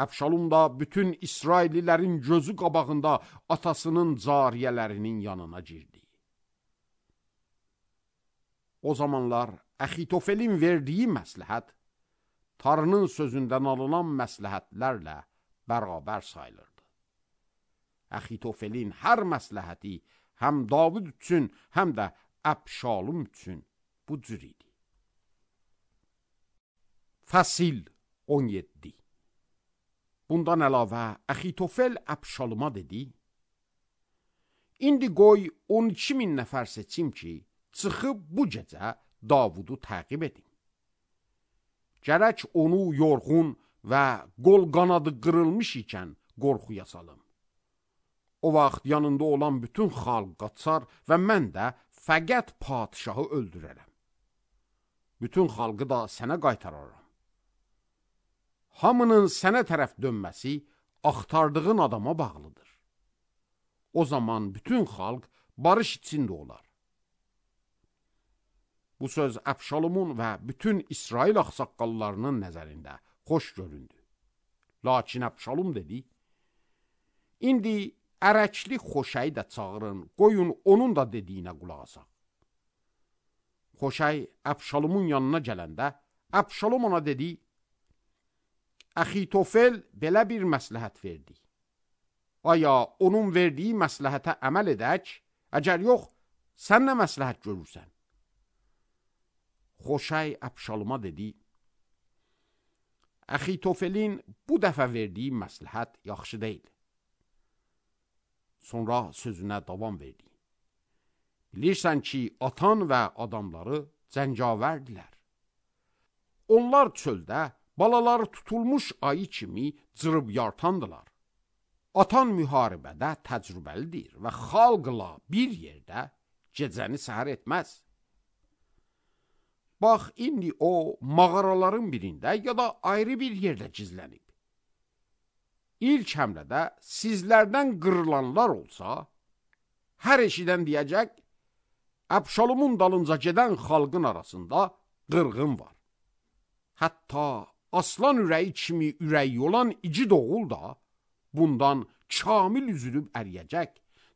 Əbşalom da bütün İsraillilərin gözü qabağında atasının cariyələrinin yanına girdi. O zamanlar Əxitofelin verdiyi məsləhət, Tanrının sözündən alınan məsləhətlərlə bərabər sayılırdı. Əxitofelin hər məsləhəti həm Davud üçün, həm də Əbşalum üçün bu cür idi. Fəsil 17. Bundan əlavə Əxitofel Əbşaluma dedi: İndi qoy 12.000 nəfər seçim ki, çıxıb bu gecə Davudu təqib edin. Gərək onu yorğun və qol qanadı qırılmış ikən qorxuya salım. O vaxt yanında olan bütün xalq qaçar və mən də fəqət padişahı öldürərəm. Bütün xalqı da sənə qaytararam. Hamının sənə tərəf dönməsi axtardığın adama bağlıdır. O zaman bütün xalq barış içində olar. Bu söz Əbşalomun və bütün İsrail ağsaqqallarının nəzərində xoş göründü. Lakin Əbşalom dedi: İndi ərəkli Xoşəyi də çağırın, qoyun onun da dediyinə qulaq asaq. Xoşəy Əbşalomun yanına gələndə, Əbşalom ona dedi: Əxitofel belə bir məsləhət verdi. Aya onun verdiyi məsləhətə əməl edək, əgər yox, sən nə məsləhət görürsən? Xoşəy Əbşaloma dedi: Əxitofelin bu dəfə verdiyi məsləhət yaxşı deyil. Sonra sözünə davam verdi. Bilirsən ki, atan və adamları cəngavərdilər. Onlar çöldə balaları tutulmuş ayı kimi cırıb yartandılar. Atan müharibədə təcrübəlidir və xalqla bir yerdə gecəni səhər etməz. Bax, indi o mağaraların birində ya da ayrı bir yerdə gizlənib. İlk həmlədə sizlərdən qırılanlar olsa, hər eşidən deyəcək, Əbşalomun dalınca gedən xalqın arasında qırğın var. Hətta aslan ürəyi kimi ürəyi olan igid oğul da bundan kamil üzülüb əriyəcək.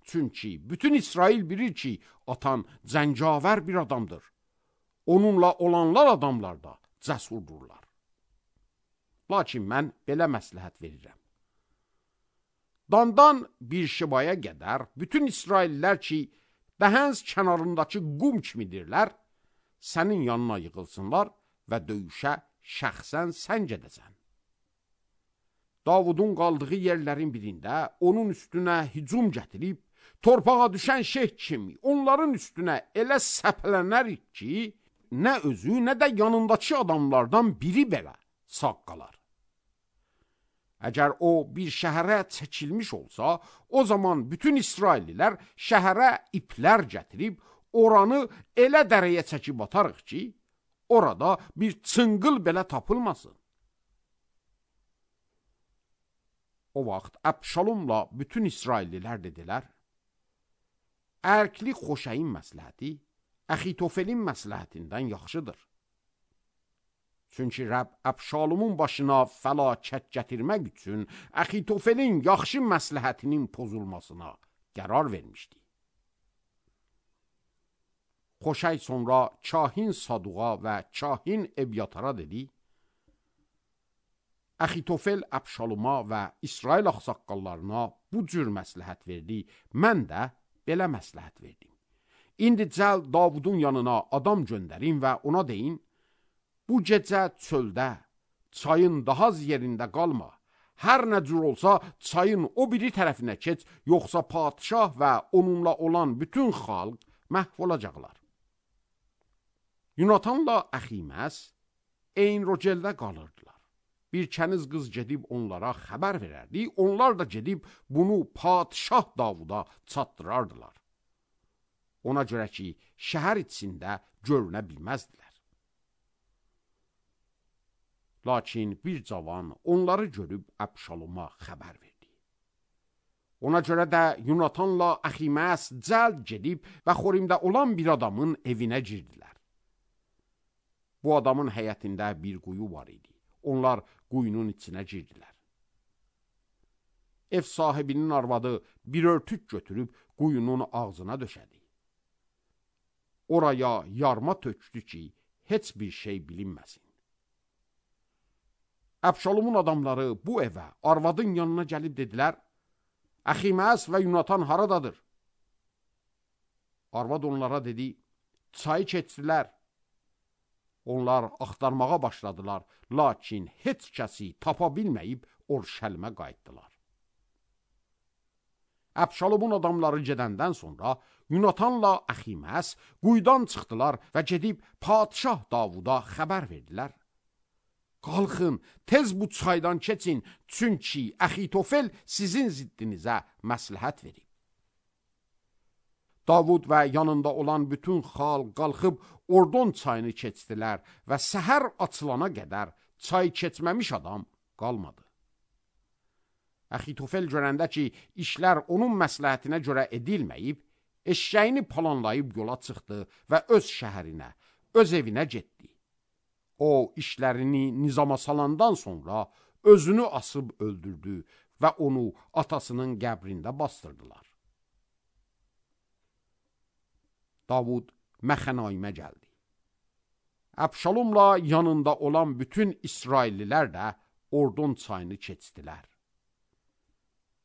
Çünki bütün İsrail bilir ki, atan cəngavər bir adamdır. Onunla olanlar adamlar da cəsurdurlar. Lakin mən belə məsləhət verirəm. Dandan bir şibaya qədər bütün İsraillər ki, Dəhəns kənarındakı qum kimidirlər, sənin yanına yığılsınlar və döyüşə şəxsən sən gedəsən. Davudun qaldığı yerlərin birində onun üstünə hücum gətirib, torpağa düşən şeyh kimi onların üstünə elə səpələnərik ki, nə özü, nə də yanındakı adamlardan biri belə sağ qalar. Əgər o bir şəhərə çəkilmiş olsa, o zaman bütün İsraillilər şəhərə iplər gətirib, oranı elə dərəyə çəkib atarıq ki, orada bir çınqıl belə tapılmasın. O vaxt Əbşalomla bütün İsraillilər dedilər: Ərkli Xoşəyin məsləhəti Əxitofelin məsləhətindən yaxşıdır. Çünki Rəbb Əbşalomun başına fəlakət gətirmək üçün Əxitofelin yaxşı məsləhətinin pozulmasına qərar vermişdi. Xoşəy sonra kahin Saduğa və kahin Ebyatara dedi: Əxitofel Əbşaloma və İsrail ağsaqqallarına bu cür məsləhət verdi, mən də belə məsləhət verdim. İndi cəld Davudun yanına adam göndərin və ona deyin: Bu gecə çöldə, çayın daha az yerində qalma. Hər nə cür olsa çayın o biri tərəfinə keç, yoxsa padişah və onunla olan bütün xalq məhv olacaqlar. Yunatanla Əximəs Eyn-Rogeldə qalırdılar. Bir kəniz qız gedib onlara xəbər verərdi, onlar da gedib bunu padişah Davuda çatdırardılar. Ona görə ki, şəhər içində görünə bilməzdilər. Lakin bir cavan onları görüb Əbşaloma xəbər verdi. Ona görə də Yunatanla Əximəs cəld gedib və Xorimdə olan bir adamın evinə girdilər. Bu adamın həyətində bir quyu var idi. Onlar quyunun içinə girdilər. Ev sahibinin arvadı bir örtük götürüb quyunun ağzına döşədi. Oraya yarma tökdü ki, heç bir şey bilinməsin. Əbşalomun adamları bu evə, arvadın yanına gəlib dedilər: Əximəs və Yunatan haradadır? Arvad onlara dedi, çayı keçdilər. Onlar axtarmağa başladılar, lakin heç kəsi tapa bilməyib Orşəlimə qayıtdılar. Əbşalomun adamları gedəndən sonra Yunatanla Əximəs quyudan çıxdılar və gedib Padişah Davuda xəbər verdilər. Qalxın, tez bu çaydan keçin, çünki Əxitofel sizin ziddinizə məsləhət verib. Davud və yanında olan bütün xalq qalxıb Ordon çayını keçdilər və səhər açılana qədər çay keçməmiş adam qalmadı. Əxitofel görəndə ki, işlər onun məsləhətinə görə edilməyib, eşşəyini planlayıb yola çıxdı və öz şəhərinə, öz evinə getdi. O, işlərini nizama salandan sonra özünü asıb öldürdü və onu atasının qəbrində bastırdılar. Davud Məxənaimə gəldi. Əbşalomla yanında olan bütün İsraillilər də Ordon çayını keçdilər.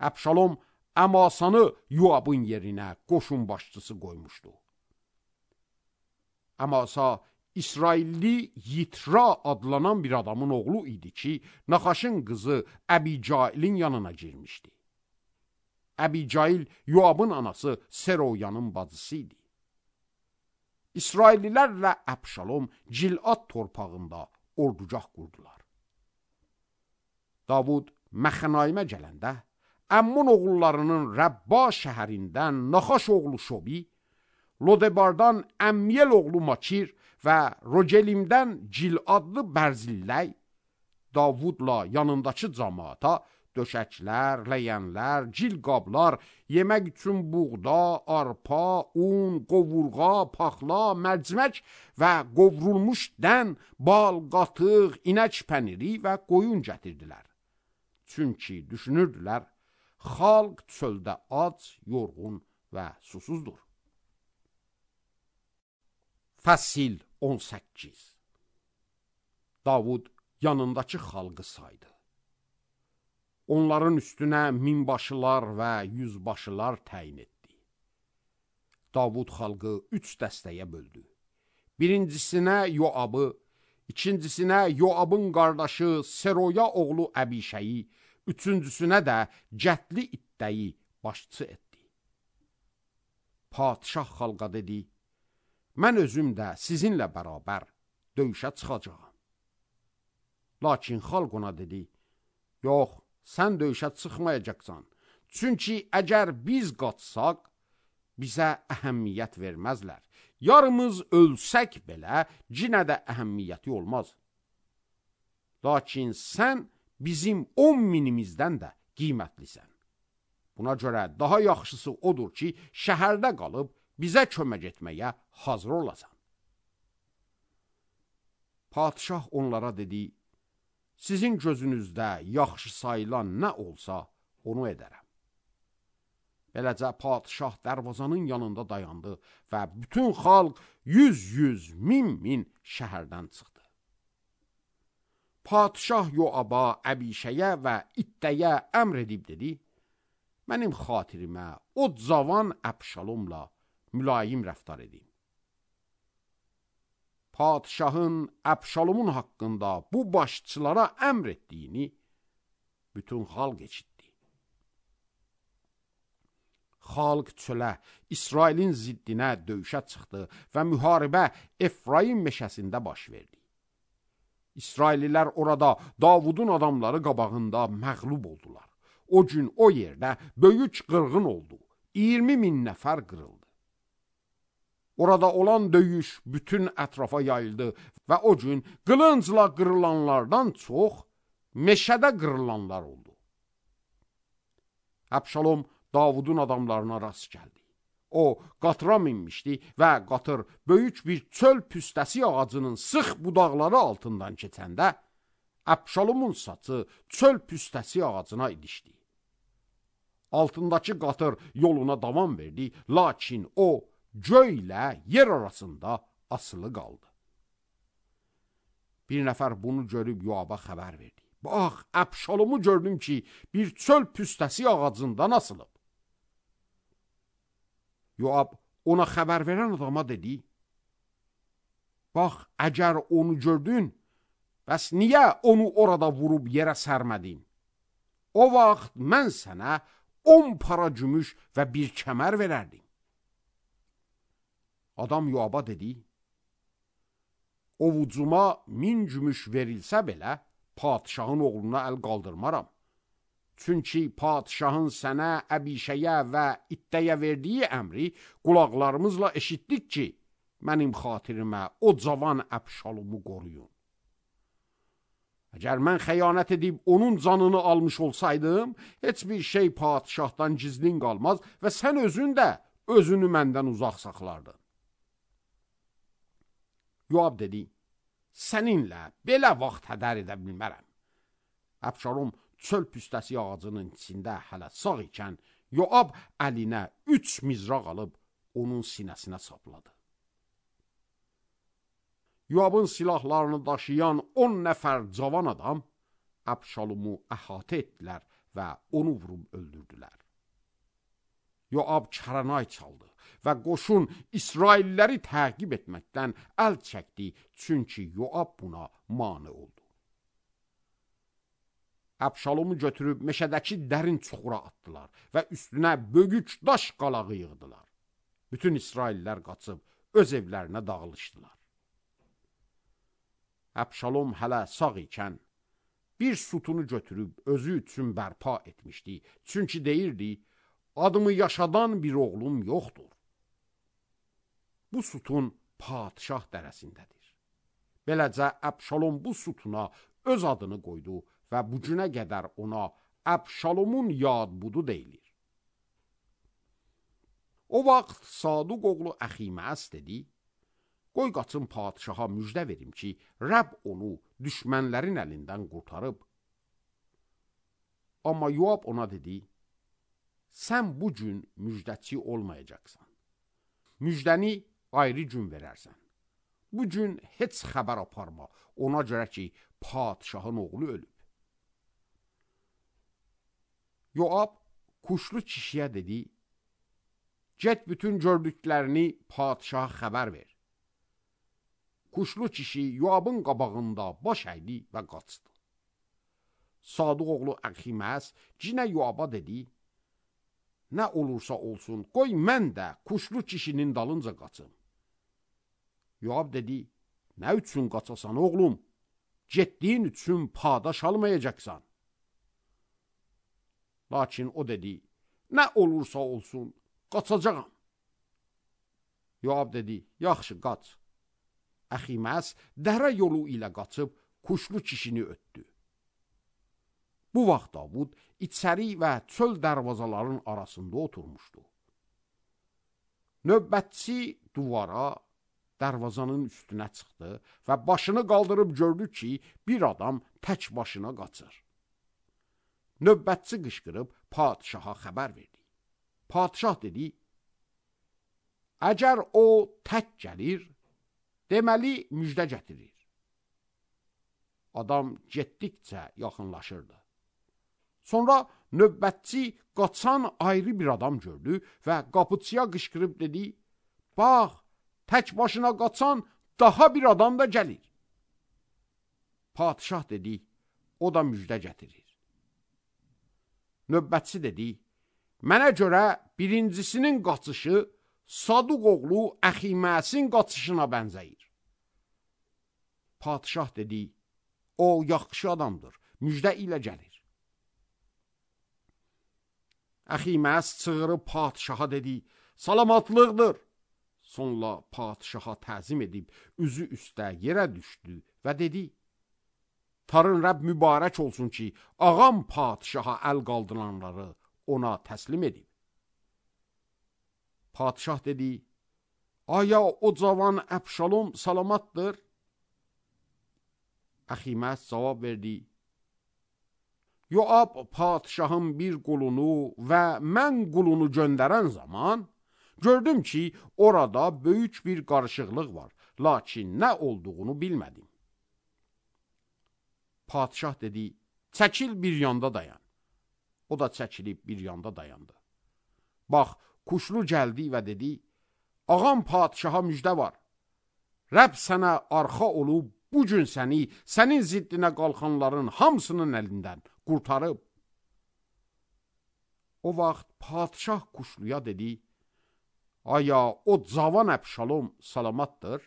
Əbşalom Əmasanı Yoabın yerinə qoşun başçısı qoymuşdu. Əmasa İsrailli Yitra adlanan bir adamın oğlu idi ki, Naxaşın qızı Əbicailin yanına girmişdi. Əbicail Yoabın anası Seroyanın bacısı idi. İsraillilərlə Əbşalom Cilad torpağında ordugah qurdular. Davud Məxənaimə gələndə, Əmmun oğullarının Rəbba şəhərindən Naxaş oğlu Şobi, Lodebardan Əmmiyel oğlu Makir və Rogelimdən Ciladlı Bərzilləy, Davudla yanındakı cəmaata döşəklər, ləyənlər, cilqablar, yemək üçün buğda, arpa, un, qovurğa, paxla, mərcimək və qovrulmuş dən, bal, qatıq, inək pəniri və qoyun gətirdilər. Çünki düşünürdülər, xalq çöldə ac, yorğun və susuzdur. Fəsil 18. Davud yanındakı xalqı saydı. Onların üstünə minbaşılar və yüzbaşılar təyin etdi. Davud xalqı 3 dəstəyə böldü. Birincisinə Yoabı, ikincisinə Yoabın qardaşı Seroya oğlu Əbişəyi, üçüncüsünə də Cətli İttəyi başçı etdi. Padişah xalqa dedi, mən özüm də sizinlə bərabər döyüşə çıxacağam. Lakin xalq ona dedi, yox, sən döyüşə çıxmayacaqsan. Çünki əgər biz qaçsaq, bizə əhəmiyyət verməzlər. Yarımız ölsək belə, cinə də əhəmmiyyəti olmaz. Lakin sən bizim 10 minimizdən də qiymətlisən. Buna görə daha yaxşısı odur ki, şəhərdə qalıb bizə kömək etməyə hazır olasan. Padişah onlara dedi, sizin gözünüzdə yaxşı sayılan nə olsa, onu edərəm. Beləcə padişah dərvazanın yanında dayandı və bütün xalq 100-100, 1000-1000 şəhərdən çıxdı. Padişah Yoaba, Əbişəyə və İttəyə əmr edib dedi, mənim xatirimə o cavan Əbşalomla mülayim rəftar edin. Padişahın Əbşalomun haqqında bu başçılara əmr etdiyini bütün xalq eşitdi. Xalq çölə, İsrailin ziddinə döyüşə çıxdı və müharibə Efraim meşəsində baş verdi. İsraillilər orada Davudun adamları qabağında məğlub oldular. O gün o yerdə böyük qırğın oldu, 20.000 nəfər qırıldı. Orada olan döyüş bütün ətrafa yayıldı və o gün qılıncla qırılanlardan çox meşədə qırılanlar oldu. Əbşalom Davudun adamlarına rast gəldi. O qatıra minmişdi və qatır böyük bir çöl püstəsi ağacının sıx budaqları altından keçəndə Əbşalomun saçı çöl püstəsi ağacına ilişdi. Altındakı qatır yoluna davam verdi, lakin o göy ilə yer arasında asılı qaldı. Bir nəfər bunu görüb Yoaba xəbər verdi. Bax, Əbşalomu gördüm ki, bir çöl püstəsi ağacından asılıb. Yoab ona xəbər verən adama dedi, bax, əgər onu gördün, bəs niyə onu orada vurub yerə sərmədin? O vaxt mən sənə 10 para gümüş və bir kəmər verərdim. Adam Yoaba dedi, ovucuma 1000 gümüş verilsə belə, padişahın oğluna əl qaldırmaram. Çünki padişahın sənə, Əbişəyə və İttəyə verdiyi əmri qulaqlarımızla eşitdik ki, mənim xatirimə o cavan Əbşalomu qoruyun. Əgər mən xəyanət edib onun canını almış olsaydım, heç bir şey padişahdan gizlin qalmaz və sən özün də özünü məndən uzaq saxlardın. Yoab dedi, səninlə belə vaxt hədər edə bilmərəm. Əbşalom çöl püstəsi ağacının içində hələ sağ ikən, Yoab əlinə 3 mizraq alıb onun sinəsinə sapladı. Yoabın silahlarını daşıyan 10 nəfər cavan adam Əbşalomu əhatə etdilər və onu vurub öldürdülər. Yoab kəranay çaldı və qoşun İsrailləri təqib etməkdən əl çəkdi, çünki Yoab buna mane oldu. Əbşalomu götürüb meşədəki dərin çuxura atdılar və üstünə böyük daş qalağı yığdılar. Bütün İsraillər qaçıb öz evlərinə dağılışdılar. Əbşalom hələ sağ ikən bir sütunu götürüb özü üçün bərpa etmişdi. Çünki deyirdi, adımı yaşadan bir oğlum yoxdur. Bu sütun padişah dərəsindədir. Beləcə Əbşalom bu sütuna öz adını qoydu və bu günə qədər ona Əbşalomun yadbudu deyilir. O vaxt Saduq oğlu Əximəs dedi, qoy qaçın padişaha müjdə verim ki, Rəbb onu düşmənlərin əlindən qurtarıb. Amma Yoab ona dedi, sən bu gün müjdəçi olmayacaqsan. Müjdəni ayrı gün verərsən. Bu gün heç xəbər aparma, ona görə ki, padişahın oğlu ölüb. Yoab kuşlu kişiyə dedi, get bütün gördüklərini padişaha xəbər ver. Kuşlu kişi Yoabın qabağında baş əydi və qaçdı. Saduq oğlu Əximəs cinə Yoaba dedi, nə olursa olsun, qoy mən də kuşlu kişinin dalınca qaçım. Yoab dedi, nə üçün qaçasan oğlum? Getdiyin üçün padaş almayacaqsan. Lakin o dedi, nə olursa olsun, qaçacağam. Yoab dedi, yaxşı, qaç. Əximəs dərə yolu ilə qaçıb kuşlu kişini ötdü. Bu vaxt Davud içəri və çöl dərvazaların arasında oturmuşdu. Növbətçi duvara, dərvazanın üstünə çıxdı və başını qaldırıb gördü ki, bir adam tək başına qaçır. Növbətçi qışqırıb padişaha xəbər verdi. Padişah dedi, əgər o tək gəlir, deməli müjdə gətirir. Adam getdikcə yaxınlaşırdı. Sonra növbətçi qaçan ayrı bir adam gördü və qapıçıya qışqırıb dedi, bax, tək başına qaçan daha bir adam da gəlir. Padişah dedi, o da müjdə gətirir. Növbətçi dedi, mənə görə birincisinin qaçışı Saduq oğlu Əximəsin qaçışına bənzəyir. Padişah dedi, o yaxşı adamdır, müjdə ilə gəlir. Əximəs çığırıb padişaha dedi, salamatlıqdır. Sonra padişaha təzim edib, üzü üstə yerə düşdü və dedi, Tarın Rəbb mübarək olsun ki, ağam padişaha əl qaldıranları ona təslim edib. Padişah dedi, aya o cavan Əbşalom salamatdır? Əximəs cavab verdi, Yoab padişahın bir qulunu və mən qulunu göndərən zaman, gördüm ki, orada böyük bir qarışıqlıq var, lakin nə olduğunu bilmədim. Padişah dedi, çəkil bir yanda dayan. O da çəkilib bir yanda dayandı. Bax, Kuşlu gəldi və dedi, ağam padişaha müjdə var. Rəbb sənə arxa olub, bugün səni, sənin ziddinə qalxanların hamısının əlindən qurtarıb. O vaxt padişah kuşluya dedi, aya o cavan Əbşalom salamatdır?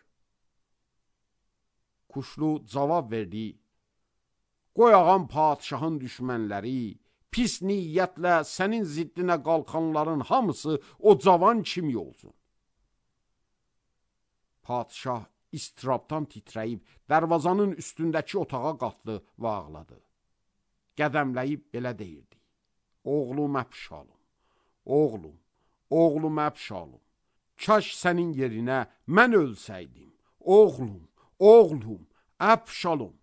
Kuşlu cavab verdi, qoy ağam padişahın düşmənləri, pis niyyətlə sənin ziddinə qalxanların hamısı o cavan kimi olsun. Padişah istirabdan titrəyib, dərvazanın üstündəki otağa qalxdı və ağladı. Qədəmləyib belə deyirdi, oğlum Əbşalom, oğlum Əbşalom, kaş sənin yerinə mən ölsəydim, oğlum Əbşalom.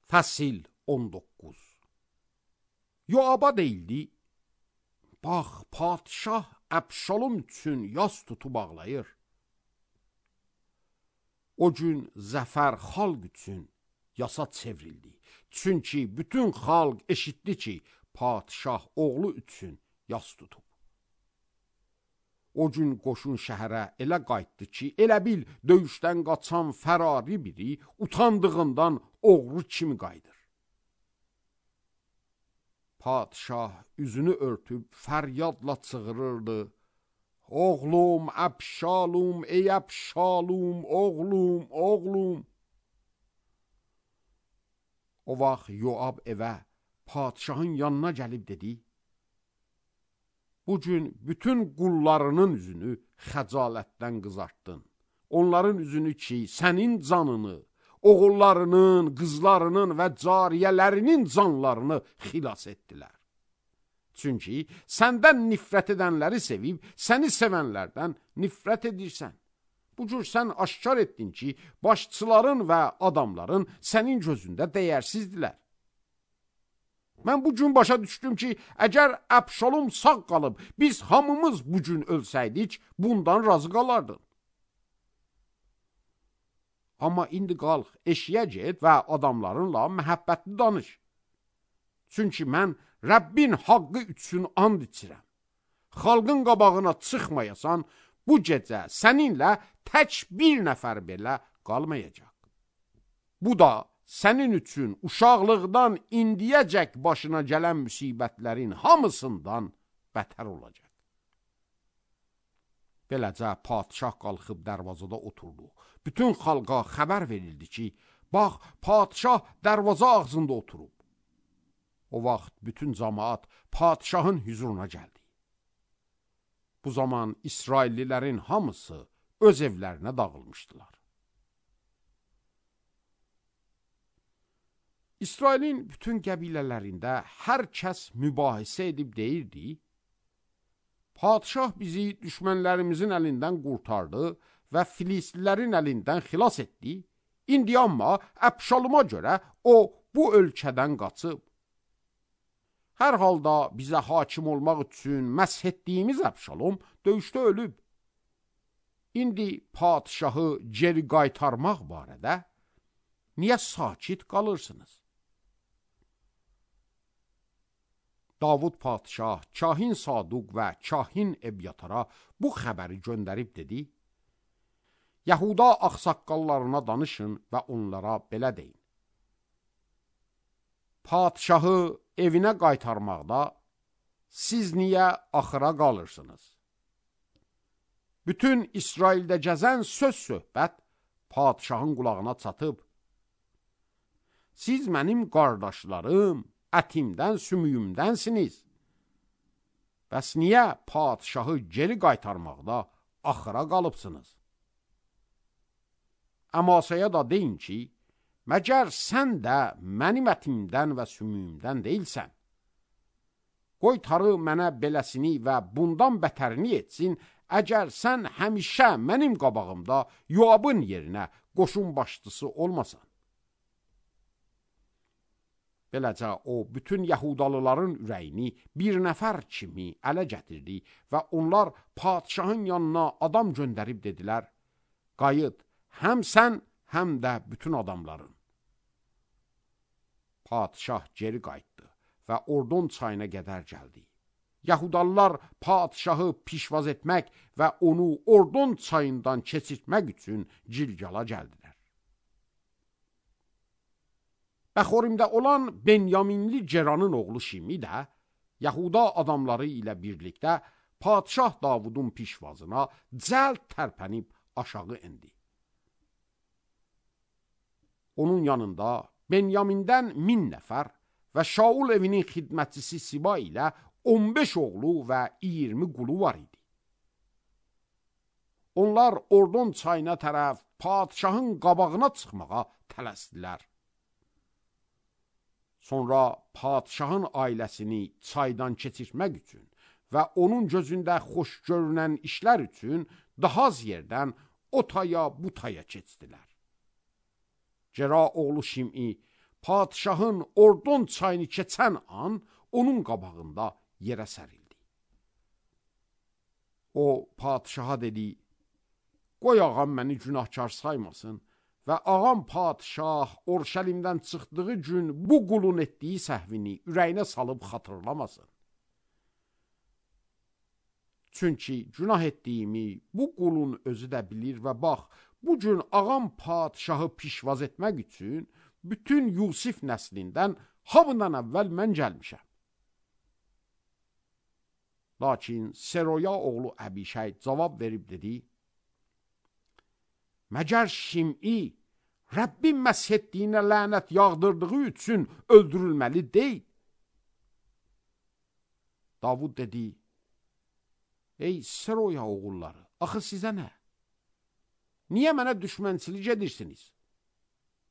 Fəsil 19. Yoaba deyildi, bax, padişah Əbşalom üçün yas tutub ağlayır. O gün zəfər xalq üçün yasa çevrildi. Çünki bütün xalq eşitdi ki, padişah oğlu üçün yas tutub. O gün qoşun şəhərə elə qayıtdı ki, elə bil döyüşdən qaçan fərari biri utandığından oğru kimi qayıdır. Padişah üzünü örtüb fəryadla çığırırdı. Oğlum Əbşalom, ey Əbşalom, oğlum. O vaxt Yoab evə, padişahın yanına gəlib dedi, bugün bütün qullarının üzünü xəcalətdən qızartdın. Onların üzünü ki, sənin canını, oğullarının, qızlarının və cariyələrinin canlarını xilas etdilər. Çünki səndən nifrət edənləri sevib, səni sevənlərdən nifrət edirsən. Bu cür sən aşkar etdin ki, başçıların və adamların sənin gözündə dəyərsizdirlər. Mən bu gün başa düşdüm ki, əgər Əbşalom sağ qalıb, biz hamımız bu gün ölsəydik, bundan razı qalardın. Amma indi qalx, eşiyə get və adamlarınla məhəbbətli danış. Çünki mən Rəbbin haqqı üçün and içirəm. Xalqın qabağına çıxmayasan, bu gecə səninlə tək bir nəfər belə qalmayacaq. Bu da sənin üçün uşaqlıqdan indiyəcək başına gələn müsibətlərin hamısından bətər olacaq. Beləcə padişah qalxıb dərvazada oturdu. Bütün xalqa xəbər verildi ki, bax, padişah dərvaza ağzında oturub. O vaxt bütün camaat padişahın hüzuruna gəldi. Bu zaman İsraillilərin hamısı öz evlərinə dağılmışdılar. İsrailin bütün qəbilələrində hər kəs mübahisə edib deyirdi, padişah bizi düşmənlərimizin əlindən qurtardı və Filistlilərin əlindən xilas etdi. İndi amma Əbşaloma görə o bu ölkədən qaçıb. Hər halda bizə hakim olmaq üçün məsh etdiyimiz Əbşalom döyüşdə ölüb. İndi padişahı geri qaytarmaq barədə niyə sakit qalırsınız? Davud padişah, kahin Saduq və kahin Ebyatara bu xəbəri göndərib dedi, Yahuda ağsaqqallarına danışın və onlara belə deyin. Padişahı evinə qaytarmaqda siz niyə axıra qalırsınız? Bütün İsraildə gəzən söz-söhbət padişahın qulağına çatıb. Siz mənim qardaşlarım, ətimdən, sümüyümdənsiniz. Bəs niyə padişahı geri qaytarmaqda axıra qalıbsınız? Əmasaya da deyin ki, məgər sən də mənim ətimdən və sümüyümdən deyilsən. Qoy tarı mənə beləsini və bundan bətərini etsin, əgər sən həmişə mənim qabağımda Yoabın yerinə qoşun başçısı olmasan. Beləcə o bütün Yahudalıların ürəyini bir nəfər kimi ələ gətirdi və onlar padişahın yanına adam göndərib dedilər, qayıt, həm sən, həm də bütün adamların. Padişah geri qayıtdı və Ordon çayına qədər gəldi. Yahudalılar padişahı pişvaz etmək və onu Ordon çayından keçirtmək üçün Cilgala gəldilər. Bəxorimdə olan Benyaminli Ceranın oğlu Şimi də Yahuda adamları ilə birlikdə padişah Davudun pişvazına cəld tərpənib aşağı indi. Onun yanında Benyamindən 1000 nəfər və Şaul evinin xidmətçisi Siba ilə 15 oğlu və 20 qulu var idi. Onlar Ordon çayına tərəf padişahın qabağına çıxmağa tələsdilər. Sonra padişahın ailəsini çaydan keçirmək üçün və onun gözündə xoş görünən işlər üçün daha az yerdən o taya bu taya keçdilər. Cera oğlu Şim'i padişahın Ordon çayını keçən an onun qabağında yerə sərildi. O padişaha dedi, qoy ağam məni günahkar saymasın və ağam padişah Orşəlimdən çıxdığı gün bu qulun etdiyi səhvini ürəyinə salıb xatırlamasın. Çünki günah etdiyimi bu qulun özü də bilir və bax, bu gün ağam padişahı pişvaz etmək üçün bütün Yusif nəslindən hamıdan əvvəl mən gəlmişəm. Lakin Seroya oğlu Əbişay cavab verib dedi, məgər Şim'i Rəbbin məsh etdiyinə lənət yağdırdığı üçün öldürülməli deyil. Davud dedi, ey Seroya oğulları, axı sizə nə? Niyə mənə düşmənçilik edirsiniz?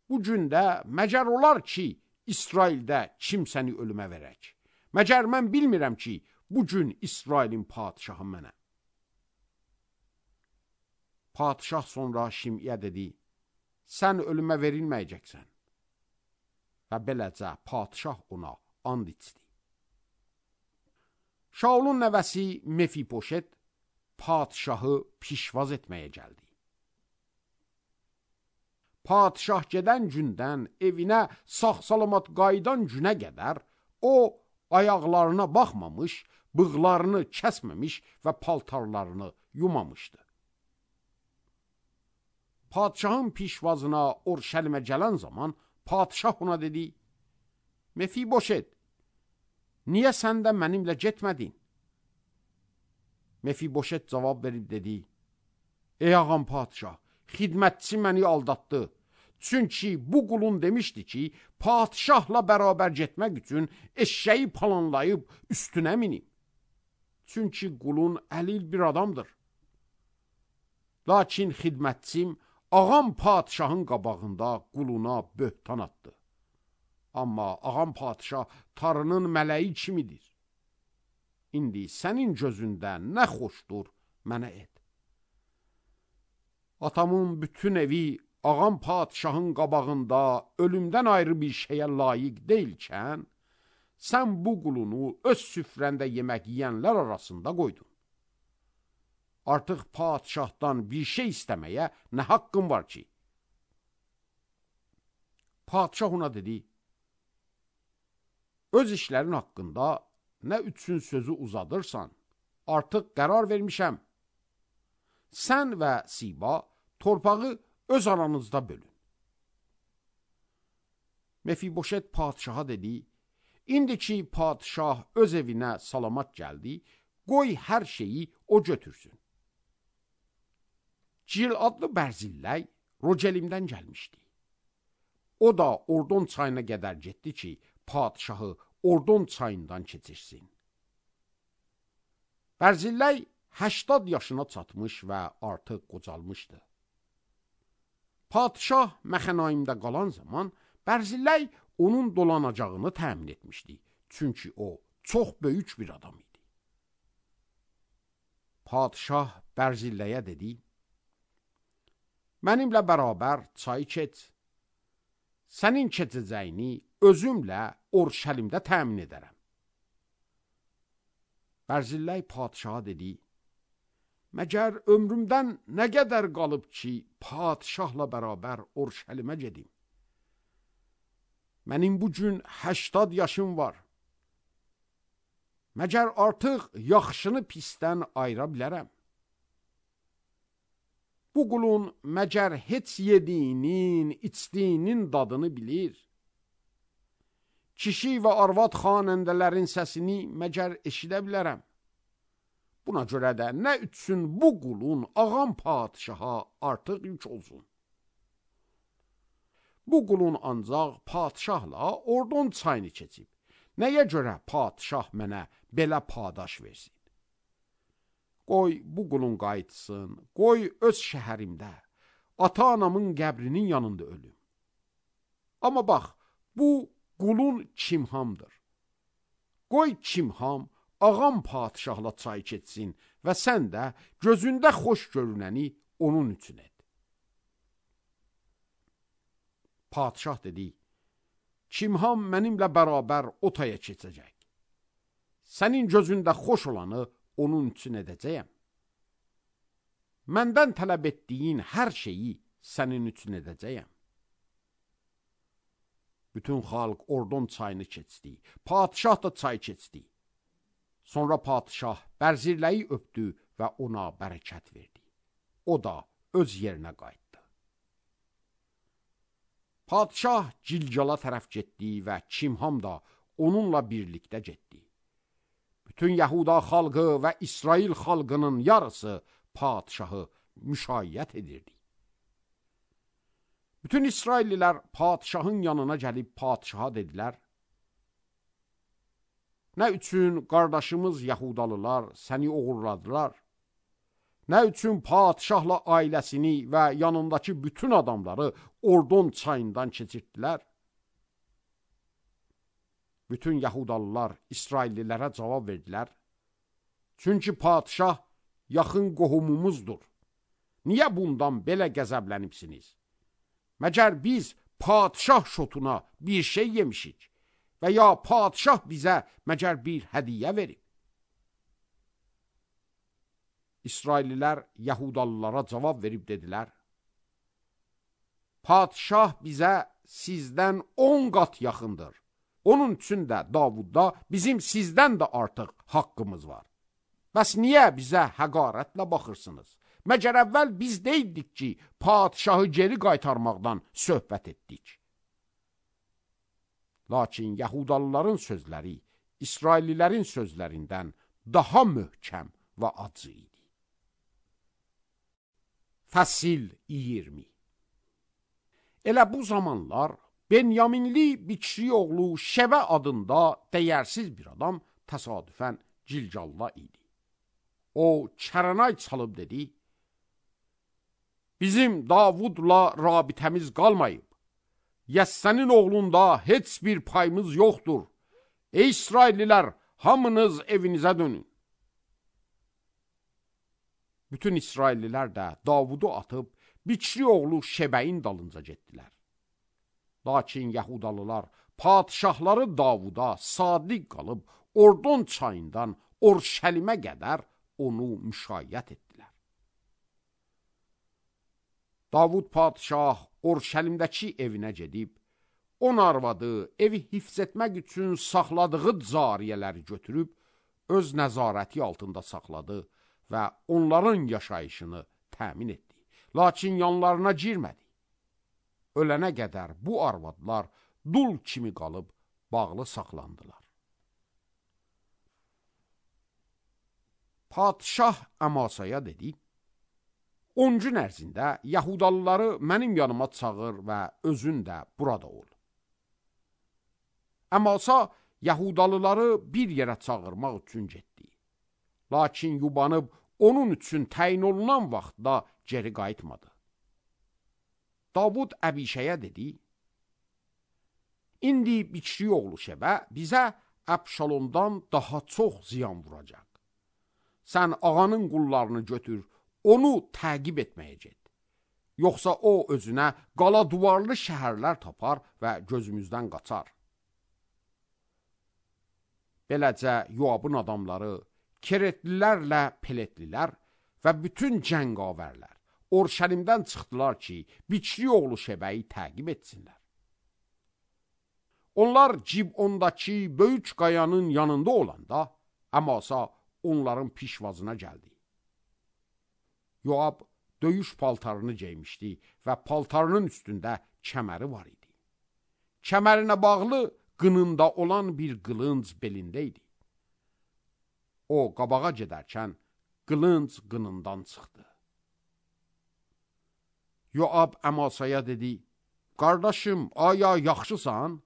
Bu gündə məcər olar ki, İsraildə kimsəni ölümə verək. Məcər mən bilmirəm ki, bu gün İsrailin padişahı mənə. Padişah sonra Şimiyə dedi, sən ölümə verilməyəcəksən. Və beləcə padişah ona and içdi. Şaulun nəvəsi Mefiboşet padişahı pişvaz etməyə gəldi. Padişah gedən gündən evinə sağ-salamat qayıdan günə qədər o ayaqlarına baxmamış, bığlarını kəsməmiş və paltarlarını yumamışdı. Padişahın pişvazına Orşəlimə gələn zaman padişah ona dedi, Mefiboşet, niyə sən də mənimlə getmədin? Mefiboşet cavab verib dedi, ey ağam padişah, xidmətçi məni aldatdı. Çünki bu qulun demişdi ki, padişahla bərabər getmək üçün eşşəyi planlayıb üstünə minim. Çünki qulun əlil bir adamdır. Lakin xidmətçim ağam padişahın qabağında quluna böhtan atdı. Amma ağam padişah tarının mələyi kimidir. İndi sənin gözündə nə xoşdur, mənə et. Atamın bütün evi ağam padişahın qabağında ölümdən ayrı bir şeyə layiq deyilkən, sən bu qulunu öz süfrəndə yemək yiyənlər arasında qoydun. Artıq padişahdan bir şey istəməyə nə haqqın var ki? Padişah ona dedi, öz işlərin haqqında nə üçün sözü uzadırsan, artıq qərar vermişəm. Sən və Siba torpağı öz aranızda bölün. Mefiboşet padişaha dedi, indi ki padişah öz evinə salamat gəldi, qoy hər şeyi o götürsün. Cil adlı Bərzilləy Rogelimdən gəlmişdi. O da Ordon çayına qədər getdi ki, padişahı Ordon çayından keçirsin. Bərzilləy 80 yaşına çatmış və artıq qocalmışdı. Padişah Məxənaimdə qalan zaman Bərzilləy onun dolanacağını təmin etmişdi. Çünki o çox böyük bir adam idi. Padişah Bərzilləyə dedi, mənimlə bərabər çayı keç. Sənin keçəcəyini özümlə Orşəlimdə təmin edərəm. Bərzilləy padişaha dedi, məgər ömrümdən nə qədər qalıb ki, padişahla bərabər Orşəlimə gedim? Mənim bu gün 80 yaşım var. Məgər artıq yaxşını pisdən ayıra bilərəm? Bu qulun məgər heç yediyinin, içdiyinin dadını bilir? Kişi və arvad xanəndələrin səsini məgər eşidə bilərəm? Buna görə də nə üçün bu qulun ağam padişaha artıq yük olsun? Bu qulun ancaq padişahla Ordon çayını keçib. Nəyə görə padişah mənə belə padaş versin? Qoy bu qulun qayıtsın, qoy öz şəhərimdə, ata-anamın qəbrinin yanında ölüm. Amma bax, bu qulun Kimhamdır. Qoy Kimham ağam padişahla çay keçsin və sən də gözündə xoş görünəni onun üçün et. Padişah dedi, Kimham mənimlə bərabər o taya keçəcək. Sənin gözündə xoş olanı onun üçün edəcəyəm. Məndən tələb etdiyin hər şeyi sənin üçün edəcəyəm. Bütün xalq Ordon çayını keçdi. Padişah da çay keçdi. Sonra padişah bərzirləyi öpdü və ona bərəkət verdi. O da öz yerinə qayıtdı. Padişah Cilcala tərəf getdi və Kimham da onunla birlikdə getdi. Bütün Yahuda xalqı və İsrail xalqının yarısı padişahı müşayiət edirdi. Bütün İsraillilər padişahın yanına gəlib padişaha dedilər, nə üçün qardaşımız Yahudalılar səni oğurladılar? Nə üçün padişahla ailəsini və yanındakı bütün adamları Ordon çayından keçirtdilər? Bütün Yahudalılar İsraillilərə cavab verdilər. Çünki padişah yaxın qohumumuzdur. Niyə bundan belə qəzəblənibsiniz? Məgər biz padişah şotuna bir şey yemişik və ya padişah bizə məgər bir hədiyyə verib? İsraillilər Yahudalılara cavab verib dedilər, padişah bizə sizdən 10 qat yaxındır. Onun üçün də Davudda bizim sizdən də artıq haqqımız var. Bəs niyə bizə həqarətlə baxırsınız? Məgər əvvəl biz deyildik ki, padişahı geri qaytarmaqdan söhbət etdik. Lakin Yahudalıların sözləri İsraillilərin sözlərindən daha möhkəm və acı idi. Fəsil 20. Elə bu zamanlar Benyaminli Biçri oğlu Şəvə adında dəyərsiz bir adam təsadüfən Cilcalda idi. O çərənay çalıb dedi, bizim Davudla rabitəmiz qalmayıb. Yəssənin oğlunda heç bir payımız yoxdur. Ey İsraillilər, hamınız evinizə dönün. Bütün İsraillilər də Davudu atıb Biçri oğlu Şəbəyin dalınca getdilər. Lakin Yahudalılar padişahları Davuda sadiq qalıb Ordon çayından Orşəlimə qədər onu müşayiət etdilər. Davud padişah Orşəlimdəki evinə gedib, 10 arvadı evi hifz etmək üçün saxladığı cariyələri götürüb, öz nəzarəti altında saxladı və onların yaşayışını təmin etdi. Lakin yanlarına girmədi. Ölənə qədər bu arvadlar dul kimi qalıb bağlı saxlandılar. Padişah Əmasaya dedi, 10 gün ərzində Yahudalıları mənim yanıma çağır və özün də burada ol. Əmasa Yahudalıları bir yerə çağırmaq üçün getdi. Lakin yubanıb onun üçün təyin olunan vaxtda geri qayıtmadı. Davud Əbişəyə dedi, İndi Biçri oğlu Şəbə bizə Əbşalomdan daha çox ziyan vuracaq. Sən ağanın qullarını götür, onu təqib etməyə get. Yoxsa o özünə qala duvarlı şəhərlər tapar və gözümüzdən qaçar. Beləcə Yoabın adamları, Keretlilərlə Peletlilər və bütün cəngavərlər Orşəlimdən çıxdılar ki, Biçri oğlu Şəbəyi təqib etsinlər. Onlar Cibondakı böyük qayanın yanında olanda, Əmasa onların pişvazına gəldi. Yoab döyüş paltarını geymişdi və paltarının üstündə kəməri var idi. Kəmərinə bağlı qınında olan bir qılınc belində idi. O qabağa gedərkən qılınc qınından çıxdı. Yoab Əmasaya dedi, qardaşım, aya yaxşısan?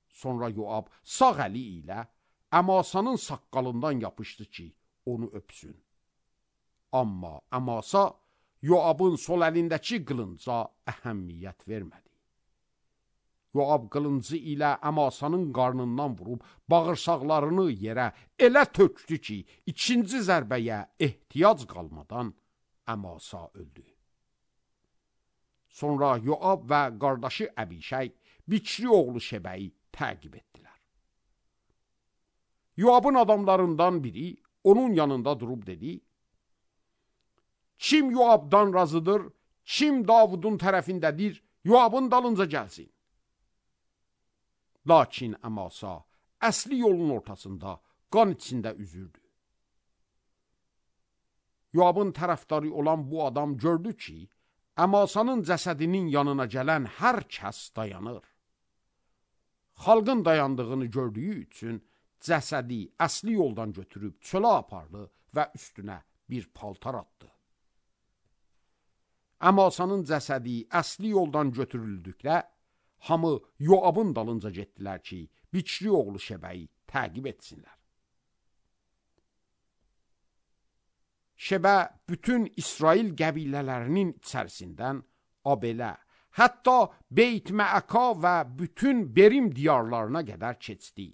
Sonra Yoab sağ əli ilə Əmasanın saqqalından yapışdı ki, onu öpsün. Amma Əmasa Yoabın sol əlindəki qılınca əhəmiyyət vermədi. Yoab qılıncı ilə Əmasanın qarnından vurub bağırsaqlarını yerə elə tökdü ki, ikinci zərbəyə ehtiyac qalmadan Əmasa öldü. Sonra Yoab və qardaşı Əbişək Biçri oğlu Şebəyi təqib etdilər. Yoabın adamlarından biri onun yanında durub dedi, kim Yoabdan razıdır, kim Davudun tərəfindədir, Yoabın dalınca gəlsin. Lakin Əmasa əsli yolun ortasında qan içində üzürdü. Yoabın tərəfdarı olan bu adam gördü ki, Əmasanın cəsədinin yanına gələn hər kəs dayanır. Xalqın dayandığını gördüyü üçün cəsədi əsli yoldan götürüb çölə apardı və üstünə bir paltar atdı. Əmasanın cəsədi əsli yoldan götürüldükdə, hamı Yoabın dalınca getdilər ki, Biçri oğlu Şebəyi təqib etsinlər. Şebə bütün İsrail qəbilələrinin içərisindən Abelə, hətta Beyt-Məəka və bütün Berim diyarlarına qədər keçdi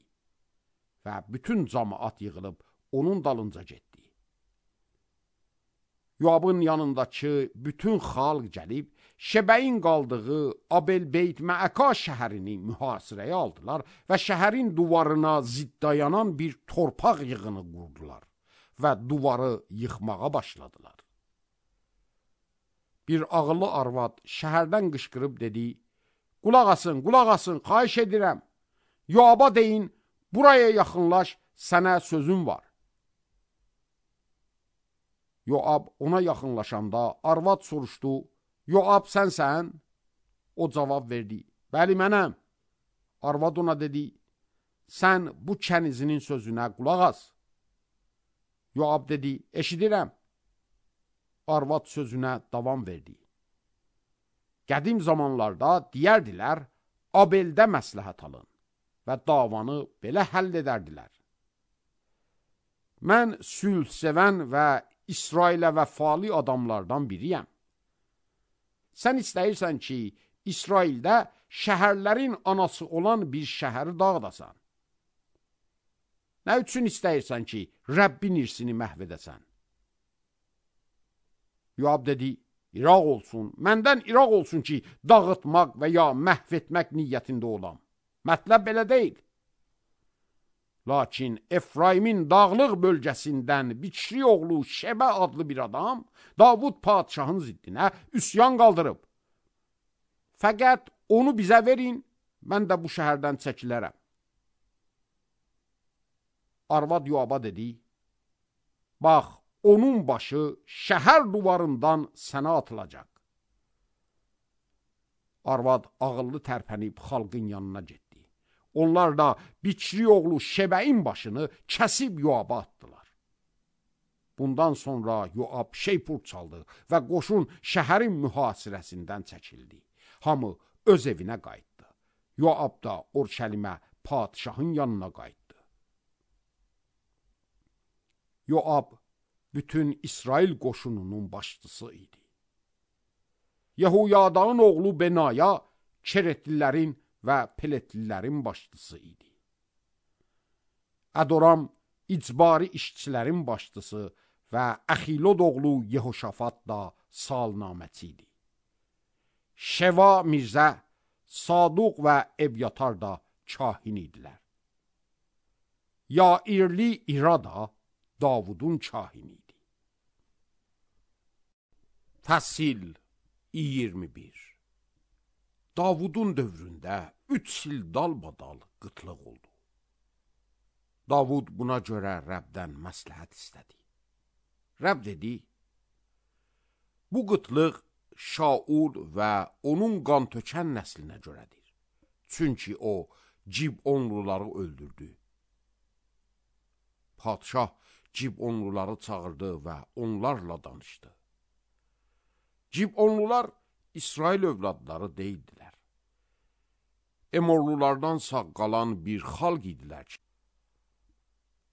və bütün cəmaət yığılıb onun dalınca getdi. Yoabın yanındakı bütün xalq gəlib, Şebəyin qaldığı Abel-Beyt-Məəka şəhərini mühasirəyə aldılar və şəhərin duvarına ziddayanan bir torpaq yığını qurdular və duvarı yıxmağa başladılar. Bir ağıllı arvad şəhərdən qışqırıb dedi, qulaq asın, xahiş edirəm. Yoaba deyin, buraya yaxınlaş, sənə sözüm var. Yoab ona yaxınlaşanda arvad soruşdu, Yoab sənsən? O cavab verdi, bəli mənəm. Arvad ona dedi, sən bu kənizinin sözünə qulaq as. Yoab dedi, eşidirəm. Arvad sözünə davam verdi. Qədim zamanlarda deyərdilər, Abeldə məsləhət alın və davanı belə həll edərdilər. Mən sülh sevən və İsrailə vəfalı adamlardan biriyəm. Sən istəyirsən ki, İsraildə şəhərlərin anası olan bir şəhəri dağıdasan. Nə üçün istəyirsən ki, Rəbbin irsini məhv edəsən? Yoab dedi, İraq olsun, məndən İraq olsun ki, dağıtmaq və ya məhv etmək niyyətində olam. Mətləb belə deyil. Lakin Efraimin dağlıq bölgəsindən Biçri oğlu Şebə adlı bir adam Davud padişahın ziddinə üsyan qaldırıb. Fəqət onu bizə verin, mən də bu şəhərdən çəkilərəm. Arvad Yoaba dedi, bax, onun başı şəhər duvarından sənə atılacaq. Arvad ağıllı tərpənib xalqın yanına getdi. Onlar da Biçri oğlu Şebəyin başını kəsib Yoaba atdılar. Bundan sonra Yoab şeypur çaldı və qoşun şəhərin mühasirəsindən çəkildi. Hamı öz evinə qayıtdı. Yoab da Orşəlimə padişahın yanına qayıtdı. Yoab bütün İsrail qoşununun başçısı idi. Yehuyadağın oğlu Benaya Keretlilərin və Peletlilərin başçısı idi. Ədoram icbari işçilərin başçısı və Əxilod oğlu Yehoşafat da salnaməçi idi. Şeva Mirzə, Saduq və Ebyatar da kahin idilər. Yairli İra da Davudun kahini idi. Fəsil 21. Davudun dövründə 3 il dalbadal qıtlıq oldu. Davud buna görə Rəbdən məsləhət istədi. Rəbb dedi, bu qıtlıq Şaul və onun qan tökən nəslinə görədir. Çünki o, Cibonluları öldürdü. Padşah Cibonluları çağırdı və onlarla danışdı. Cibonlular İsrail övladları deyildilər. Emorlulardan sağ qalan bir xalq idilər ki,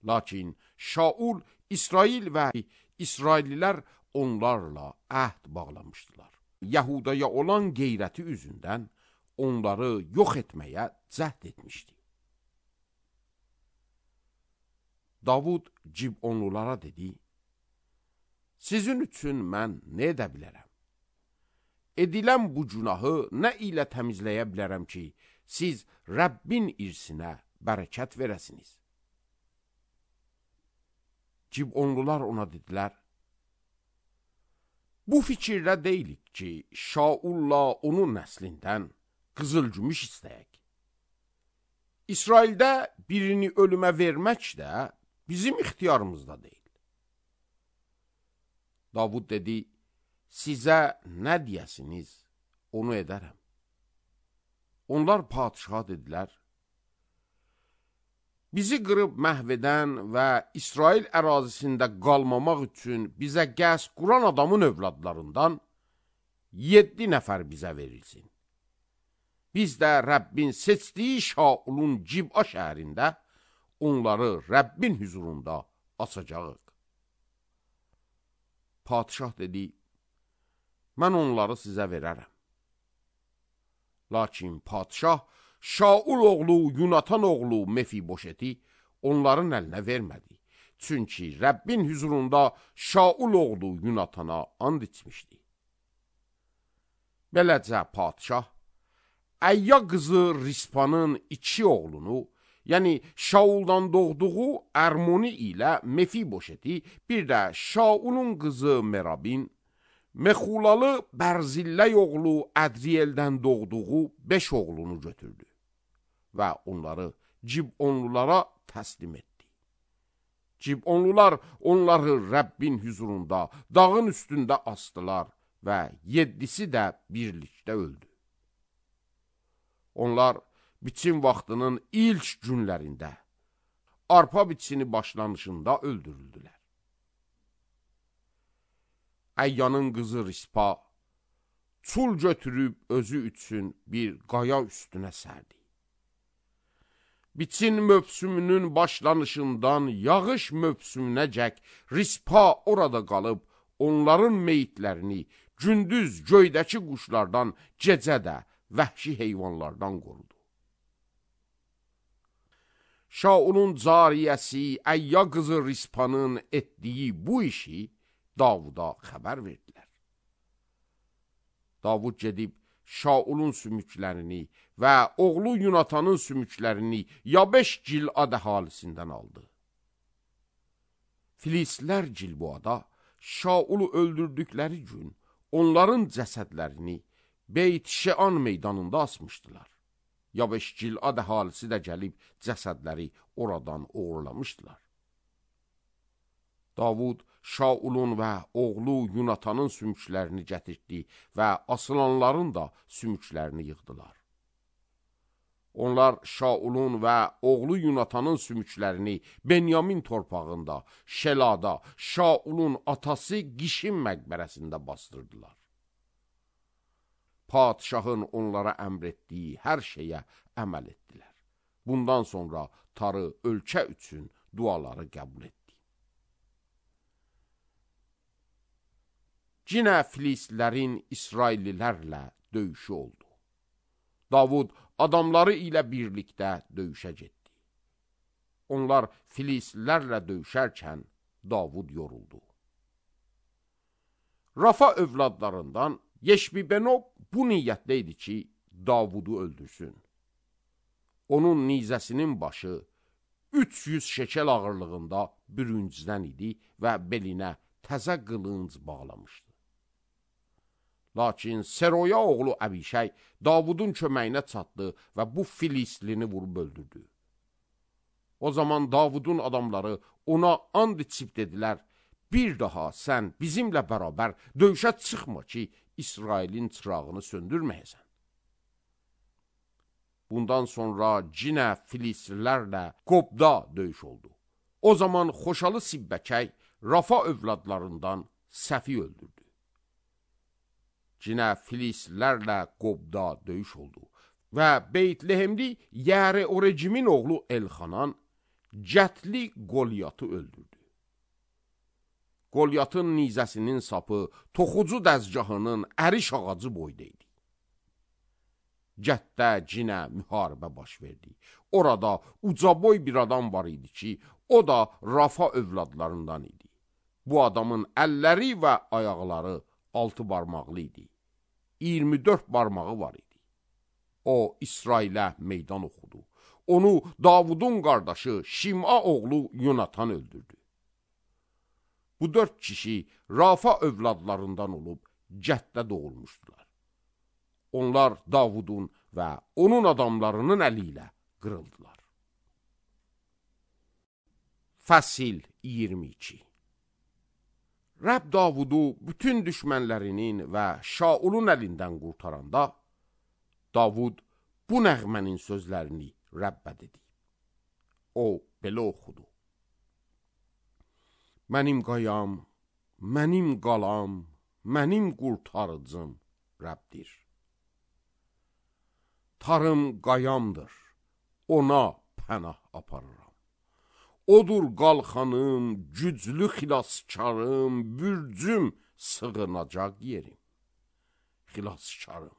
lakin Şaul, İsrail və İsraillilər onlarla əhd bağlamışdılar. Yahudaya olan qeyrəti üzündən onları yox etməyə cəhd etmişdi. Davud Cibonlulara dedi, sizin üçün mən nə edə bilərəm? Edilən bu günahı nə ilə təmizləyə bilərəm ki, siz Rəbbin irsinə bərəkət verəsiniz? Cibonlular ona dedilər, bu fikirdə deyilik ki, Şaulla onun nəslindən qızıl-gümüş istəyək. İsraildə birini ölümə vermək də bizim ixtiyarımızda deyil. Davud dedi, sizə nə deyəsiniz, onu edərəm. Onlar padişaha dedilər, bizi qırıb məhv edən və İsrail ərazisində qalmamaq üçün bizə qəsd quran adamın övladlarından 7 nəfər bizə verilsin. Biz də Rəbbin seçdiyi Şaulun Cib'a şəhərində onları Rəbbin hüzurunda asacağıq. Padişah dedi, mən onları sizə verərəm. Lakin padişah Şaul oğlu Yunatan oğlu Mefiboşeti onların əlinə vermədi. Çünki Rəbbin hüzurunda Şaul oğlu Yunatana and içmişdi. Beləcə padişah Əyya qızı Rispanın 2 oğlunu, yəni Şauldan doğduğu Ərmoni ilə Mefiboşeti, bir də Şaulun qızı Merabin, Mexulalı Bərzilləy oğlu Ədriyeldən doğduğu 5 oğlunu götürdü və onları Cibonlulara təslim etdi. Cibonlular onları Rəbbin hüzurunda dağın üstündə asdılar və 7'si də birlikdə öldü. Onlar biçim vaxtının ilk günlərində, arpa biçini başlanışında öldürüldülər. Əyyanın qızı Rispa çul götürüb özü üçün bir qaya üstünə sərdi. Biçin mövsümünün başlanışından yağış mövsümünəcək Rispa orada qalıb, onların meyitlərini gündüz göydəki quşlardan, gecə də vəhşi heyvanlardan qorudu. Şaulun cariyəsi Əyya qızı Rispanın etdiyi bu işi Davuda xəbər verdilər. Davud gedib Şaulun sümüklərini və oğlu Yunatanın sümüklərini Yabeş Gilad əhalisindən aldı. Filistlər Gilboada Şaulu öldürdükləri gün onların cəsədlərini Beyt Şean meydanında asmışdılar. Yabeş Gilad əhalisi də gəlib cəsədləri oradan uğurlamışdılar. Davud Şaulun və oğlu Yunatanın sümüklərini gətirdi və asılanların da sümüklərini yığdılar. Onlar Şaulun və oğlu Yunatanın sümüklərini Benyamin torpağında, Şelada, Şaulun atası Qişin məqbərəsində bastırdılar. Padişahın onlara əmr etdiyi hər şeyə əməl etdilər. Bundan sonra Tarı ölkə üçün duaları qəbul etdi. Cinə Filistlərin İsraillilərlə döyüşü oldu. Davud adamları ilə birlikdə döyüşə getdi. Onlar Filistlərlə döyüşərkən Davud yoruldu. Rafa övladlarından Yeşbibenob bu niyyətdə idi ki, Davudu öldürsün. Onun nizəsinin başı 300 şekel ağırlığında bürüncdən idi və belinə təzə qılınc bağlamışdı. Lakin Seroya oğlu Əbişəy Davudun köməyinə çatdı və bu Filistlini vurub öldürdü. O zaman Davudun adamları ona and içib dedilər, bir daha sən bizimlə bərabər döyüşə çıxma ki, İsrailin çırağını söndürməyəsən. Bundan sonra cinə Filislilərlə Qobda döyüş oldu. O zaman Xoşalı Sibbəkəy Rafa övladlarından Səfi öldürdü. Cinə Filislilərlə Qobda döyüş oldu və Beytlehemli Yəri Orecimin oğlu Elxanan Cətli Qolyatı öldürdü. Qolyatın nizəsinin sapı toxucu dəzgahının əriş ağacı boyda idi. Cətdə cinə müharibə baş verdi. Orada ucaboy bir adam var idi ki, o da Rafa övladlarından idi. Bu adamın əlləri və ayaqları 6 barmaqlı idi. 24 barmağı var idi. O, İsrailə meydan oxudu. Onu Davudun qardaşı Şim'a oğlu Yonatan öldürdü. Bu 4 kişi Rafa övladlarından olub Cətdə doğulmuşdular. Onlar Davudun və onun adamlarının əli ilə qırıldılar. Fəsil 22. Rəbb Davudu bütün düşmənlərinin və Şaulun əlindən qurtaranda, Davud bu nəğmənin sözlərini Rəbbə dedi. O belə oxudu. Mənim qayam, mənim qalam, mənim qurtarıcım Rəbdir. Tarım qayamdır, ona pənah aparıram. Odur qalxanım, güclü xilaskarım, bürcüm, sığınacaq yerim. Xilaskarım,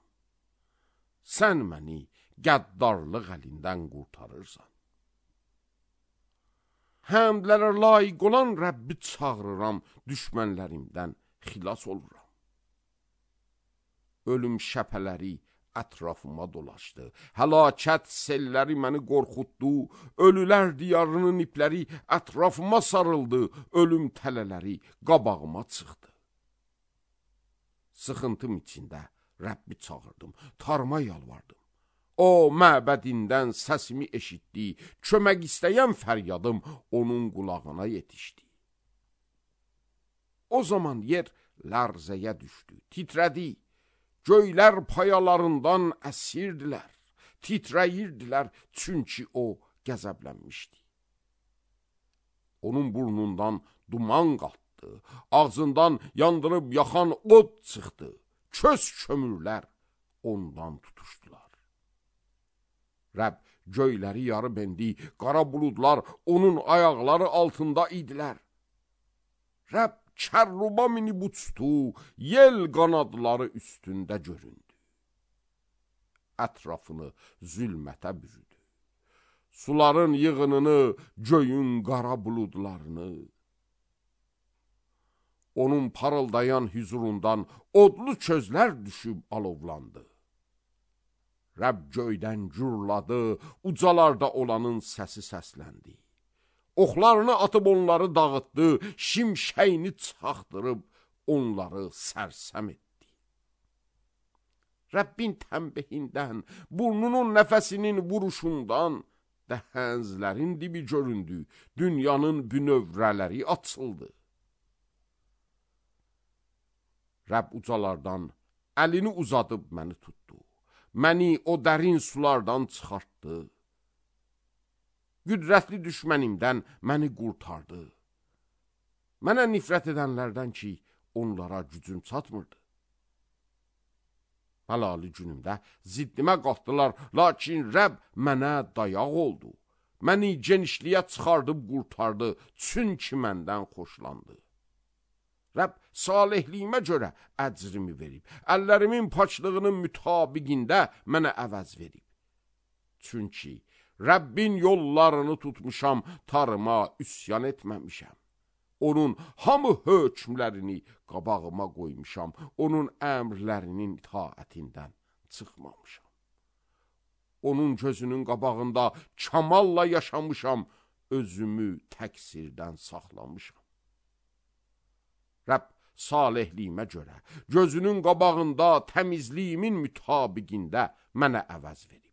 sən məni qəddarlıq əlindən qurtarırsan. Həmdlərə layiq olan Rəbbi çağırıram, düşmənlərimdən xilas oluram. Ölüm şəpələri ətrafıma dolaşdı, həlakət selləri məni qorxutdu, ölülər diyarının ipləri ətrafıma sarıldı, ölüm tələləri qabağıma çıxdı. Sıxıntım içində Rəbbi çağırdım, tarıma yalvardım. O, məbədindən səsimi eşitdi, kömək istəyən fəryadım onun qulağına yetişdi. O zaman yer lərzəyə düşdü, titrədi. Göylər payalarından əsirdilər, titrəyirdilər, çünki o qəzəblənmişdi. Onun burnundan duman qalxdı, ağzından yandırıb yaxan od çıxdı, köz kömürlər ondan tutuşdular. Rəbb göyləri yarıb endi, qara buludlar onun ayaqları altında idilər. Rəbb kərruba minib uçdu, yel qanadları üstündə göründü. Ətrafını zülmətə bürüdü. Suların yığınını, göyün qara buludlarını. Onun parıldayan hüzurundan odlu közlər düşüb alovlandı. Rəbb göydən gürladı, ucalarda olanın səsi səsləndi. Oxlarını atıb onları dağıtdı, şimşəyini çaxdırıb onları sərsəm etdi. Rəbbin tənbehindən, burnunun nəfəsinin vuruşundan dəhənzlərin dibi göründü, dünyanın bünövrələri açıldı. Rəbb ucalardan əlini uzadıb məni tutdu. Məni o dərin sulardan çıxartdı. Qüdrətli düşmənimdən məni qurtardı. Mənə nifrət edənlərdən ki, onlara gücüm çatmırdı. Həlali günümdə ziddimə qalxdılar, lakin Rəbb mənə dayaq oldu. Məni genişliyə çıxardıb qurtardı, çünki məndən xoşlandı. Rəbb salihliyimə görə əcrimi verib, əllərimin paçlığının mütabiqində mənə əvəz verib. Çünki Rəbbin yollarını tutmuşam, tarıma üsyan etməmişəm. Onun hamı hökmlərini qabağıma qoymuşam, onun əmrlərinin itaətindən çıxmamışam. Onun gözünün qabağında kamalla yaşamışam, özümü təqsirdən saxlamışam. Rəbb salihliyimə görə, gözünün qabağında təmizliyimin mütabiqində mənə əvəz verib.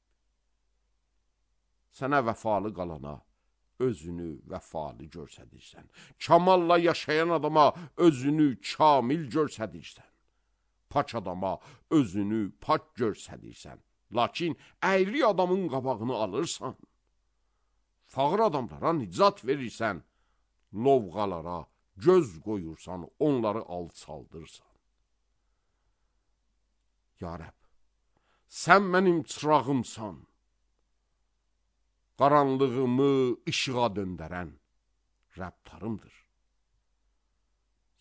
Sənə vəfalı qalana özünü vəfalı görsədirsən. Kamalla yaşayan adama özünü kamil görsədirsən. Paç adama özünü pak görsədirsən. Lakin əyri adamın qabağını alırsan. Fağır adamlara nicat verirsən. Lovğalara göz qoyursan, onları alçaldırsan. Ya Rəbb, sən mənim çırağımsan. Qaranlığımı işığa döndərən Rəbtarımdır.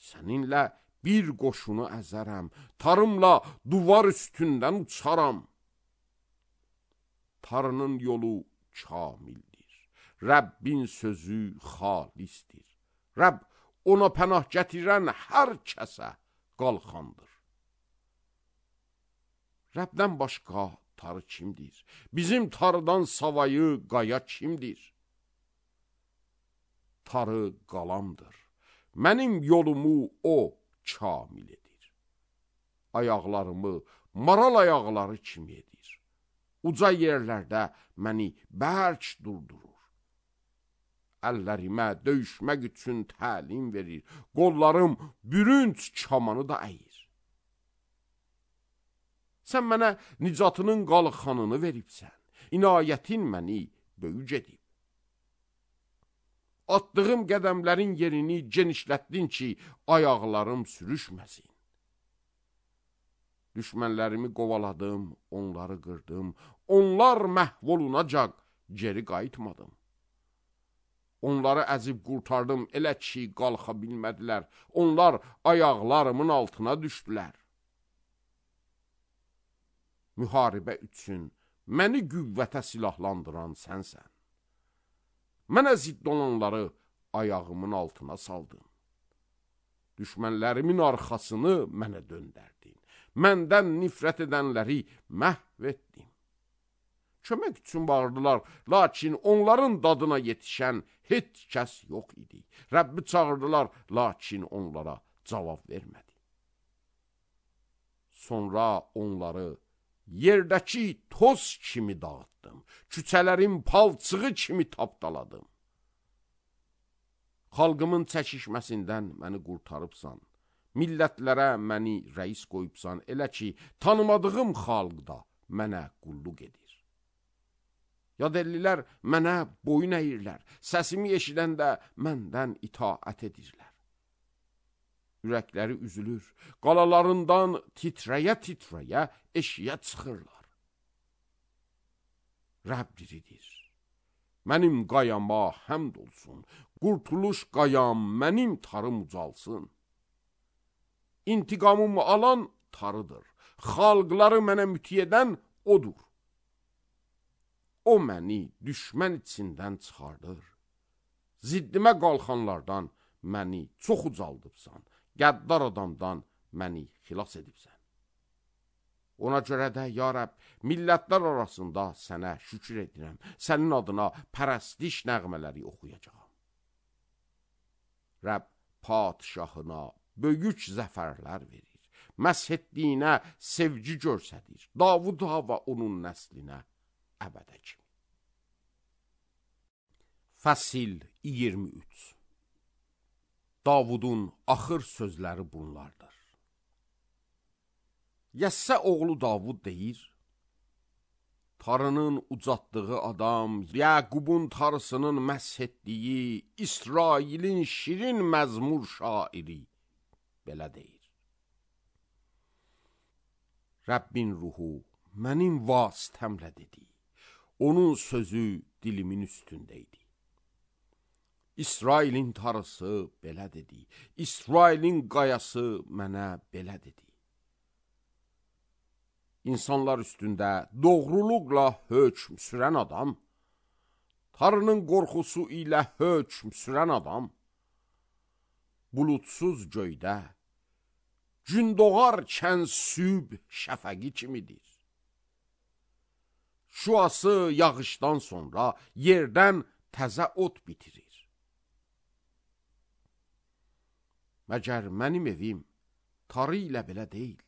Səninlə bir qoşunu əzərəm, tarımla duvar üstündən uçaram. Tarının yolu kamildir, Rəbbin sözü xalisdir. Rəbb ona pənah gətirən hər kəsə qalxandır. Rəbdən başqa tarı kimdir? Bizim tarıdan savayı qaya kimdir? Tarı qalamdır. Mənim yolumu o kamil edir. Ayaqlarımı maral ayaqları kimi edir. Uca yerlərdə məni bərk durdurur. Əllərimə döyüşmək üçün təlim verir. Qollarım bürünc kamanı da əyir. Sən mənə nicatının qalxanını veribsən. İnayətin məni böyük edib. Attığım qədəmlərin yerini genişlətdin ki, ayaqlarım sürüşməsin. Düşmənlərimi qovaladım, onları qırdım. Onlar məhv olunacaq, geri qayıtmadım. Onları əzib qurtardım, elə ki, qalxa bilmədilər. Onlar ayaqlarımın altına düşdülər. Müharibə üçün məni qüvvətə silahlandıran sənsən. Mənə zidd olanları ayağımın altına saldın. Düşmənlərimin arxasını mənə döndərdin. Məndən nifrət edənləri məhv etdin. Kömək üçün bağırdılar, lakin onların dadına yetişən heç kəs yox idi. Rəbbi çağırdılar, lakin onlara cavab vermədi. Sonra onları yerdəki toz kimi dağıtdım. Küçələrin palçığı kimi tapdaladım. Xalqımın çəkişməsindən məni qurtarıbsan. Millətlərə məni rəis qoyubsan. Elə ki, tanımadığım xalq da mənə qulluq edir. Yadellilər mənə boyun əyirlər. Səsimi eşidəndə məndən itaət edirlər. Ürəkləri üzülür. Qalalarından titrəyə-titrəyə eşiyə çıxırlar. Rəbb diridir. Mənim qayama həmd olsun. Qurtuluş qayam, mənim tarım ucalsın. İntiqamımı alan tarıdır. Xalqları mənə müti edən odur. O məni düşmən içindən çıxardır. Ziddimə qalxanlardan məni çox ucaldıbsan. Qəddar adamdan məni xilas edibsən. Ona görə də, ya Rəbb, millətlər arasında sənə şükür edirəm. Sənin adına pərəstiş nəğmələri oxuyacağam. Rəbb padişahına böyük zəfərlər verir. Məsh etdiyinə sevgi görsədir. Davuda və onun nəslinə əbədə kimi. Fəsil 23. Davudun axır sözləri bunlardır. Yəssə oğlu Davud deyir, tarının ucatdığı adam, Yəqubun tarısının məsh etdiyi, İsrailin şirin məzmur şairi belə deyir. Rəbbin ruhu mənim vasitəmlə dedi. Onun sözü dilimin üstündə idi. İsrailin tarısı belə dedi. İsrailin qayası mənə belə dedi. İnsanlar üstündə doğruluqla hökm sürən adam, tarının qorxusu ilə hökm sürən adam, bulutsuz göydə, gün doğarkən sübh şəfəqi kimidir. Şüası yağışdan sonra yerdən təzə ot bitirir. Məgər mənim evim tarı ilə belə deyil.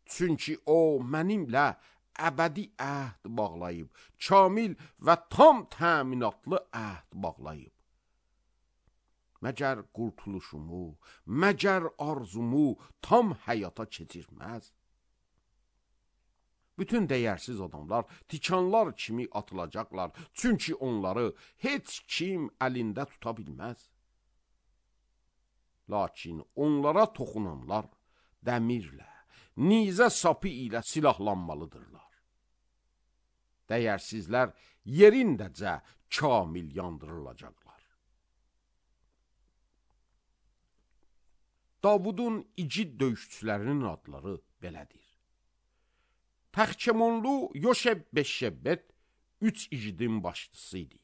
Çünki o mənimlə əbədi əhd bağlayıb, kamil və tam təminatlı əhd bağlayıb. Məgər qurtuluşumu, məgər arzumu tam həyata keçirməz? Bütün dəyərsiz adamlar tikanlar kimi atılacaqlar, çünki onları heç kim əlində tuta bilməz. Lakin onlara toxunanlar dəmirlə, nizə sapı ilə silahlanmalıdırlar. Dəyərsizlər yerindəcə kamil yandırılacaqlar. Davudun igid döyüşçülərinin adları belədir. Pəxkəmonlu Yoşeb-Beşşebbet 3 igidin başçısı idi.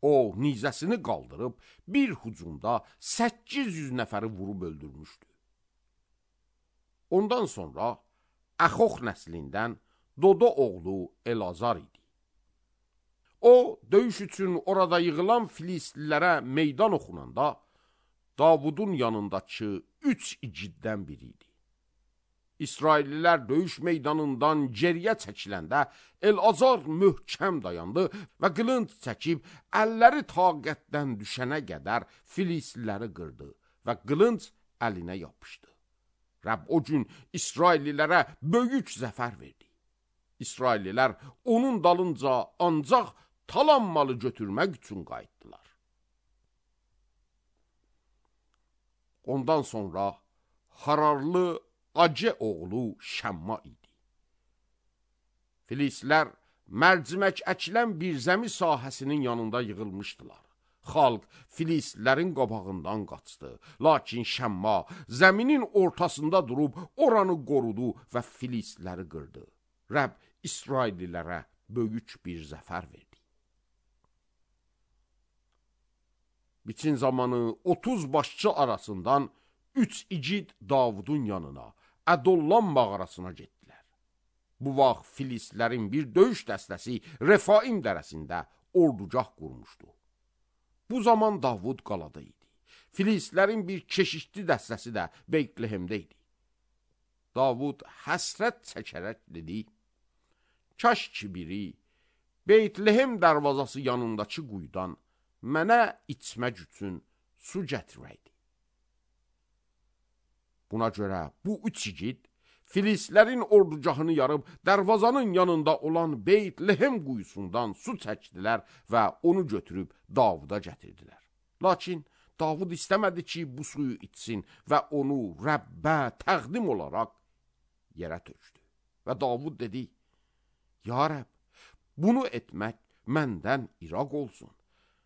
O, nizəsini qaldırıb bir hücumda 800 nəfəri vurub öldürmüşdü. Ondan sonra Əxox nəslindən Dodo oğlu Elazar idi. O, döyüş üçün orada yığılan Filistlilərə meydan oxunanda Davudun yanındakı 3 igiddən biri idi. İsraillilər döyüş meydanından geriyə çəkiləndə Elazar möhkəm dayandı və qılınc çəkib əlləri taqətdən düşənə qədər Filistliləri qırdı və qılınc əlinə yapışdı. Rəbb o gün İsraillilərə böyük zəfər verdi. İsraillilər onun dalınca ancaq talanmalı götürmək üçün qayıtdılar. Ondan sonra Hararlı Acə oğlu Şəmma idi. Filistlər mərcimək əkilən bir zəmi sahəsinin yanında yığılmışdılar. Xalq Filistlərin qabağından qaçdı. Lakin Şəmma zəminin ortasında durub oranı qorudu və Filistləri qırdı. Rəbb İsraillilərə böyük bir zəfər verdi. Biçin zamanı 30 başçı arasından 3 igid Davudun yanına, Ədollam mağarasına getdilər. Bu vaxt Filistlərin bir döyüş dəstəsi Refaim dərəsində ordugah qurmuşdu. Bu zaman Davud qalada idi. Filistlərin bir keşişli dəstəsi də Beytlehemdə idi. Davud həsrət çəkərək dedi, kaş ki biri Beytlehem darvazası yanındakı quyudan mənə içmək üçün su gətirəydi. Buna görə bu 3 igid Filistlərin ordugahını yarıb darvazanın yanında olan Beytlehem quyusundan su çəkdilər və onu götürüb Davuda gətirdilər. Lakin Davud istəmədi ki, bu suyu içsin və onu Rəbbə təqdim olaraq yerə tökdü. Və Davud dedi, ya Rəbb, bunu etmək məndən iraq olsun.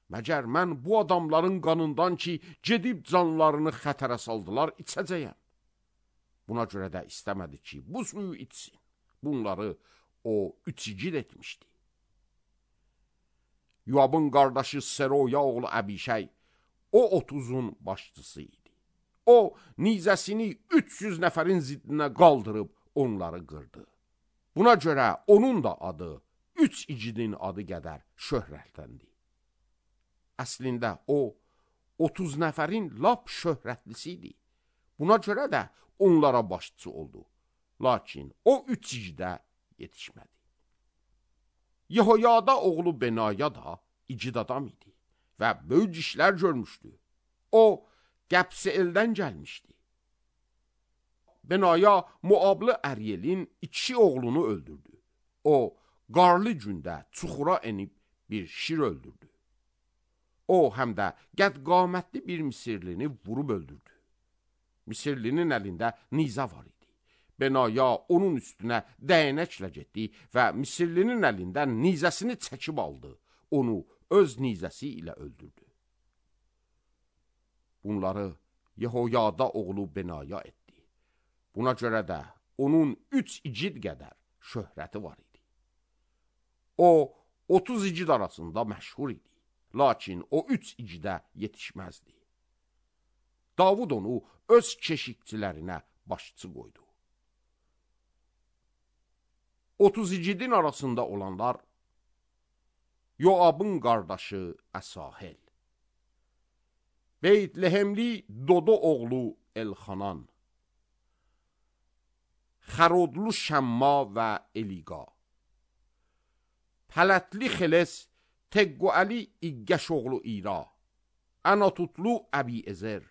Məgər mən bu adamların qanından ki, gedib canlarını xətərə saldılar, içəcəyəm. Buna görə də istəmədi ki, bu suyu içsin. Bunları o 3 igid etmişdi. Yoabın qardaşı Seroya oğlu Əbişəy, o 30'un başçısı idi. O, nizəsini 300 nəfərin ziddinə qaldırıb onları qırdı. Buna görə onun da adı 3 igidin adı qədər şöhrətləndi. Əslində o, 30 nəfərin lap şöhrətlisi idi. Buna görə də onlara başçı oldu. Lakin o 3 igidə yetişmədi. Yehoyada oğlu Benaya da igid adam idi və böyük işlər görmüşdü. O, Qəbseeldən gəlmişdi. Benaya Moablı Əryelin 2 oğlunu öldürdü. O, qarlı gündə çuxura enib bir şir öldürdü. O, həm də qədqamətli bir Misirlini vurub öldürdü. Misirlinin əlində nizə var idi. Benaya onun üstünə dəyənəklə getdi və Misirlinin əlindən nizəsini çəkib aldı. Onu öz nizəsi ilə öldürdü. Bunları Yehoyada oğlu Benaya etdi. Buna görə də onun 3 igid qədər şöhrəti var idi. O, 30 igid arasında məşhur idi. Lakin o 3 igidə yetişməzdi. Davud onu öz keşikçilərinə başçı qoydu. 30 igidin arasında olanlar Yoabın qardaşı Əsahel, Beytlehemli Dodo oğlu Elxanan, Xarodlu Şəmma və Eliqa. Pələtli Xeles, Teqqüəli İqqəş oğlu İra, Anatutlu Əbi Ezer,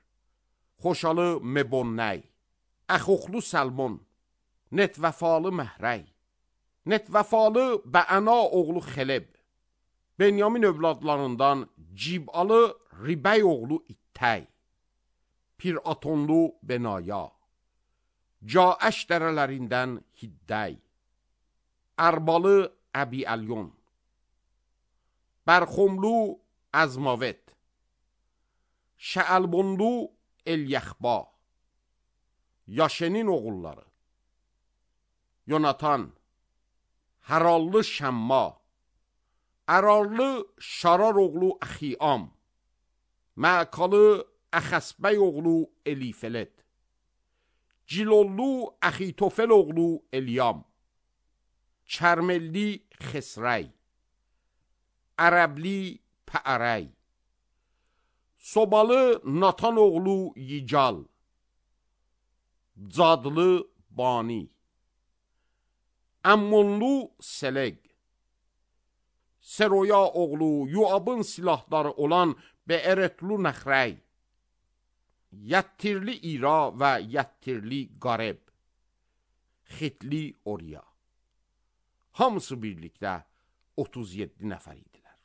Xoşalı Mebonnəy, Əxoxlu Səlmon, Netvəfalı Məhrəy, Netvəfalı Bəəna oğlu Xeleb, Benyamin övladlarından Cibalı Ribəy oğlu İttəy, Piratonlu Benaya, Caəş dərələrindən Hiddəy, Ərbalı Əbi Əlyon, Bərxomlu Əzmavet, Şəəlbonlu Elyəxba, Yaşenin oğulları, Yonatan, Hərallı Şəmma, Ərarlı Şarar oğlu Əxiyam, Məkalı Əxəsbəy oğlu Elifelet, Cilollu Əxitofel oğlu Elyam, Çərmelli Xesrəy, Ərəbli Pəərəy, Sobalı Natan oğlu Yical, Cadlı Bani, Əmmonlu Seleq, Seroya oğlu Yuabın silahları olan Beeretlu Nəxrəy, Yəttirli İra və Yəttirli Qareb, Xitli Oriya. Hamısı birlikdə 37 nəfər idilər.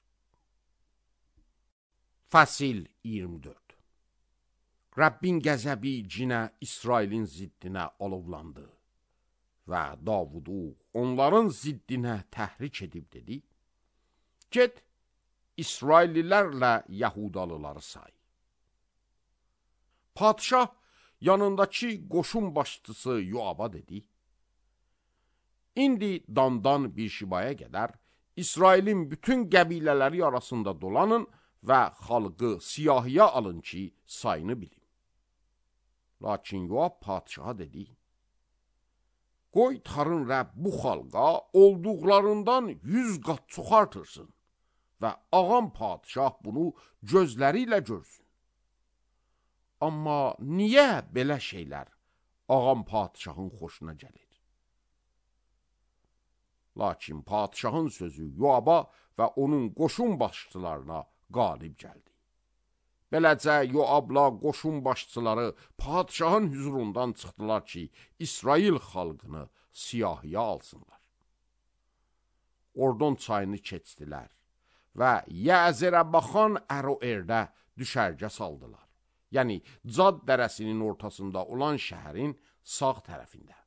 Fəsil 24. Rəbbin qəzəbi cinə İsrailin ziddinə alovlandı və Davudu onların ziddinə təhrik edib dedi: Get, İsraillilərlə Yahudalıları say. Padişah yanındakı qoşun başçısı Yoaba dedi: İndi Dandan bir şibaya qədər İsrailin bütün qəbilələri arasında dolanın və xalqı siyahıya alın ki, sayını bilin. Lakin Yoab padişaha dedi: Qoy Tanrı Rəbb bu xalqa olduqlarından 100 qat çox artırsın və ağam padişah bunu gözləri ilə görsün. Amma niyə belə şeylər ağam padişahın xoşuna gəlir? Lakin padişahın sözü Yoaba və onun qoşun başçılarına qalib gəldi. Beləcə Yoabla qoşun başçıları padişahın hüzurundan çıxdılar ki, İsrail xalqını siyahıya alsınlar. Ordon çayını keçdilər və Yəzərə baxan Əroerdə düşərgə saldılar. Yəni Cad dərəsinin ortasında olan şəhərin sağ tərəfində.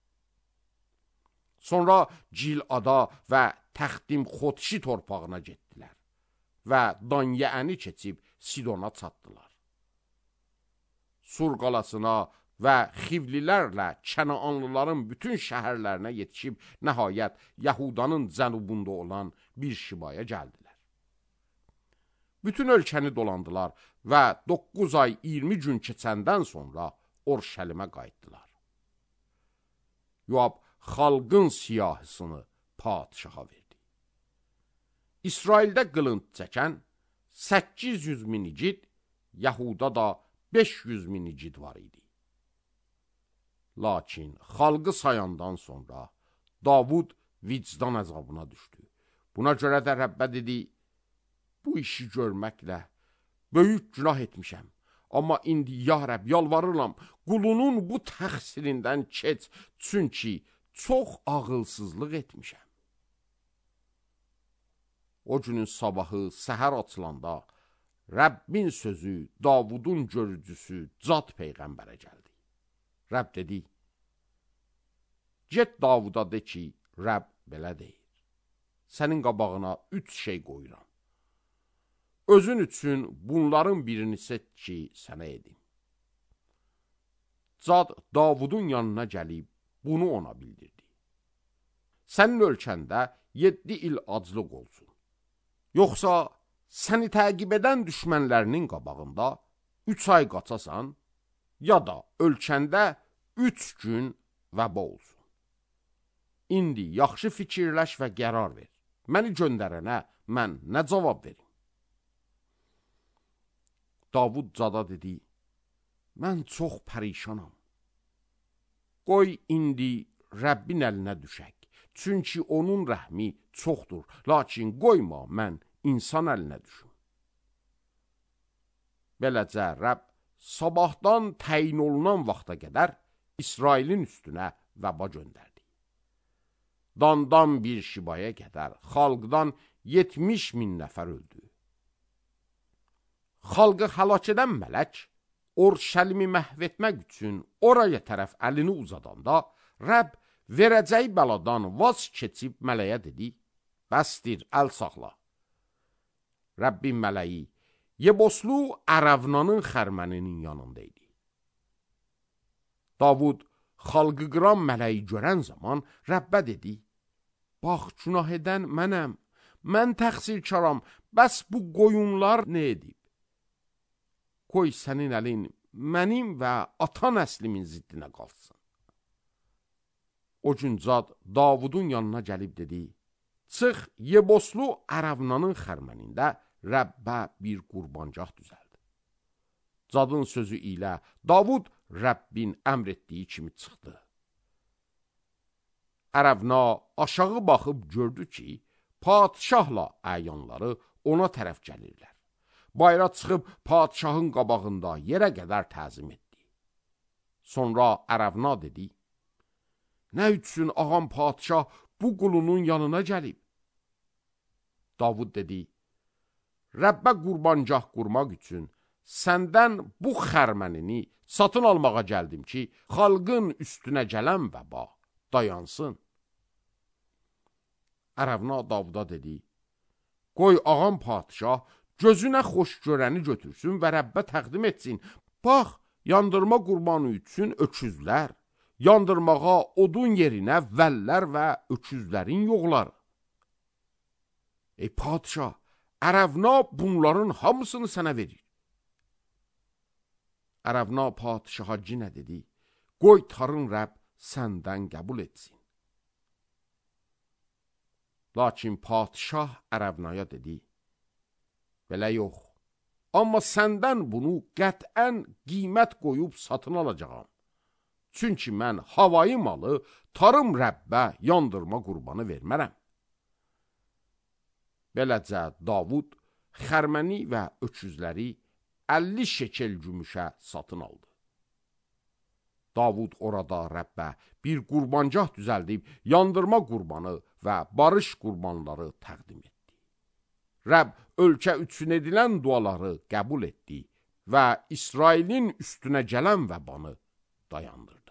Sonra Cilada və Təxtim Xotşi torpağına getdilər və Danyəəni keçib Sidona çatdılar. Sur qalasına və Xivlilərlə Kənaanlıların bütün şəhərlərinə yetişib nəhayət Yahudanın cənubunda olan bir şibaya gəldilər. Bütün ölkəni dolandılar və 9 ay 20 gün keçəndən sonra Orşəlimə qayıtdılar. Yoab xalqın siyahısını padişaha verdi. İsraildə qılınc çəkən 800 min igid, Yahuda da 500 min igid var idi. Lakin xalqı sayandan sonra Davud vicdan əzabına düşdü. Buna görə də Rəbbə dedi: Bu işi görməklə böyük günah etmişəm. Amma indi ya Rəbb yalvarıram, qulunun bu təqsirindən keç, çünki çox ağılsızlıq etmişəm. O günün sabahı səhər açılanda Rəbbin sözü Davudun görücüsü Cad peyğəmbərə gəldi. Rəbb dedi: Get Davuda de ki, Rəbb belə deyir: Sənin qabağına 3 şey qoyuram. Özün üçün bunların birini seç ki, sənə edim. Cad Davudun yanına gəlib bunu ona bildirdi. Sənin ölkəndə 7 il aclıq olsun. Yoxsa səni təqib edən düşmənlərinin qabağında 3 ay qaçasan, ya da ölkəndə 3 gün vəba olsun. İndi yaxşı fikirləş və qərar ver. Məni göndərənə mən nə cavab verim? Davud Cada dedi: Mən çox pərişanam. Qoy indi Rəbbin əlinə düşək. Çünki onun rəhmi çoxdur, lakin qoyma mən insan əlinə düşüm. Beləcə Rəbb sabahdan təyin olunan vaxta qədər İsrailin üstünə vəba göndərdi. Dandan bir şibaya qədər xalqdan 70.000 nəfər öldü. Xalqı həlak edən mələk Orşəlimi məhv etmək üçün oraya tərəf əlini uzadanda Rəbb verəcəyi bəladan vaz keçib mələyə dedi, bəsdir, əl saxla. Rəbbin mələyi Yeboslu Ərəvnanın xərməninin yanında idi. Davud xalqı qıran mələyi görən zaman Rəbbə dedi, bax, günah edən mənəm, mən təqsirkaram, bəs bu qoyunlar nə edib? Qoy sənin əlin mənim və ata nəslimin ziddinə qalsın. O gün Cad Davudun yanına gəlib dedi, çıx Yeboslu Ərəvnanın xərmənində Rəbbə bir qurbancaq düzəldi. Cadın sözü ilə Davud Rəbbin əmr etdiyi kimi çıxdı. Ərəvna aşağı baxıb gördü ki, padişahla əyanları ona tərəf gəlirlər. Bayra çıxıb padişahın qabağında yerə qədər təzim etdi. Sonra Ərəvna dedi, nə üçün ağam padişah bu qulunun yanına gəlib? Davud dedi, Rəbbə qurbancaq qurmaq üçün səndən bu xərmənini satın almağa gəldim ki, xalqın üstünə gələn vəba dayansın. Ərəvna Davuda dedi, qoy ağam padişah gözünə xoş görəni götürsün və Rəbbə təqdim etsin. Bax, yandırma qurbanı üçün öküzlər, yandırmağa odun yerinə vəllər və öküzlərin yoğları. Ey padişah, Ərəvna bunların hamısını sənə verir. Ərəvna padişaha cinə dedi, qoy tarın Rəbb səndən qəbul etsin. Lakin padişah Ərəvnaya dedi, belə yox, amma səndən bunu qətən qiymət qoyub satın alacağam. Çünki mən havayı malı tarım Rəbbə yandırma qurbanı vermərəm. Beləcə Davud xərməni və öküzləri 50 şekel gümüşə satın aldı. Davud orada Rəbbə bir qurbancaq düzəldib yandırma qurbanı və barış qurbanları təqdim etdi. Rəbb ölkə üçün edilən duaları qəbul etdi və İsrailin üstünə gələn vəbanı dayandırdı.